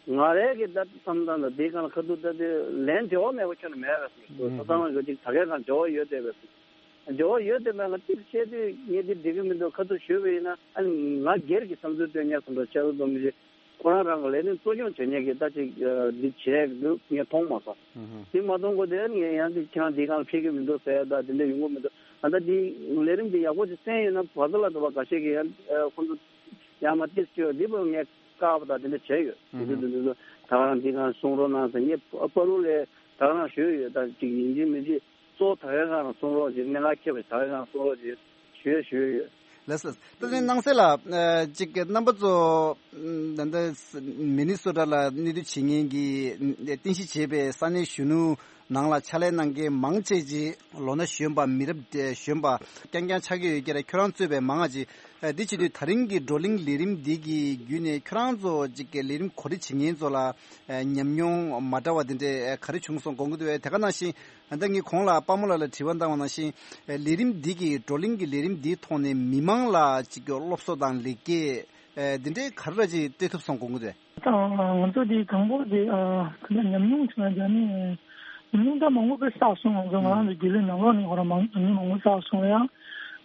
ང་རའི་གི་ད་བསམ་སྟངས་དང་དེའི་སྒང་ལ་ཁ་ཐུག་ད་དེ་ལན་འབྲེལ་བ་མེད་པ་ཁྱོན་ནས་མེད་རེད་ཟེར། ཨུ་ཧུ། སོ་སོ་རང་གི་ཅིག་ད་གའི་སྒང་འབྲེལ་བ་ཡོད་བསྡད་པས་ཟེར། འབྲེལ་བ་ཡོད་བསྡད་པས་ང་ཅིག་བཤད་དུས་ངས་འདི་འགྲིག་གི་མི་འདུག་ཁ་ཐུག་ཞུས་པ་ཡིན་ན་ཨ་ནི་ང་སྒེར་གྱི་བསམ་ཚུལ་སྟོན་ཉག་ཙམ་འགྲོ་ཆེ་རུ་འཛོམས་མི་ཤེས། ཁོ་རང་རང་གི་ལས་དོན་གཙོ་སྐྱོང་བྱེད་མཁན་གྱི་ད་ཅིག་འདི་བྱས་འདུག་ངས་མཐོང་མ་སོང་། ཨུ་ཧུ། འདི་མ་མཐོང་གོ་དེ་ངས་ཡང་འདི་ཁྱེད་རང་འདི་སྒང་ལ་ཕེབས་ཀྱི་མི་འདུག་ཟེར་ཡ་ད་དེ་འདྲ་ཡོང་གི་མི་འདུག་ཨ་ད་འདི་ལས་རིམ་འདི་ཡག་པོ་ཅིག་གསན་ཡོད་ན་བར་དུ་ལ་འགྲོ་བ་འགའ་ཤས་ཀྱིས་ཡང་ཁོ་ཚོ། ཡང་མ་ཏིས་ཅོ་འདི་བོ་ངས་བཀག་པ་དང་དེ་འདྲ་བྱས་ཡོད། ཨུ་ཧུ། དེ་ཚོ་དེ་ཚོ་ད་ག་རང་འདི་གང་གསུང་རོགས་གནང་ཟེར་ངས་པ་རུ་ལས་ད་ག་རང་ཞུས་ཡོད། ད་ཅིག་ཡིན་གཅིག་མིན་གཅིག་གཙོ་བོ་ད་ག་གང་གསུང་རོགས་ཅིག་གནད་འགག་ཁྱེད་པ་ད་ག་གང་གསུང་རོགས་ཅིག་ཞུས་ཞུས་ཡོད། ལགས་སོ། ད་ནི་སྣང་གསལ་ལ་ཅིག་རྣམ་པ་ཚོ་ད་ལྟ་མི་ནི་སོ་ཊ་ལ་གནས་སྡོད་བྱེད་མཁན་གྱི་རྟེན་གཞི་བྱས་པའི་ས་གནས་གཞོན་ནུ་ནང་ལ་ཕྱག་ལས་གནང་མཁན་མང་ཆེ་ཅིག་ལོ་ན་གཞོན་པ་མི་རབས་གཞོན་པ་རྐྱང་རྐྱང་ཆགས་ཀྱི་ཡོད་ཀྱི་རེད། ཁྱོད་རང་གཙོས་པའི་མང་ང་ཅིག་ཨ་འདི་བྱེད་དུས་ད་རིང་གི་བགྲོ་གླེང་ལས་རིམ་འདི་གི་བརྒྱུད་ནས་ཁྱོད་རང་ཚོ་ཅིག་གི་ལས་རིམ་གོ་སྒྲིག་བྱེད་མཁན་ཚོ་ལ་ཨ་ཉམས་མྱོང་མ་འདྲ་བ་འདི་འདྲས་ཨ་ག་རེ་བྱུང་སོང་དགོངས་ཀྱི་འདུག་ཨེ། དེ་ག་ནང་བཞིན་ཨ་ད་ངས་གོང་ལ་དཔའ་མོ་ལགས་ལ་དྲི་བ་བཏང་བ་ནང་བཞིན་ཨ་ལས་རིམ་འདི་གི་བགྲོ་གླེང་གི་ལས་རིམ་འདིའི་ཐོག་ནས་མི་མང་ལ་ཅིག་གི་སློབ་གསོ་དང་ལེགས་སྐྱེས་ཨ་འདི་འདྲས་ག་རེ་ར་ཅིག་སྤྲད་ཐུབ་སོང་དགོངས་ཀྱི་འདུག་ཨེ། ད་ང་ཚོ་འདི་དང་པོ་འདི་ཨ་ད་ཉམས་མྱོང་བྱུང་ན་རྒྱ་ནི། ཉམས་མྱོང་ད་མང་པོ་དཔེ་བསགས་སོང་། ང་ཚོ་ང་རང་ཚོ་རྒྱུན་ལས་ནང་ལོགས་ནས་ཁོ་རང་མང་ཉམས་མྱོང་མང་པོ་བསགས་སོང་། ཡང་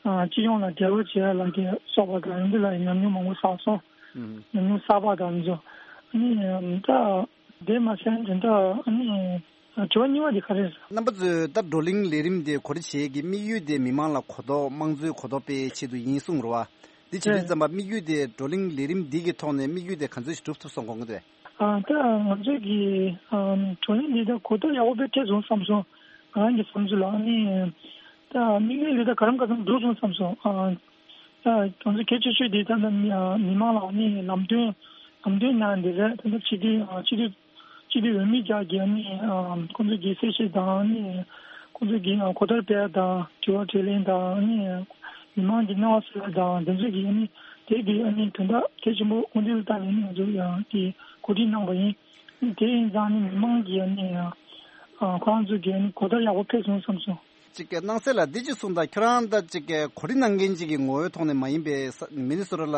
ཨ་སྤྱི་ཡོངས་ལ་འབྲེལ་བ་བྱེད་ཡ་ལ་གི་སོགས་པ་དང་ཡང་འདི་ལ་ཉམས་མྱོང་མང་པོ་བསགས་སོང་། ཨུ་ཉམས་མྱོང་བསགས་པ་དང་ཚོ་ཨ་ནི་ད་དེ་མ་ཟད་དེ་འདྲ་ཨ་ནི་དྲི་བ་གཉིས་པ་དེ་ག་རེ་རེད། རྣམ་པ་ཚོས་ད་བགྲོ་གླེང་ལས་རིམ་དེ་གོ་སྒྲིག་བྱེད་ཀྱི་དམིགས་ཡུལ་དེ་མི་མང་ལ་གོ་རྟོགས་དམངས་གཙོའི་གོ་རྟོགས་སྤེལ་ཆེད་དུ་ཡིན་གསུངས་རེད་བ། འདི་བྱེད་དུས་ཙམ་པ་དམིགས་ཡུལ་དེ་བགྲོ་གླེང་ལས་རིམ་འདི་གི་ཐོག་ནས་དམིགས་ཡུལ་དེ་ག་ཚོད་ཞིག་འགྲུབ་ཐུབ་སོང་དགོངས་ཀྱི་འདུག་ཨ་ད་ང་ཚོས་ཀྱི་ཨམ་བགྲོ་གླེང་འདི་ད་གོ་རྟོགས་ཡག་པོ་དཔེ་ཐེབས་སོང་བསམ་སོང་། ང་རང་གི་བསམ་ཚུལ་ལ་ཨ་ནི་ད་དམིགས་ཡུལ་འདི་ད་ག་རམ་ག་ཚམ་འགྲུབ་སོང་བསམ་སོང་། ཨ་ད་ང་ཚོ་གལ་ཆེ་ཤོས་འདི་ད་ད་མི་ཨ་མི་མང་ལ་ཨ་ནི་ལམ་སྟོན་ལམ་སྟོན་གནང་འདི་རེད། ད་ད་སྤྱི་འཐུས་ཨ་སྤྱི་འཐུས་སྤྱི་འཐུས་འོས་མི་རྒྱ་གི་ཨ་ནི་ཨ་ཁོང་ཚོ་གི་གསལ་བཤད་དང་ཨ་ནི་ཁོང་ཚོ་གི་ཨ་གོ་བརྡ་སྤེལ་དང་དྲི་བ་དྲིས་ལན་དང་ཨ་ནི་མི་མང་གི་སྣང་བ་གསལ་དང་དེ་ཚོ་གི་ཨ་ནི་དེ་གི་ཨ་ནི་དོན་དག་གལ་ཆེན་པོ་དགོངས་འགྲེལ་བཏང་ནས་ང་ཚོ་ཡང་གི་གོ་སྒྲིག་གནང་པ་ཡིན། དེ་ཡིན་ཙང་ནི་མི་མང་གི་ཨ་ནི་ཨ་ཁོ་རང་ཚོ་གི་ཨ་ནི་གོ་བརྡ་ཡག་པོ་ཕེབས་སོང་བསམ་སོང་། ཅིག་གི་སྣང་གསལ་ལ་འདི་ཅིག་གསུངས་དང་། ཁྱོད་རང་ད་ཅིག་གི་གོ་སྒྲིག་གནང་མཁན་ཅིག་གི་ངོ་བོའི་ཐོག་ནས་མ་ཡིན་པའི་ས་མི་ནི་སོ་ཊ་ལ་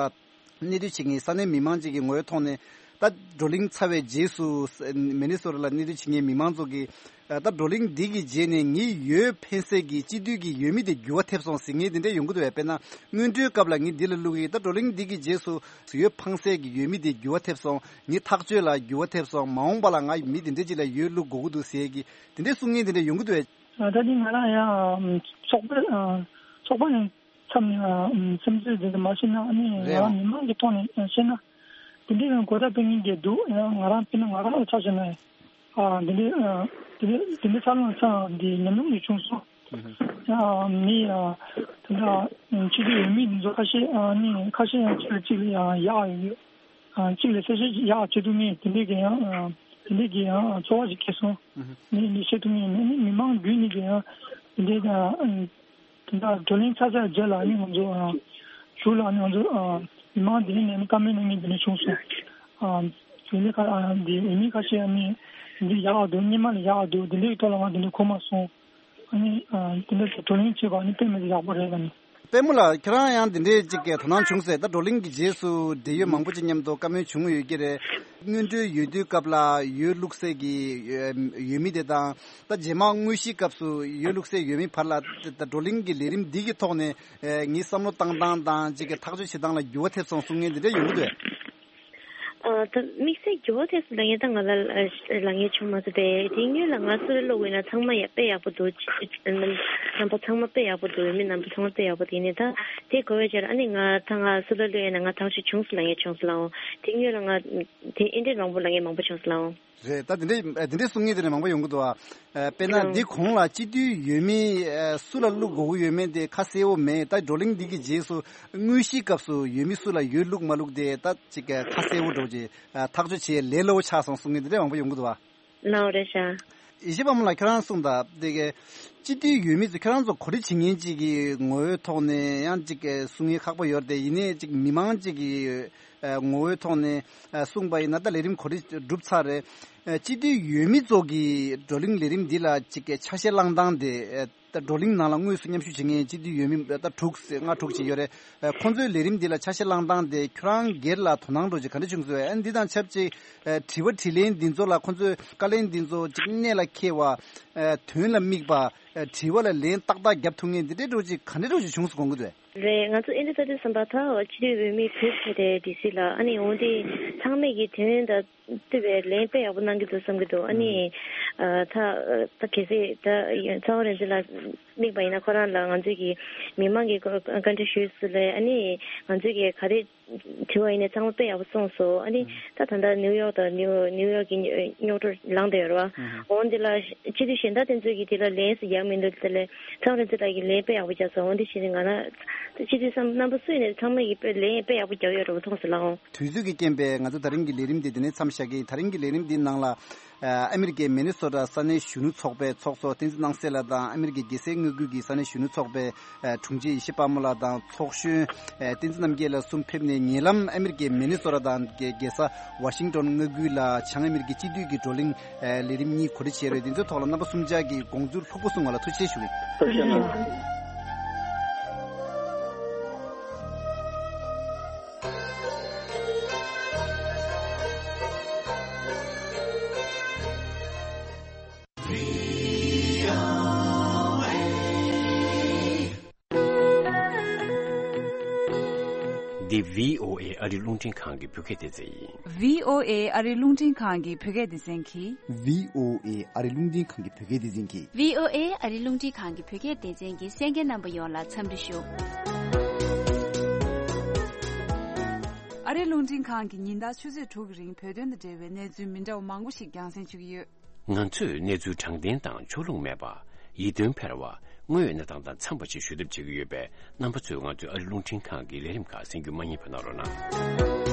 གནས་སྡོད་བྱེད་མཁན་ས་གནས་མི་མང་ཅིག་གི་ངོ་བོའི་ཐོག་ནས་ད་བགྲོ་གླེང་ཚར་བའི་རྗེས་སུ་ས་མི་ནི་སོ་ཊ་ལ་གནས་སྡོད་བྱེད་མཁན་མི་མང་ཚོ་གིས་ད་བགྲོ་གླེང་འདི་གི་རྗེས་ནས་ངའི་འོས་འཕེན་སའི་གི་སྤྱི་འཐུས་ཀྱི་འོས་མི་དེ་འགྱུར་བ་ཐེབས་སོང་ཟེར་མཁན་དེ་འདྲ་ཡོང་གི་འདུག་བས། དཔེར་ན་སྔོན་འགྲོའི་སྐབས་ལ་ངས་འདི་ལ་བླུགས་ཡིན། ད་བགྲོ་གླེང་འདི་གི་རྗེས་སུ་འོས་འཕངས་སའི་གི་འོས་མི་དེ་འགྱུར་བ་ཐེབས་སོང་། ངའི་ཐག་གཅོད་ལ་འགྱུར་བ་ཐེབས་སོང་། མ་འོངས་པ་ལ་ང་མི་དེ་འདྲ་ཅིག་ལ་འོས་བླུག་དགོས་ཀྱི་འདུག་ཟེར་གི་དེ་འདྲ་གསུང་མཁན་དེ་འདྲ་ཡོང་གི་འདུག་བས། ད་ལྟ་ང་རང་ཡང་ཚོགས་པ་ཚོགས་པ་ནས་མཚམས་ནས་སེམས་ཚོད་དེ་འདྲ་མ་བྱས་ན་ཨ་ནི་ང་རང་མི་མང་གི་ཐོག་ནས་བཤད་ན་དེ་འདྲའི་ཡང་གོ་བརྡ་སྤེལ་མཁན་གྱི་འདུག་ཡང་ང་རང་དཔེར་ན་ང་རང་ལ་ཆ་བཞག་ན་ཨ་དེ་འདྲའི་དེ་འདྲའི་དེ་འདྲའི་འཚར་ལོངས་འཚར་འདི་ཉམས་མྱོང་ཡོད་བྱུང་སོང་། ཨ་མི་ཨ་དེ་འདྲ་སྤྱི་འཐུས་འོས་མི་འདི་ཚོ་ཁ་ཤས་ཨ་ནི་ཁ་ཤས་ཡང་གཅིག་ལ་གཅིག་ལ་ཡང་ཡག་ཡོད། ཨ་གཅིག་ལ་གསལ་བཤད་ཡག་བྱེད་ཐུབ་མཁན་དེ་འདྲའི་གི་ཡང་ཨ་དེ་འདྲའི་གི་ཡང་ཚོར་བ་ཞིག་སྐྱེས་སོང་། ནི་ནི་བཤད་ཐུབ་མཁན་ནི་ནི་མི་མང་བརྒྱུད་ནས་ཀྱི་ཡང་དེ་འདྲའི་ཨ་དེ་འདྲ་བགྲོ་གླེང་ཚར་ཚར་རྗེས་ལ་ནི་ང་ཚོ་ཨ་གཞུག་ལ་ནི་ང་ཚོ་ཨ་མི་མང་དེ་ནས་ནི་བཀའ་མོལ་གནང་མཁན་དེ་འདྲ་བྱུང་སོང་། ཨ་དེ་ནི་ཁ་ཨ་འདི་འོས་མི་ཁ་ཤས་ནི་འདི་ཡག་འདུག་སྔོན་མ་ལས་ཡག་འདུག་དེ་འདྲའི་ཐོག་ལ་ང་དེ་འདྲ་གོ་མ་སོང་། ཨ་ནི་ཨ་དེ་འདྲ་ཞིག་བགྲོ་གླེང་བྱེད་པ་ནི་དཔེ་མི་སྲིད་ཡག་པོ་རེད་ལ་ནི། པད་མོ་ལགས། ཁྱེད་རང་ཡང་འདི་འདྲའི་ཅིག་གི་དོ་སྣང་བྱུང་ཟེར། ད་བགྲོ་གླེང་གི་རྗེས་སུ་འབྲེལ་ཡོད་མང་པོ་ཅིག་མཉམ་དུ་བཀའ་མོལ་བྱུང་ཡོད་ཀྱི་རེད། སྔོན་འགྲོའི་འོས་བསྡུའི་སྐབས་ལ་འོས་བླུགས་སའི་གི་འོས་མི་དེ་དང་ད་རྗེས་མ་དངོས་གཞིའི་སྐབས་སུ་འོས་བླུགས་སའི་འོས་མི་བར་ལ་ད་བགྲོ་གླེང་གི་ལས་རིམ་འདི་གི་ཐོག་ནས་ངའི་བསམ་བློ་བཏང་སྟངས་དང་ཅིག་གི་ཐག་གཅོད་བྱེད་སྟངས་ལ་འགྱུར་བ་ཐེབས་སོང་གསུང་མཁན་འདི་འདྲ་ཡོང་གི་འདུག་ཨ་ད་དམིགས་བསལ་འགྱུར་བ་ཐེབས་སོང་ལབ་མཁན་ད་ང་ལ་ལབ་མཁན་བྱུང་མ་སོང་སྟེ། དེ་སྔོན་ལ་ང་སུ་རེ་བླུགས་ཡིན་ན་ཚང་མ་ཡ་དཔེ་ཡག་པོ་འདུག་རྣམ་པ་ཚང་མ་དཔེ་ཡག་པོ་འདུག་མི་རྣམ་པ་ཚང་མ་དཔེ་ཡག་པོ་འདུག་ཡིན་ནའི་ད་དེ་གོ་བའི་རྗེས་ལ་ཨ་ནི་ང་ད་ང་སུ་ལ་བླུགས་ཡིན་ན་ང་ཐག་གཅོད་བྱུང་སོང་ལབ་མཁན་བྱུང་སོང་ལགས་འོང་། དེ་སྔོན་ལ་ང་དེ་ཨེ་འདྲས་མང་པོ་ལབ་མཁན་མང་པོ་བྱུང་སོང་ལགས་འོང་། རེད། ད་དེ་འདྲས་དེ་འདྲས་གསུང་མཁན་དེ་འདྲས་མང་པོ་ཡོང་གི་འདུག་ཨ། དཔེར་ན་འདི་གོང་ལ་སྤྱི་འཐུས་འོས་མི་སུ་ལ་བླུག་དགོས་ཀྱི་ཡོད་མེད་དེ་ཁ་གསལ་བོ་མེད། ད་བགྲོ་གླེང་འདི་གི་རྗེས་སུ་དངོས་གཞིའི་སྐབས་སུ་འོས་མི་སུ་ལ་འོས་བླུག་མ་བླུག་དེ་ད་ཅིག་ཁ་གསལ་བོ་འདྲ་བོ་ཅིག་ཐག་གཅོད་བྱེད་ལས་སླ་བོ་ཆགས་སོང་གསུང་མཁན་དེ་འདྲས་མང་པོ་ཡོང་གི་འདུག་ཨ། ལའོ་རེད་ཤག་ཡེ་ཤེས་པ་མོ་ལགས། ཁྱེད་རང་གསུངས་དང་དེ་གའི་སྤྱི་འཐུས་འོས་མི་ཚོ་ཁྱེད་རང་ཚོ་གོ་སྒྲིག་བྱེད་མཁན་ཅིག་གི་ངོ་བོའི་ཐོག་ནས་ཡང་ཅིག་གསུང་ཡས་ཁག་པོ་ཡོད་རེད་དེ། ཡིན་ནའི་ཅིག་མི་མང་ཅིག་གི་ངོ་བོའི་ཐོག་ནས་གསུངས་པ་ཡིན་ན་ད་ལས་རིམ་གོ་སྒྲིག་གྲུབ་ཚར་རེད། སྤྱི་འཐུས་འོས་མི་ཚོ་གི་བགྲོ་གླེང་ལས་རིམ་འདི་ལ་ཅིག་ཆ་ཤས་བླངས་སྟངས་དེ། ད་བགྲོ་གླེང་ནང་ལ་དངོས་སུ་མཉམ་ཞུགས་བྱེད་མཁན་སྤྱི་འཐུས་འོས་མི་ད་དྲུག་ཙམ་ལྔ་དྲུག་ཅིག་ཡོད་རེད། ཁོང་ཚོའི་ལས་རིམ་འདི་ལ་ཆ་ཤས་བླངས་སྟངས་དེ་ཁྱོད་རང་སྒེར་ལ་དོ་སྣང་འདྲ་ཅིག་ག་འདྲ་བྱུང་སོང་། ཨ་འདི་དང་ཆབས་ཅིག་དྲི་བ་དྲིས་ལན་འདི་ཚོ་ལ་ཁོང་ཚོས་བཀའ་ལན་འདི་ཚོ་ཅིག་གནད་ལ་འཁེལ་བ། དོན་ལ་དམིགས་པ། དྲི་བ་ལ་ལན་ཏག་ཏག་རྒྱབ་ཐུབ་མཁན་འདི་འདྲའི་འདྲ་ཅིག་ག་འདྲ་འདྲ་ཅིག་བྱུང་སོང་དགོངས་ཀྱི་འདུག་རེད། ང་ཚོ་ཨེ་འདྲ་ས་དེ་བསམ་པ་ད་སྤྱི་འཐུས་འོས་མི་དྲུག་ཕེབས་རེད་ཌི་སི་ལ། ཨ་ནི་འོན་ཏེ་ཚང་མས་ཀྱི་དོན་དང་བསྟུན་པའི་ལན་དཔེ་ཡག་པོ་གནང་གི་འདུག་བསམ་གྱི་འདུག་ཨ་ནི་ཨ་ད་ད་གལ་སྲིད་ད་ཚ་བ་རིག་འཛིན་ལ་དམིགས་པ་ཡིན་ན་ཁོ་རང་ལ་ང་ཚོས་ཀྱི་མི་མང་གི་བཀའ་འདྲི་ཞུས་སུ་ལས། ཨ་ནི་ང་ཚོས་ཀྱི་ག་རེ་དྲི་བ་ཡིན་ནའི་ཚང་མ་དཔེ་ཡག་པོ་གསུངས་སོང་། ཨ་ནི་ད་ད་ལྟ་ནིའུ་ཡོག་དང་ནིའུ་ནིའུ་ཡོག་གི་རྙོག་དྲ་ལངས་བསྡད་ཡོད་རེད་བ། འོན་ཏེ་ལ་སྤྱི་འཐུས་གཞན་དག་དེ་ཚོས་ཀྱི་དེ་ལ་ལན་ཞིག་རྒྱག་མི་འདུག་དེ་ལས་ཚ་བ་རིག་འཛིན་ལགས་ཀྱིས་ལན་དཔེ་ཡག་པོ་རྒྱག་སོང་། འོན་ཏེ་བྱས་ནས་ང་རང་སྤྱི་འཐུས་སམ་རྣམ་པ་སུ་ཡིན་ནའི་ཚང་མ་གིས་དཔེ་ལན་དཔེ་ཡག་པོ་རྒྱག་ཡོད་རེད་བ། མཐོང་སོང་ལགས་འོང་། དུས་ཚོད་ཀྱི་རྐྱེན་པས་ང་ཚོ་ད་རིང་གི་ལས་རིམ་འདི་འདི་ནས་མཚམས་བཞག་གི་ཡིན། ད་རིང་གི་ལས་རིམ་འདིའི་ནང་ལ་ཨ་ཨ་མི་རི་ཀའི་མི་ནི་སོ་ཊ་ས་གནས་གཞོན་ནུ་ཚོགས་པའི་ཚོགས་གཙོ་བསྟན་འཛིན་སྣང་གསལ་ལགས་དང་། ཨ་མི་རི་ཀའི་རྒྱལ་སའི་དངོས་བརྒྱུད་ཀྱི་ས་གནས་གཞོན་ནུ་ཚོགས་པའི་ཨ་དྲུང་ཆེ་ཡེ་ཤེས་དཔལ་མོ་ལགས་དང་། ཚོགས་གཞོན་ཨ་བསྟན་འཛིན་རྣམ་རྒྱལ་ལགས་གསུམ་ཕེབས་ནས། ཉེ་ལམ་ཨ་མི་རི་ཀའི་མི་ནི་སོ་ཊ་དང་རྒྱལ་ས་ཝ་ཤིང་ཏོན་མངའ་ཁུལ་ལ་བྱང་ཨ་མི་རི་ཀའི་སྤྱི་འཐུས་ཀྱི་བགྲོ་གླེང་ཨ་ལས་རིམ་གཉིས་གོ་སྒྲིག་བྱས་རེད། དེ་ཚོའི་ཐོག་ལ་རྣམ་པ་གསུམ་ཆ་གིས་དགོངས་ཚུལ་ལྷུག་པོ་གསུངས་པ་ལ་ཐུགས་རྗེ་ཆེ་ཞུ་གི་ཡིན། ཐུགས་རྗེ་གནང་། འདི་བྷི་ཨོ་ཨེ་ཨ་རི་རླུང་འཕྲིན་ཁང་གི་བོད་སྐད་སྡེ་ཚན་ཡིན། བྷི་ཨོ་ཨེ་ཨ་རི་རླུང་འཕྲིན་ཁང་གི་བོད་སྐད་སྡེ་ཚན་གྱིས། བྷི་ཨོ་ཨེ་ཨ་རི་རླུང་འཕྲིན་ཁང་གི་བོད་སྐད་སྡེ་ཚན་གྱིས། བྷི་ཨོ་ཨེ་ཨ་རི་རླུང་འཕྲིན་ཁང་གི་བོད་སྐད་སྡེ་ཚན་གྱི་གསན་མཁན་རྣམ་པ་ཡོངས་ལ་འཚམས་འདྲི་ཞུ། ཨ་རི་རླུང་འཕྲིན་ཁང་གིས་ཉིན་ལྟར་ཆུ་ཚོད་དྲུག་གི་རིང་བོད་དོན་དང་འབྲེལ་བའི་གནས་ཚུལ་མི་འདྲ་བ་མང་པོ་ཞིག་རྒྱང་སྲིང་ཞུ་གི་ཡོད། ང་ཚོས་གནས་ཚུལ་དྲང་བདེན་དང་ཕྱོགས་ལྷུང་མེད་པ། ཡིད་རྟོན་འཕེར་བ། དངོས་ཡོད་གནས་སྟངས་དང་འཚམས་པ་ཞིག་ཞུ་ཐབས་བྱེད་ཀྱི་ཡོད་པས། རྣམ་པ་ཚོས་ང་ཚོའི་ཨ་རི་རླུང་འཕྲིན་ཁང་གི་ལས་རིམ་ཁག་གསན་རྒྱུ་མ་བསྙེལ་བ་གནང་རོགས་གནང་།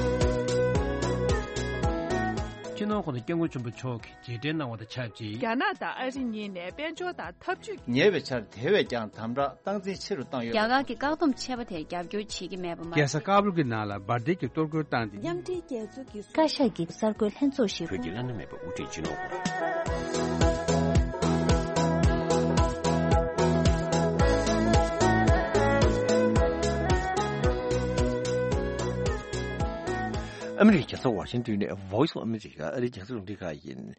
སྤྱི་ནོར་༸གོང་ས་༸སྐྱབས་མགོན་ཆེན་པོ་མཆོག་གིས་རྗེས་དྲན་གནང་བ་དང་ཆབས་ཅིག་རྒྱ་ནག་དང་ཨ་རི་གཉིས་ནས་དཔལ་འབྱོར་དང་འཐབ་ཇུས་ཉེ་བའི་ཆར་དེ་བས་ཀྱང་དམ་དྲག་སྟངས་འཛིན་ཆེ་རུ་བཏང་ཡོད། རྒྱ་གར་གྱི་བཀག་སྡོམ་ཆད་པ་དེར་རྒྱབ་སྐྱོར་བྱེད་ཀྱི་མེད་པ་མ་རྒྱལ་ས་ཀ་བུལ་གྱི་ནང་ལ་འབར་མདེལ་གྱི་གཏོར་རྒོལ་བཏང་སྟེ། མཉམ་འབྲེལ་རྒྱལ་ཚོགས་ཀྱི་བཀའ་ཤག་གི་གསར་འགོད་ལྷན་ཚོགས་ཤིག་བོད་ཀྱི་བླ་ན་མེད་པ་དབུ་ཁྲིད་སྤྱི་ནོར་༸གོང་ཨ་མི་རི་ཀའི་རྒྱལ་ས་ཝ་ཤིང་ཏོན་ནས་Voice of America ཨ་རིའི་རྒྱང་སྲིང་རླུང་འཕྲིན་ཁང་ཡིན།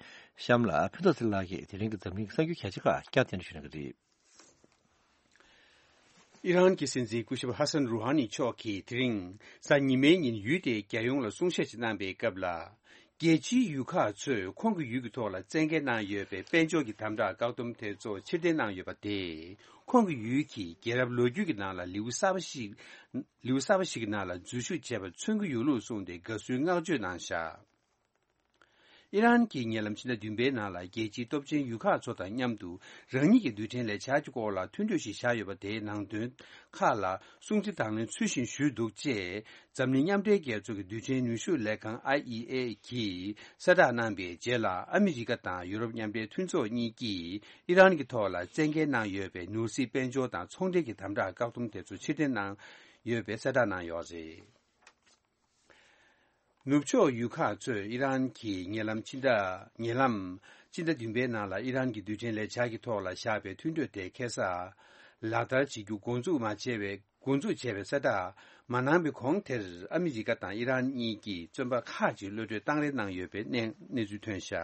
གཤམ་ལ་ཕུན་ཚོགས་ཚེ་རིང་ལགས་ཀྱིས་དེ་རིང་གི་འཛམ་གླིང་གི་གསར་འགྱུར་གལ་ཆེ་ཁག་བསྐྱར་དུ་ཞུ་གནང་གི་རེད། ཨི་རན་གྱི་སྲིད་འཛིན་སྐུ་ཞབས་ཧ་སན་རུ་ཧ་ནི་མཆོག་གིས་དེ་རིང་གཟའ་ཉི་མའི་ཉིན་ཡུལ་དེའི་རྒྱལ་ཡོངས་ལ་གསུང་བཤད་ཅིག་གནང་པའི་སྐབས་ལ། རྒྱལ་སྤྱིའི་ཡུལ་ཁག་ཚོས་ཁོང་གི་ཡུལ་གྱི་ཐོག་ལ་བཙན་འགེལ་གནང་ཡོད་པའི་དཔལ་འབྱོར་གྱི་དམ་དྲག་བཀག་སྡོམ་དེ་ཚོ་ཕྱིར་འཐེན་གནང་ཡོད་པ་དེས། ཁོང་གི་ཡུལ་གྱིས་རྒྱལ་རབས་ལོ་རྒྱུས་ཀྱི་ནང་ལ་ལེའུ་གསར་པ་ཞིག་ལེའུ་གསར་པ་ཞིག་གི་ནང་ལ་འཛུལ་ཞུགས་བྱས་པ་མཚོན་གྱི་ཡོད་ལུགས་གསུངས་ཏེ་དགའ་བསུའི་བསྔགས་བརྗོད་གནང་བཞག་ཨི་རན་གྱིས་ཉེ་ལམ་ཕྱི་ཟླ་བདུན་པའི་ནང་ལ་རྒྱལ་སྤྱིའི་སྟོབས་ཆེན་ཡུལ་ཁག་ཚོ་དང་མཉམ་དུ་རང་ཉིད་ཀྱི་རྡུལ་ཕྲན་ལས་འཆར་གྱི་སྐོར་ལ་མཐུན་གྲོས་ཤིག་བཞག་ཡོད་པ་དེའི་ནང་དོན་ཁག་ལ་སྲུང་བརྩི་དང་ལེན་ཚུལ་བཞིན་ཞུས་འདུག་ཅེས་འཛམ་གླིང་མཉམ་འབྲེལ་རྒྱལ་ཚོགས་ཀྱི་རྡུལ་ཕྲན་ནུས་ཤུགས་ལས་ཁང་ཨའི་ཨི་ཨེ་གིས་གསལ་བསྒྲགས་གནང་པའི་རྗེས་ལ། ཨ་མི་རི་ཀ་དང་ཡུ་རོབ་མཉམ་འབྲེལ་མཐུན་ཚོགས་གཉིས་ཀྱིས་ཨི་རན་གྱི་ཐོག་ལ་བཙན་འགེལ་གནང་ཡོད་པའི་ནོར་སྲིད་དཔལ་འབྱོར་དང་ཚོང་འབྲེལ་གྱི་དམ་དྲག་བཀག་སྡོམ་དེ་ཚོ་ཕྱིར་འཐེན་གནང་ཡོད་པའི་གསལ་བསྒྲགས་གནང་ཡོད་རེད། ནུབ་ཕྱོགས་ཡུལ་ཁག་ཚོས་ཨི་རན་གྱིས་ཉེ་ལམ་ཕྱི་ཟླ་ཉེ་ལམ་ཕྱི་ཟླ་བདུན་པའི་ནང་ལ་ཨི་རན་གྱི་རྡུལ་ཕྲན་ལས་འཆར་གྱི་ཐོག་ལ་བཞག་པའི་མཐུན་གྲོས་དེ་ཁ་སང་ལག་བསྟར་བྱེད་རྒྱུ་འགོ་འཛུགས་མ་བྱས་པའི་འགོ་འཛུགས་བྱས་པའི་གསལ་བསྒྲགས་མ་གནང་བའི་གོང་དེར། ཨ་མི་རི་ཀ་དང་ཨི་རན་གཉིས་ཀྱིས་བཙོན་པ་ཁག་ཅིག་གློད་གྲོལ་བཏང་རེས་གནང་ཡོད་པའི་གནས་གནས་ཚུལ་ཐོན་བཞག་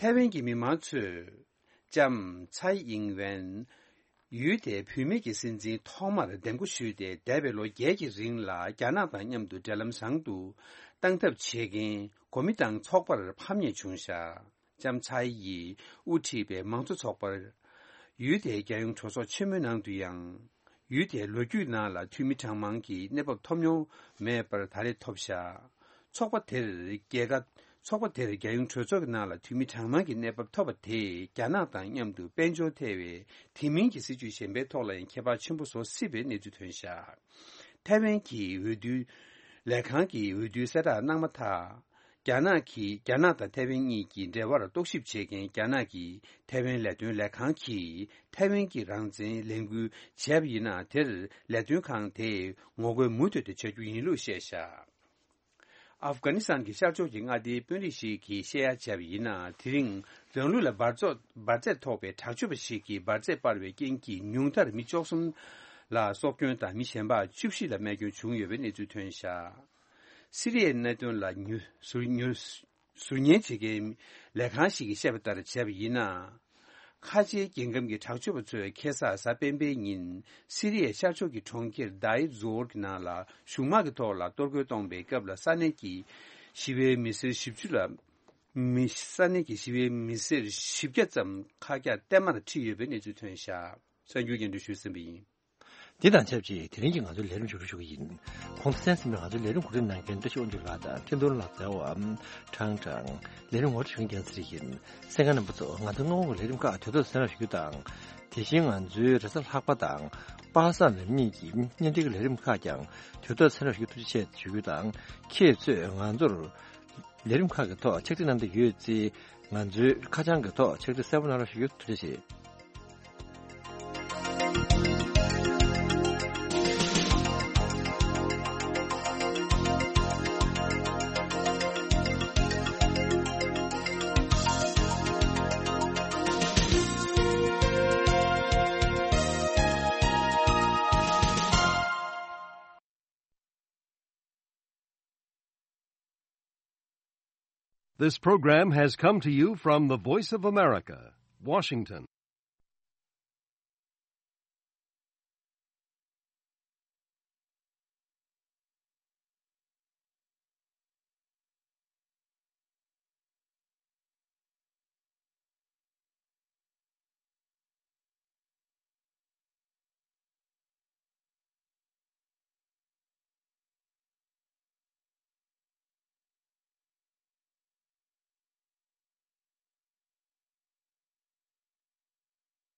ཐའེ་ཝན་གྱི་མི་མང་ཚོས་ལྕམ་ཚའེ་ཨིང་ཝེན། ཡུལ་དེའི་བུད་མེད་ཀྱི་སྲིད་འཛིན་ཐོག་མར་འདེམས་བསྐོ་ཞུས་ཏེ། འདས་པའི་ལོ་བརྒྱད་ཀྱི་རིང་ལ་རྒྱ་ནག་དང་མཉམ་དུ་འབྲེལ་ལམ་བཟང་དུ་གཏང་ཐབས་བྱེད་མཁན་གོ་མི་དང་ཚོགས་པར་ཕམ་ཉེས་བྱུང་བཞག་ལྕམ་ཚའེ་ཡིས་དབུ་ཁྲིད་པའི་མང་གཙོ་ཚོགས་པར། ཡུལ་དེའི་རྒྱལ་ཡོངས་གྲོས་ཚོགས་ཆེན་མོའི་ནང་དུ་ཡང་། ཡུལ་དེའི་ལོ་རྒྱུས་ནང་ལ་འཐུས་མི་གྲངས་མང་གི་གནས་བབ་ཐོབ་མྱོང་མེད་པར་ད་རེས་ཐོབ་བཞག་ཚོགས་པ་དེར་རྒྱལ་ཁ། ཚོགས་པ་དེར་རྒྱལ་ཡོངས་གྲོས་ཚོགས་ཀྱི་ནང་ལ་འཐུས་མི་གྲངས་མང་གི་གནས་བབ་ཐོབ་པ་དེས་རྒྱ་ནག་དང་མཉམ་དུ་དཔལ་འབྱོར་ཐེ་བའི་དེ་མིན་གྱི་སྲིད་ཇུས་གཞན་པའི་ཐོག་ལ་ཡང་ཁྱད་པར་ཆེན་པོ་བཟོ་སྲིད་པའི་གནས་ཚུལ་ཐོན་བཞག་ཐའེ་ཝན་གྱི་འོས་བསྡུའི་ལས་ཁང་གིས་འོས་བསྡུའི་གསལ་བསྒྲགས་གནང་མ་ཐག་རྒྱ་ནག་གིས། རྒྱ་ནག་དང་ཐའེ་ཝན་གཉིས་ཀྱི་འབྲེལ་བར་རྟོག་ཞིབ་བྱེད་མཁན་རྒྱ་ནག་གི་ཐའེ་ཝན་ལས་དོན་ལས་ཁང་གིས་ཐའེ་ཝན་གྱི་རང་བཙན་ལས་འགུལ་བྱས་པ་ཡིན་ན། དེར་ལས་དོན་ཁང་དེས་ངོ་རྒོལ་མུ་མཐུད་དུ་བྱ་རྒྱུ་ཡིན་ལུགས་བཤད་བཞག་ཨབ་གྷ་ནི་སི་ཐན་གྱི་ཤར་ཕྱོགས་ཀྱི་མངའ་སྡེའི་དཔོན་རིགས་ཤིག་གིས་བཤད་ཡ་བྱས་པ་ཡིན་ན། དེ་རིང་རང་ལུགས་ལ་འབར་རྫོག་འབར་རྫས་ཐོགས་པའི་དྲག་སྤྱོད་པ་ཞིག་གིས་འབར་རྫས་སྤར་བའི་རྐྱེན་གྱིས་ཉུང་མཐར་མི་བཅུ་གསུམ་ལ་སྲོག་སྐྱོན་དང་། མི་གཞན་པ་བཅུ་བཞི་ལ་རྨས་སྐྱོན་བྱུང་ཡོད་པའི་གནས་ཚུལ་ཐོན་བཞག་སི་རི་ཡའི་གནད་དོན་ལ་ཉུ་ཟུར་ཉུ་ཟུར་ཉན་བྱེད་མཁན་ལས་ཁང་ཞིག་གིས་བཤད་པ་ལྟར་བྱས་པ་ཡིན་ན། ཁ་ཆེའི་རྒྱལ་ཁམས་ཀྱི་དྲག་སྤྱོད་པ་ཚོས་ཁ་སང་གཟའ་སྤེན་པའི་ཉིན་སི་རི་ཡའི་ཤར་ཕྱོགས་ཀྱི་གྲོང་ཁྱེར་དཱ་ཡིར་ཛོར་གྱི་ནང་ལ་གཞུང་དམག་གི་ཐོག་ལ་གཏོར་རྒོལ་གཏོང་པའི་སྐབས་ལ་ས་གནས་ཀྱི་ཞི་བའི་མི་སེར་བཞི་བཅུ་ལ་མི་ས་གནས་ཀྱི་ཞི་བའི་མི་སེར་བཞི་བརྒྱ་ཙམ་ཁ་གྱ་གཏའ་མར་ཁྲིད་ཡོད་པའི་གནས་ཚུལ་ཐོན་བཞག་གསར་འགྱུར་སྙན་སྒྲོན་ཞུས་ཟིན་པ་ཡིན། འདི་དང་ཆབས་ཅིག་དེ་རིང་གི་ང་ཚོའི་ལས་རིམ་མཇུག་སྒྲིལ་ཞུ་གི་ཡིན། གོང་དུ་གསན་ཟིན་པའི་ང་ཚོའི་ལས་རིམ་གོ་སྒྲིག་གནང་མཁན་བཀྲ་ཤིས་དབང་ཕྱུག་ལགས་དང་འཕྲིན་གཏོང་ལགས། རྩེ་བ་ཁྲང་ཁྲང་། ལས་རིམ་ངོ་སྤྲོད་ཞུ་མཁན་རྒྱལ་ཚེ་རིང་ཡིན། གསན་མཁན་རྣམ་པ་ཚོ། ང་ཚོའི་སྔ་དགོང་གི་ལས་རིམ་ཁག་དུས་ཐོག་གསན་རོགས་ཞུ་རྒྱུ་དང་། དེ་བཞིན་ང་ཚོའི་རེས་གཟའ་ལྷག་པ་དང་པ་སངས་ཉིན་གཉིས་ཀྱི་བརྙན་འཕྲིན་གྱི་ལས་རིམ་ཁག་ཀྱང་དུས་ཐོག་གསན་རོགས་ཞུ་རྒྱུ་ཐུགས་རྗེ་ཆེ་ཞུ་རྒྱུ་དང་། ཁྱེད་ཚོས་ང་ཚོར་ལས་རིམ་ཁག་གི་ཐོག་ཕྱག་བྲིས་གནང་འདོད་ཡོད་ཚེ། ང་ཚོའི་ཁ་བྱང་གི་ཐོག་ཕྱག་བྲིས་གསལ་པོ་གནང་རོགས་ཞུ་རྒྱུ་ཐུགས་རྗེ་ཆེ། This program has come to you from the Voice of America, Washington.